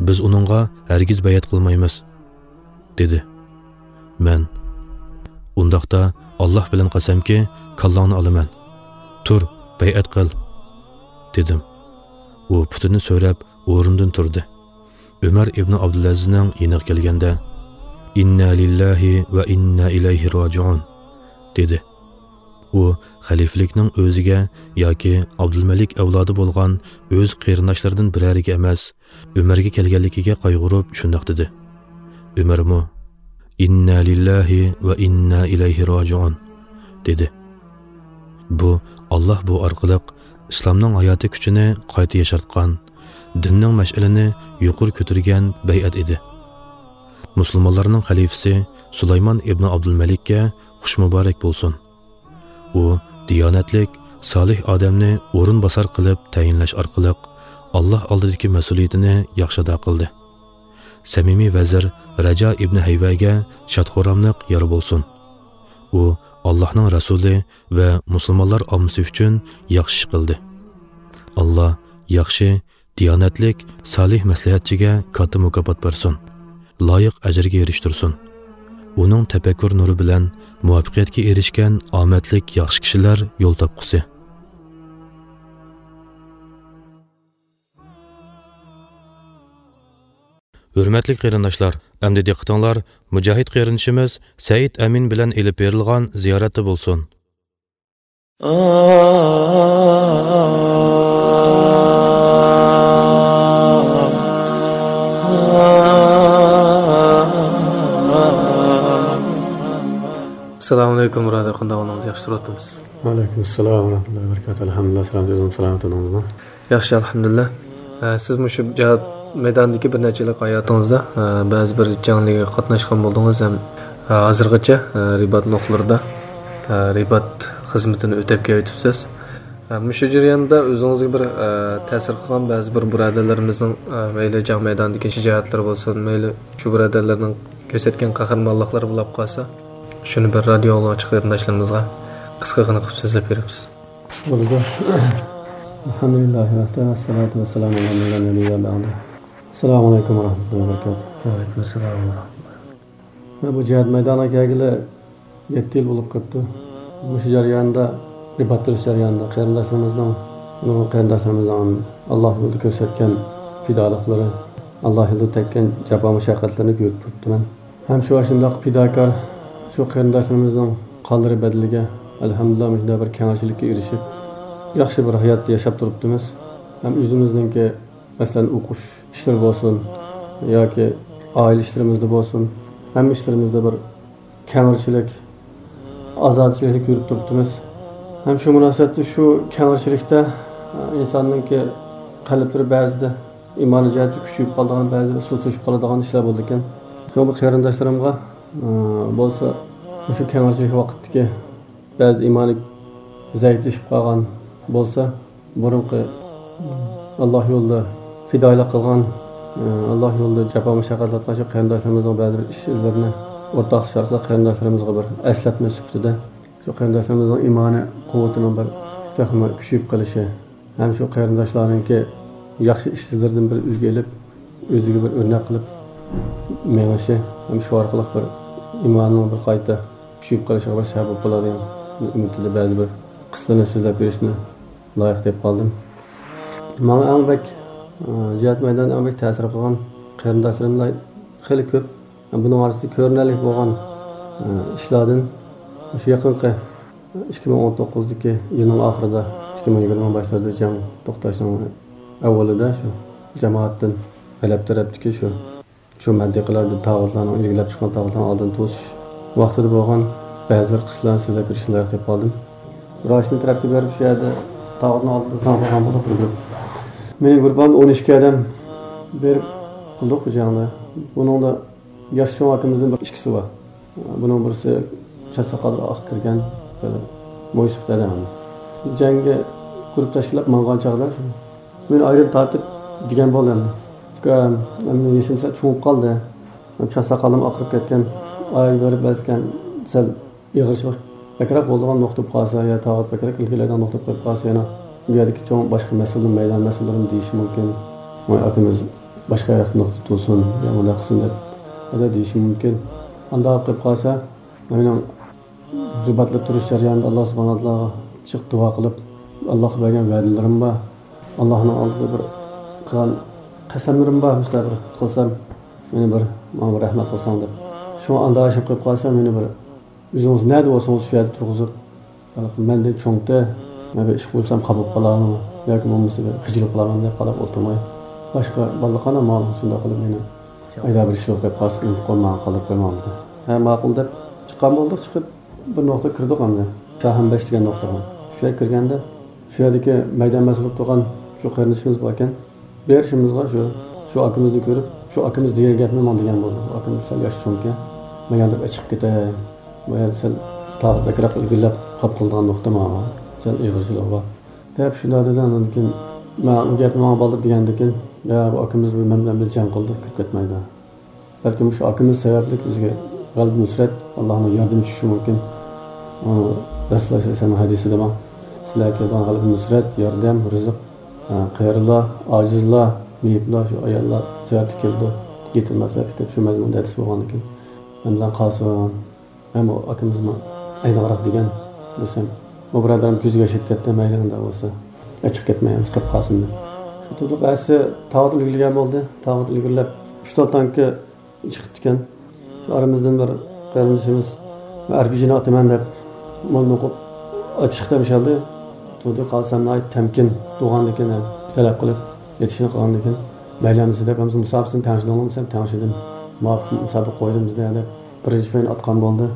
«بىز ئۇنىڭغا ھەرگىز بەيئەت قىلمايمىز» دېدى. مەن، «ئۇنداقتا ئاللاھ بىلەن قەسەمكى، كاللاڭنى ئالىمەن. تۇر، بەيئەت قىل» دېدىم. ئۇ پۇتىنى سۆرەپ ئورنىدىن تۇردى. ئۆمەر ئىبنى ئابدۇلئەزىزنىڭ يېنىغا كەلگەندە، «ئىننا لىللاھى ۋە ئىننا ئىلەيھى راجىئۇن» دېدى. ئۇ خەلىپىلىكنىڭ ئۆزىگە ياكى ئابدۇلمەلىك ئەۋلادى بولغان ئۆز قېرىنداشلىرىدىن بىرەرىگە ئەمەس، ئۆمەرگە كەلگەنلىكىگە قايغۇرۇپ شۇنداق دېدى. ئۆمەرمۇ، «ئىننا لىللاھى ۋە ئىننا ئىلەيھى راجىئۇن» دېدى. بۇ، ئاللاھ بۇ ئارقىلىق ئىسلامنىڭ ھاياتىي كۈچىنى قايتا ياشارتقان، دىننىڭ مەشئىلىنى يۇقىرى كۆتۈرگەن بەيئەت ئىدى. مۇسۇلمانلارنىڭ خەلىپىسى سۇلايمان ئىبنى ئابدۇلمەلىككە خۇش مۇبارەك بولسۇن. ئۇ دىيانەتلىك، سالىھ ئادەمنى ئورۇنباسار قىلىپ تەيىنلەش ئارقىلىق، ئاللاھ ئالدىدىكى مەسئۇلىيىتىنى ياخشى ئادا قىلدى. سەمىمىي ۋەزىر رەجا ئىبنى ھەيۋەگە شاد-خۇراملىق يار بولسۇن. ئۇ ئاللاھنىڭ رەسۇلى ۋە مۇسۇلمانلار ئاممىسى ئۈچۈن ياخشى ئىش قىلدى. ئاللاھ ياخشى، دىيانەتلىك، سالىھ مەسلىھەتچىگە كاتتا مۇكاپات بەرسۇن. لايىق ئەجىرگە ئېرىشتۈرسۇن. ئۇنىڭ تەپەككۇر نۇرى بىلەن مۇۋەپپەقىيەتكە ئېرىشكەن ئامەتلىك ياخشى كىشىلەر يول تاپقۇسى. ھۆرمەتلىك قېرىنداشلار، ئەمدى دىققىتىڭلار مۇجاھىد قېرىندىشىمىز سەئىد ئەمىن بىلەن ئېلىپ بېرىلغان زىيارەتتە بولسۇن. ئەسسالامۇئەلەيكۇم، بۇرادەر، قانداق ئەھۋالىڭىز؟ ياخشى تۇرۇۋاتىمىز. ۋەئەلەيكۇم ئەسسالام ۋە رەھمەتۇللاھى ۋە بەرىكاتۇھ. ئەلھەمدۇلىللاھ، سالامەت، ئۆزىڭىز سالامەت تۇردىڭىزمۇ؟ ياخشى، ئەلھەمدۇلىللاھ. ئە، سىز مۇشۇ جىھاد مەيدانىدىكى بىر نەچچە يىللىق ھاياتىڭىزدا، ئە، بەزى بىر جەڭلەرگە قاتناشقان بولدىڭىز ھەم، ئە، ھازىرغىچە، ئە، رىبات نۇقتىلىرىدا، ئە، رىبات خىزمىتىنى ئۆتەپ كېلىۋېتىپسىز. ئە، مۇشۇ جەرياندا ئۆزىڭىزگە بىر، ئە، تەسىر قىلغان بەزى بىر بۇرادەرلىرىمىزنىڭ، ئە، مەيلى جەڭ مەيدانىدىكى شۇ جىھادلىرى بولسۇن، مەيلى شۇ بۇرادەرلەرنىڭ كۆرسەتكەن قەھرىمانلىقلىرى بولاپ قالسا، شۇنى بىر رادىيو ئاڭلىغۇچى قېرىنداشلىرىمىزغا قىسقىغىنە قىلىپ سۆزلەپ بېرىپسىز. بولىدۇ. ئەلھەمدۇلىللاھى ۋەھدە، ۋەسسالاتۇ ۋەسسالامۇ ئەلەللەزىنە لا نەبىييە بەئدە. ئەسسالامۇ ئەلەيكۇم ۋە رەھمەتۇللاھى ۋە بەرىكاتۇھ. ۋەئەلەيكۇم ئەسسالام ۋە رەھمەتۇللاھ. مەن بۇ جىھاد مەيدانىغا كەلگىلى يەتتە يىل بولۇپ قاپتۇ. مۇشۇ جەرياندا، رىبات تۇرۇش جەريانىدا قېرىنداشلىرىمىزنىڭ، نۇرغۇن قېرىنداشلىرىمىزنىڭ ئاللاھ يولىدا كۆرسەتكەن پىدالىقلىرى، ئاللاھ يولىدا تەگكەن جاپا مۇشەققەتلىرىنى كۆرۈپ تۇرۇپتىمەن. ھەم شۇ ئاشۇنداق پىداكار شۇ قېرىنداشلىرىمىزنىڭ قانلىرى بەدىلىگە، ئەلھەمدۇلىللا، مۇشۇنداق بىر كەڭرىچىلىككە ئېرىشىپ، ياخشى بىر ھايات ياشاپ تۇرۇپتىمىز. ھەم ئۆزىمىزنىڭكى، مەسىلەن، ئوقۇش ئىشلىرى بولسۇن ياكى ئائىلە ئىشلىرىمىزدا بولسۇن، ھەممە ئىشلىرىمىزدا بىر كەڭرىچىلىك، ئازادىچىلىكنى كۆرۈپ تۇرۇپتىمىز. ھەم شۇ مۇناسىۋەتتە شۇ كەڭرىچىلىكتە، ئە، ئىنساننىڭكى قەلبلىرى بەزىدە ئىمانىي جەھەتتە كۈچىيىپ قالىدىغان، بەزىدە سۇسلىشىپ قالىدىغان ئىشلار بولىدىكەن. شۇڭا بۇ قېرىنداشلىرىمغا، ئە، بولسا مۇشۇ كەڭرىچىلىك ۋاقىتتىكى بەزىدە ئىمانى زەئىپلىشىپ قالغان بولسا، بۇرۇنقى ئاللاھ يولىدا پىدائىيلىق قىلغان، ئاللاھ يولىدا جاپا مۇشەققەت تارتقان شۇ قېرىنداشلىرىمىزنىڭ بەزى بىر ئىش ئىزلىرىنى ئورتاقلىشىش ئارقىلىق قېرىنداشلىرىمىزغا بىر ئەسلەتمە سۈپىتىدە شۇ قېرىنداشلىرىمىزنىڭ ئىمانى قۇۋۋىتىنىڭ بىر تېخىمۇ كۈچىيىپ قېلىشى ھەم شۇ قېرىنداشلارنىڭكى ياخشى ئىش ئىزلىرىدىن بىر ئۈلگە ئېلىپ، ئۆزىگە بىر ئۆرنەك قىلىپ مېڭىشى ھەم شۇ ئارقىلىق بىر ئىمانىنىڭ بىر قايتا كۈچىيىپ قېلىشىغا بىر سەۋەب بولۇپ قالىدىغان ئۈمىدىدە بەزى بىر قىسسىلىرىنى سۆزلەپ بېرىشنى لايىق دەپ قالدىم. ماڭا ئەڭ بەك، ئە، جىھاد مەيدانىدا ئەڭ بەك تەسىر قىلغان قېرىنداشلىرىملا خېلى كۆپ. بۇنىڭ ئارىسىدا كۆرۈنەرلىك بولغان، ئە، ئىشلاردىن مۇشۇ يېقىنقى ئىككى مىڭ ئون توققۇزدىكى يىلنىڭ ئاخىرىدا، ئىككى مىڭ يىگىرمە باشلىرىدا جەڭ توختاشنىڭ ئەۋۋىلىدە شۇ جامائەتتىن، ھەلەب تەرەپتىكى شۇ، شۇ مەنتىقىلەردە تاغۇتلارنىڭ ئىلگىرىلەپ چىققان تاغۇتلارنىڭ ئالدىنى توسۇش ۋاقتىدا بولغان بەزى بىر قىسسىلارنى سۆزلەپ بېرىشنى لايىق تېپىپ قالدىم. راشنى تەرەپكە بېرىپ، شۇ يەردە تاغۇتنىڭ ئالدىدا ساڭا قالغان بولۇپ، بىر گۇرۇپ مېنىڭ گۇرۇپپامدا ئون ئىككى ئادەم بېرىپ قىلدۇق بۇ جەڭنى. بۇنىڭدا ياش چوڭ ئاكىمىزدىن بىر ئىككىسى بار. بۇنىڭ بىرسى چاچ ساقاللىرى ئاق كىرگەن، بىر مويسىپىت ئادەم. جەڭگە گۇرۇپ تەشكىللەپ ماڭغان چاغدا مېنى ئايرىم تارتىپ دېگەن بولدى ئەمدى. ئۇكام، ئەمدى يېشىم سەل چوڭىيىپ قالدى. چاچ ساقالىم ئاقىرىپ كەتكەن. ئاياغ بېرىپ بەزىكەن سەل ئېغىرچىلىق بەكرەك بولىدىغان نۇقتا بولۇپ قالسا، يا تاغۇت بەكرەك ئىلگىرىلەيدىغان نۇقتا بولۇپ قالسا، يەنە بۇ يەردىكى چوڭ باشقا مەسئۇللىرىم، مەيدان مەسئۇللىرىم دېيىشى مۇمكىن. ۋاي ئاكىمىز باشقا يەردە نۇقتا تۇتۇلسۇن يا مۇنداق قىلسۇن دەپ، ھەدە دېيىشى مۇمكىن. ئانداق قىلىپ قالسا، مېنىڭ رىباتلىق تۇرۇش جەريانىدا ئاللا سۇبھانەھۇ ۋە تائالاغا جىق دۇئا قىلىپ، ئاللاغا بەرگەن ۋەدىلىرىم بار. ئاللانىڭ ئالدىدا بىر قىلغان قەسەملىرىم بار، مۇشۇنداق بىر قىلسام، مېنى بىر، ماڭا بىر رەھمەت قىلساڭ دەپ. شۇڭا ئانداق ئىش قىلىپ قالسا، مېنى بىر ئۆزىڭىز نەدە بولسىڭىز شۇ يەردە تۇرغۇزۇپ، مەندىن چوڭتى، مەن بىر ئىش قىلسام خاپا بولۇپ قالارمۇ ياكى بولمىسا بىر خىجىل قىلارمۇ دەپ قاراپ ئولتۇرماي، باشقا بالىلار قانداق ماڭىدۇ شۇنداق قىلىپ مېنى ئايدا بىر ئىش قىلىپ قالسا، ئۇنتۇپ قويماڭ، قالدۇرۇپ قويماڭ دېدى. ھە، ماقۇل دەپ چىققان بولدۇق، چىقىپ بىر نۇقتا كىردۇق ئەمدى. شاھەمبەش دېگەن نۇقتىغا. شۇ يەرگە كىرگەندە، شۇ يەردىكى مەيدان مەسئۇل بولۇپ تۇرغان شۇ قېرىندىشىمىز باركەن. بېرىشىمىزغا شۇ، شۇ ئاكىمىزنى كۆرۈپ، شۇ ئاكىمىز دېگەن گەپنى ماڭا دېگەن بولدى. ئاكىمىز سەل ياش چوڭكەن. مەن ياندۇرۇپ ئېچىقىپ كېتەي. بۇ يەردە سەل تاغۇت بەكرەك ئىلگىرىلەپ قاپ قالىدىغان نۇقتا ماڭا. سەل ئېغىرچىلىقى بار. دەپ شۇنداق دېدى. ئاندىن كېيىن مەن ئۇ گەپنى ماڭا بالدۇر دېگەندىن كېيىن، يا بۇ ئاكىمىز مەن بىلەن بىر جەڭ قىلدى، كىرىپ كەتمەيدۇ. بەلكىم مۇشۇ ئاكىمىز سەۋەبلىك بىزگە غەلىبە نۇسرەت، ئاللانىڭ ياردىمى چۈشۈشى مۇمكىن. ئۇ رەسۇلۇللا سەللەللاھۇ ئەلەيھى ۋەسەللەم ھەدىسىدە بار. سىلەرگە كېلىدىغان غەلىبە نۇسرەت، ياردەم، رىزىق، ئە، قېرىلار، ئاجىزلار، مېيىپلار، شۇ ئاياللار سەۋەبلىك كېلىدۇ. يېتىملار سەۋەبلىك دەپ شۇ مەزمۇندا ھەدىس بولغاندىكىن، مەن بىلەن قالسۇن. مەن بۇ ئاكىمىزمۇ ئايدىڭراق دېگەن دېسەم، ئۇ بۇرادەرلىرىم كۆزىگە ياش كېلىپ كەتتى، مەيلى ئۇنداق بولسا. ئېچىقىپ كەتمەي، قېلىپ قالسۇن دەپ. شۇ تۇردۇق ئەتىسى تاغۇت ئىلگىرىلىگەن بولدى. تاغۇت ئىلگىرىلەپ، ئۈچ تال تانكا چىقىپتىكەن. شۇ ئارىمىزدىن بىر قېرىندىشىمىز، مەن ئەر بى جىنى ئاتىمەن دەپ، موللا ئوقۇپ ئاتىشقا تەمشەلدى. تۇردى قالسام ناھايىتى تەمكىن تۇرغاندىكىن، تەلەپ قىلىپ ئېتىشنى قىلغاندىكىن، مەيلى ئەمىسە دەپ، ئەمىسە مۇسابىقىسىنى تەڭشىدىڭلارمۇ دېسەم، تەڭشىدىم. مۇۋاپىق مۇسابىقە قويدۇم بىزدە دەپ، بىرىنچى پاينى ئاتقان بولدى.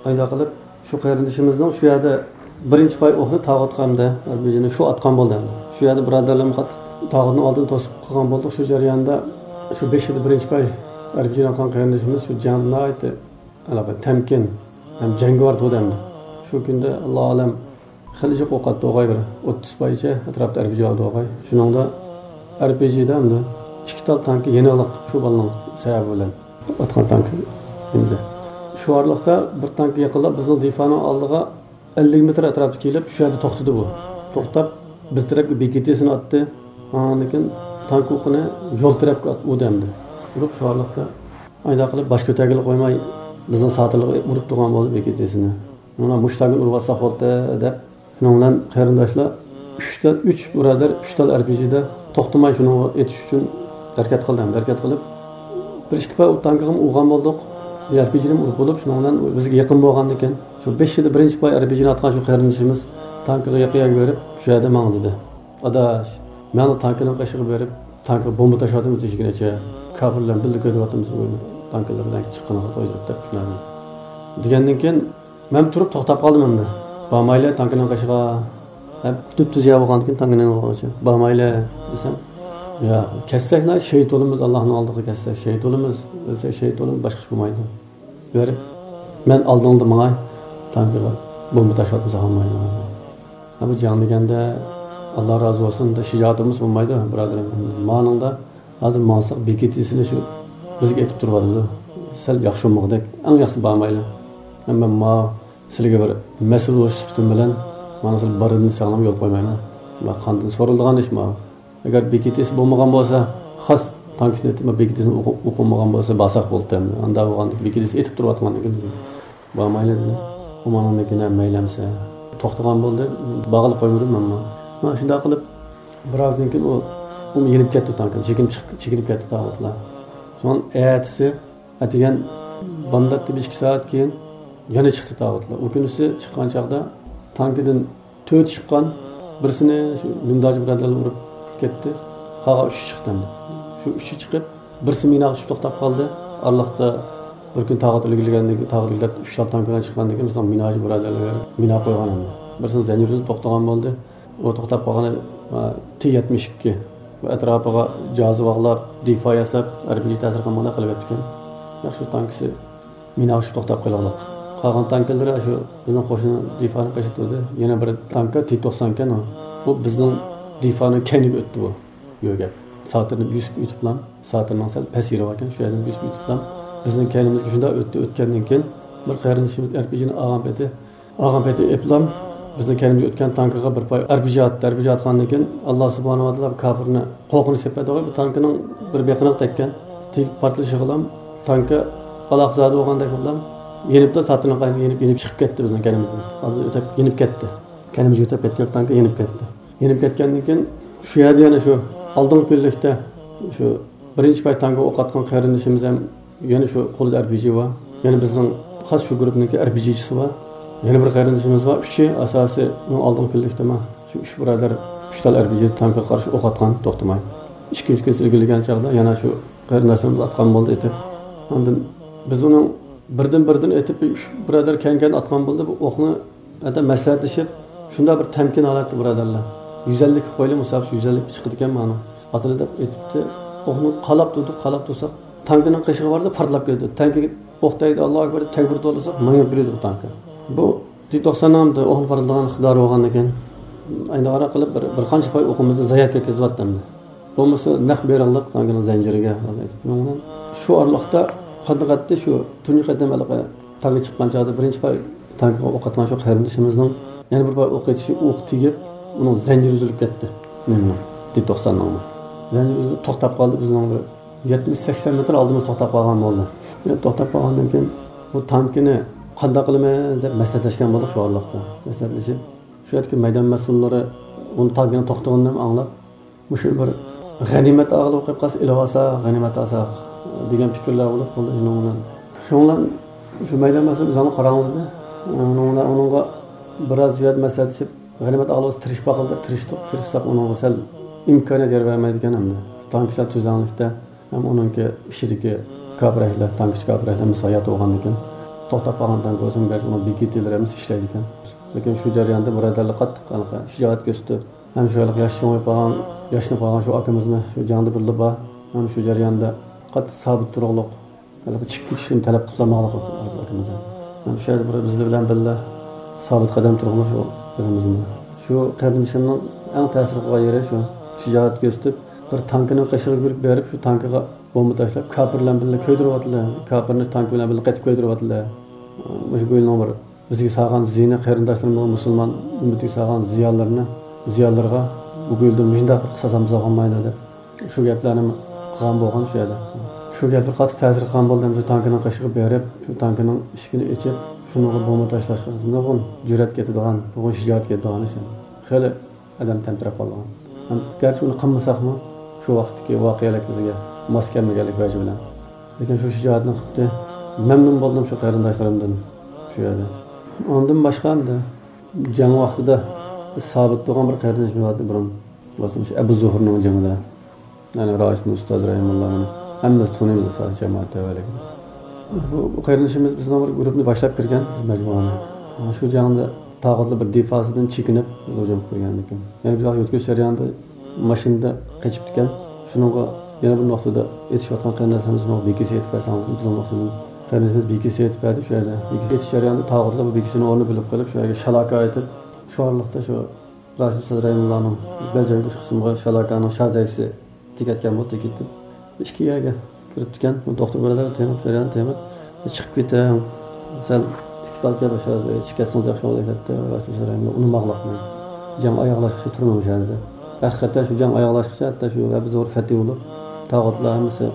ئايدا قىلىپ، شۇ قېرىندىشىمىزنىڭ شۇ يەردە بىرىنچى پاي ئوقنى تاغۇتقا ئەمدى ئەر بى جىنى شۇ ئاتقان بولدى ئەمدى. شۇ يەردە بۇرادەرلىرىم قات-، تاغۇتنىڭ ئالدىنى توسۇپ قىلغان بولدۇق. شۇ جەرياندا شۇ بېشىدا بىرىنچى پاي ئەر بى جىنى ئاتقان قېرىندىشىمىز شۇ جەڭدە ناھايىتى ھېلىقى تەمكىن ھەم جەڭگىۋار تۇردى ئەمدى. شۇ كۈندە ئاللا ئالەم خېلى جىق ئوق ئاتتى ئوغاي، بىر ئوتتۇز پايچە ئەتراپتا ئەر بى جى ئاتتى ئوغاي. شۇنىڭدا ئەر بى جىدە ئەمدى ئىككى تال تانكا يېنىقلىق شۇ بالىنىڭ سەۋەبى بىلەن ئاتقان تانكا ئەمدى. شۇ ئارىلىقتا بىر تانكا يېقىنلاپ بىزنىڭ دىفانىڭ ئالدىغا ئەللىك مېتىر ئەتراپتا كېلىپ، شۇ يەردە توختىدى بۇ. توختاپ، بىز تەرەپكە بى كې تىسىنى ئاتتى. ئاندىن كېيىن تانكا ئوقىنى يول تەرەپكە ئات-، ئۇردى ئەمدى. ئۇرۇپ، شۇ ئارىلىقتا ئايدا قىلىپ باش كۆتەرگىلى قويماي، بىزنىڭ ساتىرلىققا ئۇرۇپ تۇرغان بولدى بى كې تىسىنى. مانا مۇشۇ تانكىنى ئۇرۇۋاتساق بولدى دەپ، شۇنىڭ بىلەن قېرىنداشلار ئۈچ تال، ئۈچ بۇرادەر، ئۈچ تال ئەر بى جىدە توختىماي شۇنىڭغا ئېتىش ئۈچۈن ھەرىكەت قىلدى، ھەرىكەت قىلىپ، بىر ئىككى پاي ئوت تانكىغىمۇ ئۇرغان بولدۇق. ئەر بى جىنى ئۇرۇپ بولۇپ، شۇنىڭ بىلەن بىزگە يېقىن بولغاندىكىن، شۇ بېشىدا بىرىنچى پاي ئەر بى جىنى ئاتقان شۇ قېرىندىشىمىز تانكىغا يېقىن يەرگە بېرىپ، شۇ يەردە ماڭا دېدى. ئاداش، مەنلا تانكىنىڭ قېشىغا بېرىپ، تانكىغا بومبا تاشلىۋاتىمىز ئىشىكنى ئېچىپ، كاپىرلار بىللە كۆتۈرۈۋاتىمىز ئۇ تانكىلىرىنى چىققىنىغا تويدۇرۇپ دەپ شۇنداق دېگەندىن كېيىن، مەن تۇرۇپ توختاپ قالدىم ئەمدى. بارمايلى تانكىنىڭ قېشىغا دەپ، تۈپتۈز يەر بولغاندىكىن تانكىنىڭ قېشىغا بارمايلى دېسەم، ياق، كەتسەكلا شېھىت بولىمىز، ئاللانىڭ ئالدىغا كەتسەك شېھىت بولىمىز، ئۆلسەك شېھىت بولىمىز، باشقا ئىش بولمايدۇ. بېرىپ، مەن ئالدىڭدا ماڭاي، تانكىغا بومبا تاشلىۋاتمىسا بولمايدۇ. ھە، بۇ جەڭ دېگەندە، ئاللا رازى بولسۇن، شىجائەت بولمىسا بولمايدۇ، بۇرادىرىم. مانىڭدا ھازىر ماڭساق، بېكىتىسىنى شۇ بىزگە ئېتىپ تۇرۇۋاتىدۇ. سەل ياخشى بولمىغۇدەك، ئەڭ ياخشىسى بارمايلى. ھەم مەن ماۋۇ سىلىگە بىر مەسئۇل بولۇش سۈپىتىم بىلەن، مانا سىلى بارىدىن ساڭلام يول قويمايمەن. مانا قاندىن سورىلىدىغان ئىش ماۋۇ. ئەگەر بېكىتىسى بولمىغان بولسا، خاس تانكىسىنى ئېتىپ، بېكىتىسىنى ئوقۇ-، ئوقۇمىغان بولسا، بارساق بولدى ئەمدى. ئاندا بولغاندىكىن بېكىتىسى ئېتىپ تۇرۇۋاتقاندىكىن بىزگە بارمايلى دېدى. ئۇ ماڭا مەيلى ئەمسە. توختىغان بولدى. بارغىلى قويمىدىم مەنمۇ. مانا شۇنداق قىلىپ، بىرازدىن كېيىن ئۇ، ئۇمۇ يېنىپ كەتتى تانكا. چېكىنىپ چىق-، چېكىنىپ كەتتى تاغۇتلار. سوڭ ئەتىسى ئەتىگەن بامداتتا بىر ئىككى سائەت كېيىن يەنە چىقتى تاغۇتلار. ئۇ كۈنىسى چىققان چاغدا تانكىدىن تۆتى چىققان، بىرسىنى شۇ لۈمداجى بۇرادەرلەر ئۇرۇپ كەتتى. قالغان ئۈچى چىقتى ئەمدى. شۇ ئۈچى چىقىپ، بىرسى مىناغا چۈشۈپ توختاپ قالدى. ئارىلىقتا بىر كۈن تاغات ئىلگىرىلىگەندىن كېيىن، تاغات ئىلگىرىلەپ ئۈچ تال تانكا بىلەن چىققاندىن كېيىن، بىزنىڭ مىناجى بۇرادەرلەر مىنا قويغان ئەمدى. بىرسىنى زەنجىر ئۈزۈپ توختىغان بولدى. ئۇ توختاپ قالغىنى، ئا، تى يەتمىش ئىككى. بۇ ئەتراپىغا جازا باغلاپ، دىفا ياساپ، ئەربىجى تەسىر قىلمىغاندەك قىلىۋەتتىكەن. ياخشى تانكىسى مىنا ئۇچۇپ توختاپ قېلىۋالدۇق. قالغان تانكىلىرى شۇ بىزنىڭ قوشنا دىفانىڭ قېشىدا تۇردى. يەنە بىر تانكا تى توقسان ئىكەن ئۇ. بۇ بىزنىڭ دىفانىڭ كەينىگە ئۆتتى بۇ. يۆگەپ. ساتىرنى بۆسۈپ ئۆتۈپلا، ساتىرنىڭ سەل پەسىرى باركەن، شۇ يەردىن بۆسۈپ ئۆتۈپلا، بىزنىڭ كەينىمىزگە شۇنداق ئۆتتى. ئۆتكەندىن كېيىن بىر قېرىندىشىمىز ئەرپىجىنى ئالغان پېتى، ئالغان پېتى ئېپلام بىزنىڭ كەينىمىزگە ئۆتكەن تانكىغا بىر پاي ئەرپىجى ئاتتى. ئەرپىجى ئاتقاندىن كېيىن، ئاللا سۇبھانەھۇ ۋە تائالا كاپىرنى قورقۇنچ سېپەتىغا بۇ تانكىنىڭ بىر بېقىنىغا تەگكەن. تېگىپ پارتلىشىغىلا تانكا ئالاقىزادە بولغاندەك بولۇپ، يېنىپلا ساتىرنىڭ قاينىغا يېنىپ، يېنىپ چىقىپ كەتتى بىزنىڭ كەينىمىزدىن. ئالدىن ئۆتۈپ يېنىپ كەتتى. كەينىمىزگە ئۆتۈپ كەتكەن تانكا يېنىپ كەتتى. يېنىپ كەتكەندىن كېيىن شۇ يەردە يەنە شۇ ئالدىنقى كۈنلۈكتە شۇ بىرىنچى پاي تانكا ئوق ئاتقان قېرىندىشىمىز ھەم يەنە شۇ قولىدا ئەرپىجى بار. يەنە بىزنىڭ خاس شۇ گۇرۇپنىڭكى ئەرپىجىچىسى بار. يەنە بىر قېرىندىشىمىز بار. ئۈچى ئاساسىي ئۇنىڭ ئالدىنقى كۈنلۈكتە ما شۇ ئۈچ بۇرادەر ئۈچ تال ئەرپىجى تانكىغا قارشى ئوق ئاتقان توختىماي. ئىككىنچى كۈنى ئىلگىرىلىگەن چاغدا يەنە شۇ قېرىنداشلىرىمىز ئاتقان بولدى ئېتىپ. ئاندىن بىز ئۇنىڭ بىردىن بىردىن ئېتىپ، ئۈچ بۇرادەر كەينى-كەينىدىن ئاتقان بولدى. بۇ ئوقنى ھەتتا مەسلىھەتلىشىپ، شۇنداق بىر تەمكىن ھالەتتە بۇرادەرلەر. يۈز ئەللىككە قويىلى، مۇساپىسى يۈز ئەللىككە چىقىدىكەن مانا. ئاتىلى دەپ ئېتىپتى. ئوقنى قالاپ تۇردۇق، قالاپ تۇرساق، تانكىنىڭ قېشىغا باردى، پارتلاپ كەتتى. تانكىگە ئوق تەگدى، ئاللاھۇ ئەكبەر دەپ تەكبىر تولىساق، مېڭىپ يۈرىدۇ بۇ تانكا. بۇ تى توقساننىڭ ئوقنى پارتلىغان ئىقتىدارى بولغاندىكىن، ئەينى قاراپ قىلىپ بىر، بىر قانچە پاي ئوقىمىزنى زايە كەتكۈزۈۋەتتى ئەمدى. بولمىسا نەق بېرىڭلار تانكىنىڭ زەنجىرىگە. شۇ ئارىلىقتا قانداق ئەتتى، شۇ تۇنجى قېتىم ھېلىقى تانكا چىققان چاغدا بىرىنچى پاي تانكىغا ئوق ئاتقان شۇ قېرىندىشىمىزنىڭ يەنە بىر پاي ئوق ئېتىشى، ئوق تېگىپ، ئۇنىڭ زەنجىرى ئۈزۈلۈپ كەتتى. نېمىنىڭ؟ تى توقساننىڭمۇ. زەنجىرى ئۈزۈلۈپ توختاپ قالدى، بىزنىڭ بىر يەتمىش سەكسەن مېتىر ئالدىمىزدا توختاپ قالغان بولدى. يەنە توختاپ قالغاندىن كېيىن بۇ تانكىنى قانداق قىلىمىز دەپ مەسلىھەتلەشكەن بولدۇق شۇ ئارىلىقتا. مەسلىھەتلىشىپ، شۇ يەردىكى مەيدان مەسئۇللىرى ئۇنى تانكىنىڭ توختىغىنىنى ئاڭلاپ، مۇشۇ بىر غەنىيمەت ئالغىلى قويۇپ قالسا، ئېلىۋالسا، غەنىيمەت ئالساق دېگەن پىكىرلەر بولۇپ قالدى شۇنىڭ بىلەن. شۇنىڭ بىلەن شۇ مەيدان مەسئۇلى بىزنى قاراڭلىدى. ئۇنىڭ بىلەن ئۇنىڭغا بىراز زىيادە مەسلىھەتلىشىپ، غەنىيمەت ئالغىلى تىرىشىپ باقىلى دەپ تىرىشتۇق. تىرىشساق ئۇنىڭغا سەل ئىمكانىيەت يار بەرمەيدىكەن ئەمدى. تانكا سەل تۈزلەڭلىكتە ھەم ئۇنىڭكى ئىچىدىكى كاپىر ئەھلىلەر، تانكىچى كاپىر ئەھلىلەر ھەممىسى ھايات بولغاندىكىن، توختاپ قالغان تانكا بولسىمۇ، گەرچە ئۇنىڭ بېكىتىلىرى ھەممىسى ئىشلەيدىكەن. لېكىن شۇ جەرياندا بۇرادەرلەر قاتتىق ھېلىقى شىجائەت كۆرسىتىپ، ھەم شۇ ھېلىقى ياش چوڭىيىپ قالغان، ياشىنىپ قالغان شۇ ئاكىمىزمۇ شۇ جەڭدە بىللە بار. ھەم شۇ جەرياندا قاتتىق سابىت تۇرۇقلۇق، ھېلىقى چىكىپ كېتىشنى تەلەپ قىلسا ماڭلىق ئاكىمىز. ھەم شۇ يەردە بىر بىزلەر بىلەن بىللە سابىت قەدەم تۇرغىنى شۇ ئاكىمىزمۇ. شۇ قېرىندىشىمنىڭ ئەڭ تەسىر قىلغان يېرى شۇ. شىجائەت كۆرسىتىپ، بىر تانكىنىڭ قېشىغا يۈگۈرۈپ بېرىپ، شۇ تانكىغا بومبا تاشلاپ، كاپىر بىلەن بىللە كۆيدۈرۈۋاتىدۇ. كاپىرنى تانكا بىلەن بىللە قېتىپ كۆيدۈرۈۋاتىدۇ. مۇشۇ بۇ يىلنىڭ بىر بىزگە سالغان زىيىنى، قېرىنداشلىرىمىزغا، مۇسۇلمان ئۈممىتىگە سالغان زىيانلىرىنى، زىيانلىرىغا بۇ يىلدىن مۇشۇنداق بىر قىساس ئالمىساق بولمايدۇ دەپ، شۇ گەپلەرنى قىلغان بولغان شۇ يەردە. شۇ گەپلەر قاتتىق تەسىر قىلغان بولدى. شۇ تانكىنىڭ قېشىغا بېرىپ، شۇ تانكىنىڭ ئىشىكىنى ئېچىپ، شۇنىڭغا بومبا تاشلاشقا نۇرغۇن جۈرئەت كېتىدىغان، نۇرغۇن شىجائەت كېتىدىغان ئىش. خېلى ئادەم تەمتىرەپ قالغان. ھەم گەرچە ئۇنى قىلمىساقمۇ، شۇ ۋاقىتتىكى ۋەقەلىك بىزگە ماس كەلمىگەنلىك ۋەجى بىلەن. لېكىن شۇ شىجائەتنى قىپتۇ. مەمنۇن بولدۇم شۇ قېرىنداشلىرىمدىن شۇ يەردە. ئاندىن باشقا ئەمدى جەڭ ۋاقتىدا بىز سابىت بولغان بىر قېرىندىشىمىز بارتى بۇرۇن. مۇسۇلمان ئەبۇ زۇھۇرنىڭ جېڭىدە. يەنى راشىدىن ئۇستاز رەھىمۇللا، مانا ھەممىمىز تونۇيمىز ئۇستاز جامائەت تەۋەلىكىنى. بۇ قېرىندىشىمىز بىزنىڭ بىر گۇرۇپنى باشلاپ كىرگەن، بىز مەجمۇئانى. شۇ جەڭدە تاغۇتلار بىر دىفاسىدىن چېكىنىپ، بىز ھۇجۇم قىلىپ كىرگەنىكەن. يەنە بىز يۆتكىلىش جەريانىدا ماشىنىدا قېچىپتىكەن. شۇنىڭغا يەنە بىر نۇقتىدا ئېتىشىۋاتقان قېرىنداشلىرىمىز شۇنىڭغا بىكىسى ئېيتىپ بەرسەڭ، بىزنىڭ نۇقتىدىن قېرىندىشىمىز بىكىسى ئېيتىپ بەردى شۇ يەردە. بىكىسى ئېيتىش جەريانىدا تاغۇتلار بۇ بىكىسىنى ئورنىنى بىلىپ قېلىپ، شۇ يەرگە شالاكا ئېيتىپ، شۇ ئارىلىقتا شۇ راشىد ئۇستاز رەھىمۇللانىڭ بەلجەم ئىش قىسمىغا شالاكانىڭ شازەيسى تېگىۋەتكەن بولدى، تېگىۋېتىپ، ئىككى يەرگە كىرىپتىكەن. بۇ دوختۇر بۇرادەر تېڭىپ، جەريان تېڭىپ، «چىقىپ كېتىڭ، سەل ئىككى تال كەل، شازەيسى چىقىپ كەتسىڭىز ياخشى بولىدۇ» دەپتۇ. راشىد ئۇستاز رەھىمۇللا ئۇنىماقلىق، جەڭ ئاياغلاشقىچە تۇرماڭ شۇ يەردە. ھەقىقەتەن شۇ جەڭ ئاياغلاشقىچە ھەتتا شۇ ھەبى زور پەتھى بولۇپ، تاغۇتلار ھەممىسى،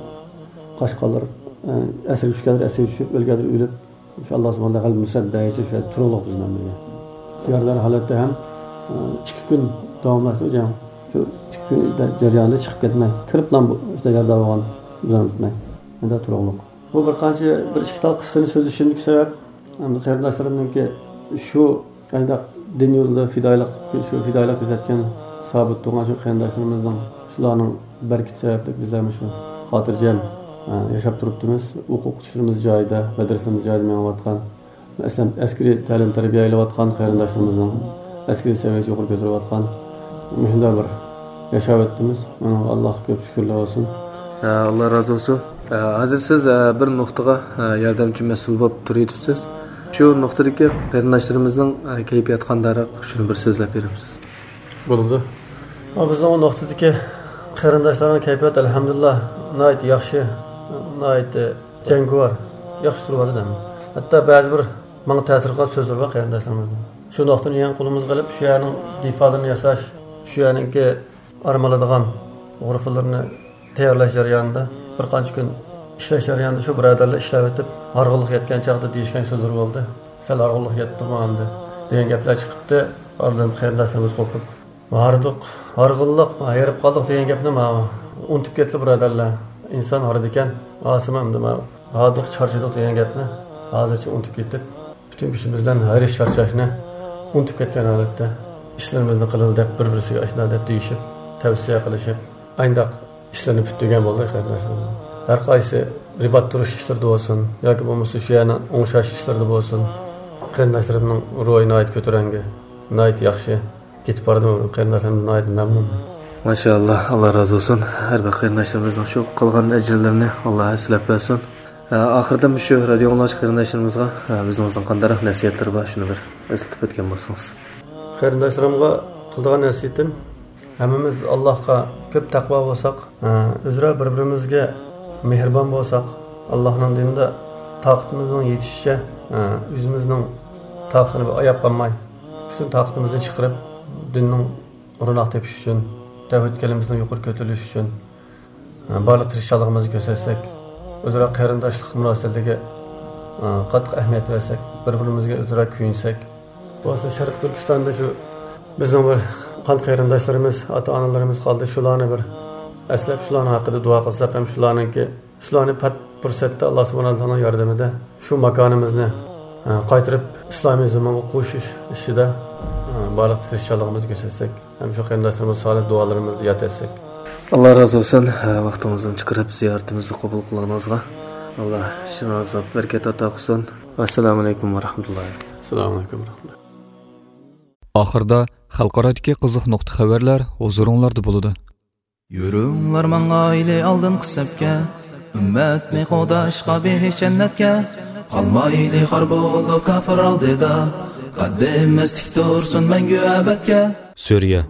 قاشقاللار، ئە، ئەسىرگە چۈشكەنلەر ئەسىرگە چۈشۈپ، ئۆلگەنلەر ئۆلۈپ، شۇ ئاللا سۇبھانەھۇ غەلىبە نۇسرەت بەرگىچە شۇ يەردە تۇرۇقلۇق بىز بىلەن بىرگە. شۇ يەردە ھالەتتە ھەم، ئىككى كۈن داۋاملاشتى جەڭ. شۇ ئىككى كۈن جەريانىدا چىقىپ كەتمەي، كىرىپلا بۇ ئىشتا يارىدار بولغان بىلەن ئۆتمەي. شۇنداق تۇرۇقلۇق. بۇ بىر قانچە، بىر ئىككى تال قىسسىنى سۆزلىشىمدىكى سەۋەب، ئەمدى قېرىنداشلىرىمنىڭكى شۇ قانداق دىن يولىدا پىدائىيلىق، شۇ پىدائىيلىق كۆرسەتكەن سابىت تۇرغان شۇ قېرىنداشلىرىمىزنىڭ، شۇلارنىڭ بەرىكىتى سەۋەبلىك بىزلەر مۇشۇ خاتىرجەم، ئە، ياشاپ تۇرۇپتىمىز. ئوقۇتقۇچىلىرىمىز جايىدا، مەدرىسىمىز جايىدا مېڭىۋاتقان، مەسىلەن، ئەسكىرىي تەلىم-تەربىيە ئېلىۋاتقان قېرىنداشلىرىمىزنىڭ ئەسكىرىي سەۋىيەسى يۇقىرى كۆتۈرۈۋاتقان، مۇشۇنداق بىر ياشاۋاتىمىز. ئۇنىڭغا ئاللاھقا كۆپ شۈكۈرلەر بولسۇن. ئە، ئاللا رازى بولسۇن. ئە، ھازىر سىز، ئە، بىر نۇقتىغا، ئە، ياردەمچى مەسئۇل بولۇپ تۇرۇۋېتىپسىز. شۇ نۇقتىدىكى قېرىنداشلىرىمىزنىڭ، ئە، كەيپىياتى قانداقراق، شۇنى بىر سۆزلەپ بېرىمىز. بولىدۇ. بىزنىڭ ئۇ نۇقتىدىكى قېرىنداشلارنىڭ كەيپىياتى، ئەلھەمدۇلىللا، ناھايىتى ياخشى، ناھايىتى جەڭگىۋار، ياخشى تۇرۇۋاتىدۇ ھەممە. ھەتتا بەزى بىر ماڭا تەسىر قىلغان سۆزلىرى بار قېرىنداشلىرىمىزنىڭ. شۇ نۇقتىنى يېڭى قولىمىزغا ئېلىپ، شۇ يەرنىڭ دىفالىرىنى ياساش، شۇ يەرنىڭكى ئارام ئالىدىغان غۇرفىلىرىنى تەييارلاش جەريانىدا، بىر قانچە كۈن ئىشلەش جەريانىدا شۇ بۇرادەرلەر ئىشلەۋېتىپ، ھارغىنلىق يەتكەن چاغدا دېيىشكەن سۆزلىرى بولدى. سەل ھارغىنلىق يەتتىمۇ ئەمدى دېگەن گەپلەر چىقىپتۇ. ئاندىن قېرىنداشلىرىمىز قوپۇپ، ھاردۇق، ھارغىنلىق، ھېرىپ قالدۇق دېگەن گەپنى ماۋۇ ئۇنتۇپ كەتتى بۇرادەرلەر. ئىنسان ھارىدىكەن، راسىمۇ ئەمدى ماۋۇ ھاردۇق، چارچىدۇق دېگەن گەپنى ھازىرچە ئۇنتۇپ كېتىپ، پۈتۈن كۈچىمىز بىلەن ھېرىش-چارچاشنى ئۇنتۇپ كەتكەن ھالەتتە، ئىشلىرىمىزنى قىلىلى دەپ، بىر-بىرسىگە ئاشۇنداق دەپ دېيىشىپ، تەۋسىيە قىلىشىپ، ئاينداق ئىشلىرىنى پۈتتۈرگەن بولدى قېرىنداشلىرىم. ھەر قايسى رىبات تۇرۇش ئىشلىرىدا بولسۇن ياكى بولمىسا شۇ يەرنى ئوڭشاش ئىشلىرىدا بولسۇن، قېرىنداشلىرىمنىڭ روھى ناھايىتى كۆتۈرەڭگۈ، ناھايىتى ياخشى. كېتىپ باردىم، قېرىنداشلىرىم ناھايىتى مەمنۇن. ماشائاللا، ئاللا رازى بولسۇن. ھەر بىر قېرىنداشلىرىمىزنىڭ شۇ قالغان ئەجىرلىرىنى ئاللا ھەسسىلەپ بەرسۇن. ئە، ئاخىرىدا مۇشۇ رادىيو ئاڭلىغۇچى قېرىنداشلىرىمىزغا، ئە، ئۆزىڭىزنىڭ قانداقراق نەسىھەتلىرى بار، شۇنى بىر ئەسلىتىپ ئۆتكەن بولسىڭىز. قېرىنداشلىرىمغا قىلىدىغان نەسىھىتىم، ھەممىمىز ئاللاھقا كۆپ تەقۋا بولساق، ئە، ئۆزئارا بىر-بىرىمىزگە مېھرىبان بولساق، ئاللاھنىڭ دىنىدا تاقىتىمىزنىڭ يېتىشىچە، ئە، ئۆزىمىزنىڭ تاقىتىنى ئاياپ قالماي، پۈتۈن تاقىتىمىزنى چىقىرىپ، دىننىڭ روناق تېپىش ئۈچۈن، تەۋھىد كەلىمىسىنىڭ يۇقىرى كۆتۈرۈلۈشى ئۈچۈن، بارلىق تىرىشچانلىقىمىزنى كۆرسەتسەك، ئۆزئارا قېرىنداشلىق مۇناسىۋىتىگە، قاتتىق ئەھمىيەت بەرسەك، بىر-بىرىمىزگە ئۆزئارا كۆيۈنسەك. بولسا شەرقىي تۈركىستاندا شۇ بىزنىڭ بىر قان قېرىنداشلىرىمىز، ئاتا-ئانىلىرىمىز قالدى. شۇلارنى بىر ئەسلەپ، شۇلارنىڭ ھەققىدە دۇئا قىلساق ھەم شۇلارنىڭكى شۇلارنى پەت پۇرسەتتە ئاللا سۇبھانەھۇ تائالانىڭ ياردىمىدە شۇ ماكانىمىزنى، ئە، قايتۇرۇپ ئىسلامىي زېمىنغا قوشۇش ئىشىدا، ئە، بارلىق تىرىشچانلىقىمىزنى كۆرسەتسەك ھەم شۇ قېرىنداشلىرىمىزغا سالىھ دۇئالىرىمىزنى ياد ئەتسەك. ئاللا رازى بولسۇن، ھە، ۋاقتىڭىزدىن چىقىرىپ زىيارىتىمىزنى قوبۇل قىلغىنىڭىزغا. ئاللا ئىشلىرىڭىزغا بەرىكەت ئاتا قىلسۇن. ئەسسالامۇ ئەلەيكۇم ۋە رەھمەتۇللاھى. ئەسسالامۇ ئەلەيكۇم ۋە رەھمەتۇللاھ. ئاخىردا خەلقئارادىكى قىزىق نۇقتا خەۋەرلەر ھۇزۇرۇڭلاردا بولىدۇ. يۈرۈڭلار ماڭايلى ئالدىنقى سەپكە، ئۈممەتنى قوغداشقا بېھىش جەننەتكە. قالمايلى خار بولۇپ كاپىر ئالدىدا، قەددىمىز تىك تۇرسۇن مەڭگۈ ئەبەدكە. سۈرىيە.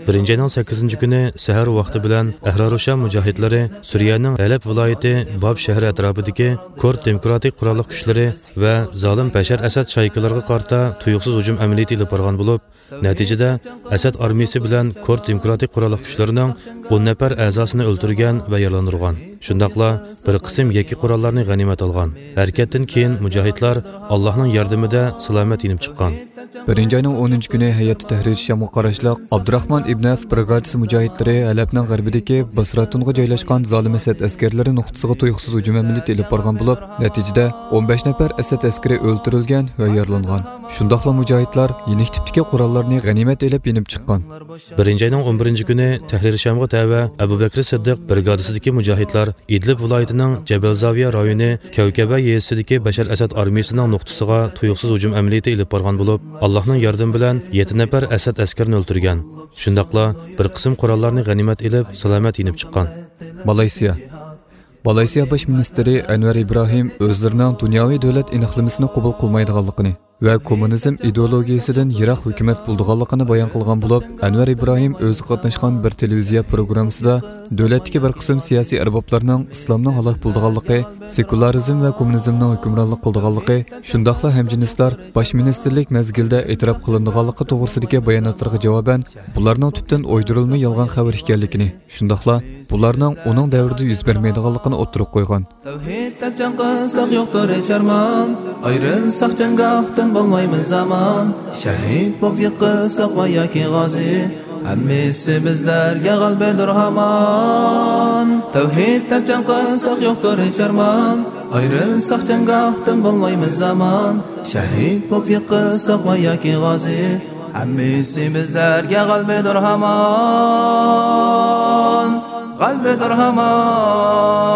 بىرىنچى ئاينىڭ سەككىزىنچى كۈنى سەھەر ۋاقتى بىلەن ئەھرارۇشام مۇجاھىدلىرى سۈرىيەنىڭ ھەلەب ۋىلايىتى باب شەھىرى ئەتراپىدىكى كۇرد دېموكراتىك قوراللىق كۈچلىرى ۋە زالىم بەشەر ئەسەد شايكىلىرىغا قارىتا تۇيۇقسىز ھۇجۇم ئەمەلىيىتى ئېلىپ بارغان بولۇپ، نەتىجىدە، ئەسەد ئارمىيىسى بىلەن كۇرد دېموكراتىك قوراللىق كۈچلىرىنىڭ ئون نەپەر ئەزاسىنى ئۆلتۈرگەن ۋە يارىلاندۇرغان. شۇنداقلا بىر قىسىم يەككە قوراللارنى غەنىيمەت ئالغان. ھەرىكەتتىن كېيىن مۇجاھىدلار ئاللاھنىڭ ياردىمىدە سالامەت يېنىپ چىققان. بىرىنچى ئاينىڭ ئونىنچى كۈنى ھەيئەت تەھرىر شامغا قاراشلىق ئابدۇراخمان ئىبن ئەۋف برىگادىسى مۇجاھىدلىرى ھەلەبنىڭ غەربىدىكى باسراتۇنغا جايلاشقان زالىم ئەسەد ئەسكەرلىرى نۇقتىسىغا تۇيۇقسىز ھۇجۇم ئەمەلىيىتى ئېلىپ بارغان بولۇپ، نەتىجىدە ئون بەش نەپەر ئەسەد ئەسكىرى ئۆلتۈرۈلگەن ۋە يارىلانغان. شۇنداقلا مۇجاھىدلار يېنىك تىپتىكى قوراللارنى غەنىيمەت ئېلىپ يېنىپ چىققان. بىرىنچى ئاينىڭ ئون بىرىنچى كۈنى تەھرىر شامغا تەۋە ئەبۇ بەكرى سىددىق برىگادىسىدىكى مۇجاھىدلار ئىدلىب ۋىلايىتىنىڭ جەبەل زاۋىيە رايونى كەۋكەبە يېزىسىدىكى بەشەر ئەسەد ئارمىيىسىنىڭ نۇقتىسىغا تۇيۇقسىز ھۇجۇم ئەمەلىيىتى ئېلىپ بارغان بولۇپ، ئاللاھنىڭ ياردىمى بىلەن يەتتە نەپەر ئەسەد ئەسكىرىنى ئۆلتۈرگەن. شۇنداقلا بىر قىسىم قوراللارنى غەنىيمەت ئېلىپ، سالامەت يېنىپ چىققان. مالايسىيا. مالايسىيا باش مىنىستىرى ئەنۋەر ئىبراھىم ئۆزلىرىنىڭ دۇنياۋى دۆلەت ئېنىقلىمىسىنى قوبۇل قىلمايدىغانلىقىنى ۋە كوممۇنىزم ئىدېئولوگىيىسىدىن يىراق ھۆكۈمەت بولىدىغانلىقىنى بايان قىلغان بولۇپ، ئەنۋەر ئىبراھىم ئۆزى قاتناشقان بىر تېلېۋىزىيە پروگراممىسىدا دۆلەتتىكى بىر قىسىم سىياسىي ئەربابلارنىڭ ئىسلامنىڭ ھالاك بولىدىغانلىقى، سېكۇلارىزم ۋە كوممۇنىزمنىڭ ھۆكۈمرانلىق قىلىدىغانلىقى، شۇنداقلا ھەمجىنسلار باش مىنىستىرلىك مەزگىلىدە ئېتىراپ قىلىنىدىغانلىقى توغرىسىدىكى باياناتلىرىغا جاۋابەن، بۇلارنىڭ تۈپتىن ئويدۇرۇلما يالغان خەۋەر ئىكەنلىكىنى، شۇنداقلا بۇلارنىڭ ئۇنىڭ دەۋرىدە يۈز بەرمەيدىغانلىقىنى ئوتتۇرىغا قويغان. تەۋھىد دەپ جەڭ قىلساق يوقتۇر ھېچ ئارمان، ئايرىلساق جەڭگاھتىن بولمايمىز ئامان، شەھىد بولۇپ يىقىلساق ۋە ياكى غازى، ھەممىسى بىزلەرگە غەلىبىدۇر ھامان. تەۋھىد دەپ جەڭ قىلساق يوقتۇر ھېچ ئارمان. ئايرىلساق جەڭگاھتىن بولمايمىز ئامان. شەھىد بولۇپ يىقىلساق ۋە ياكى غازى، ھەممىسى بىزلەرگە غەلىبىدۇر ھامان. غەلىبىدۇر ھامان.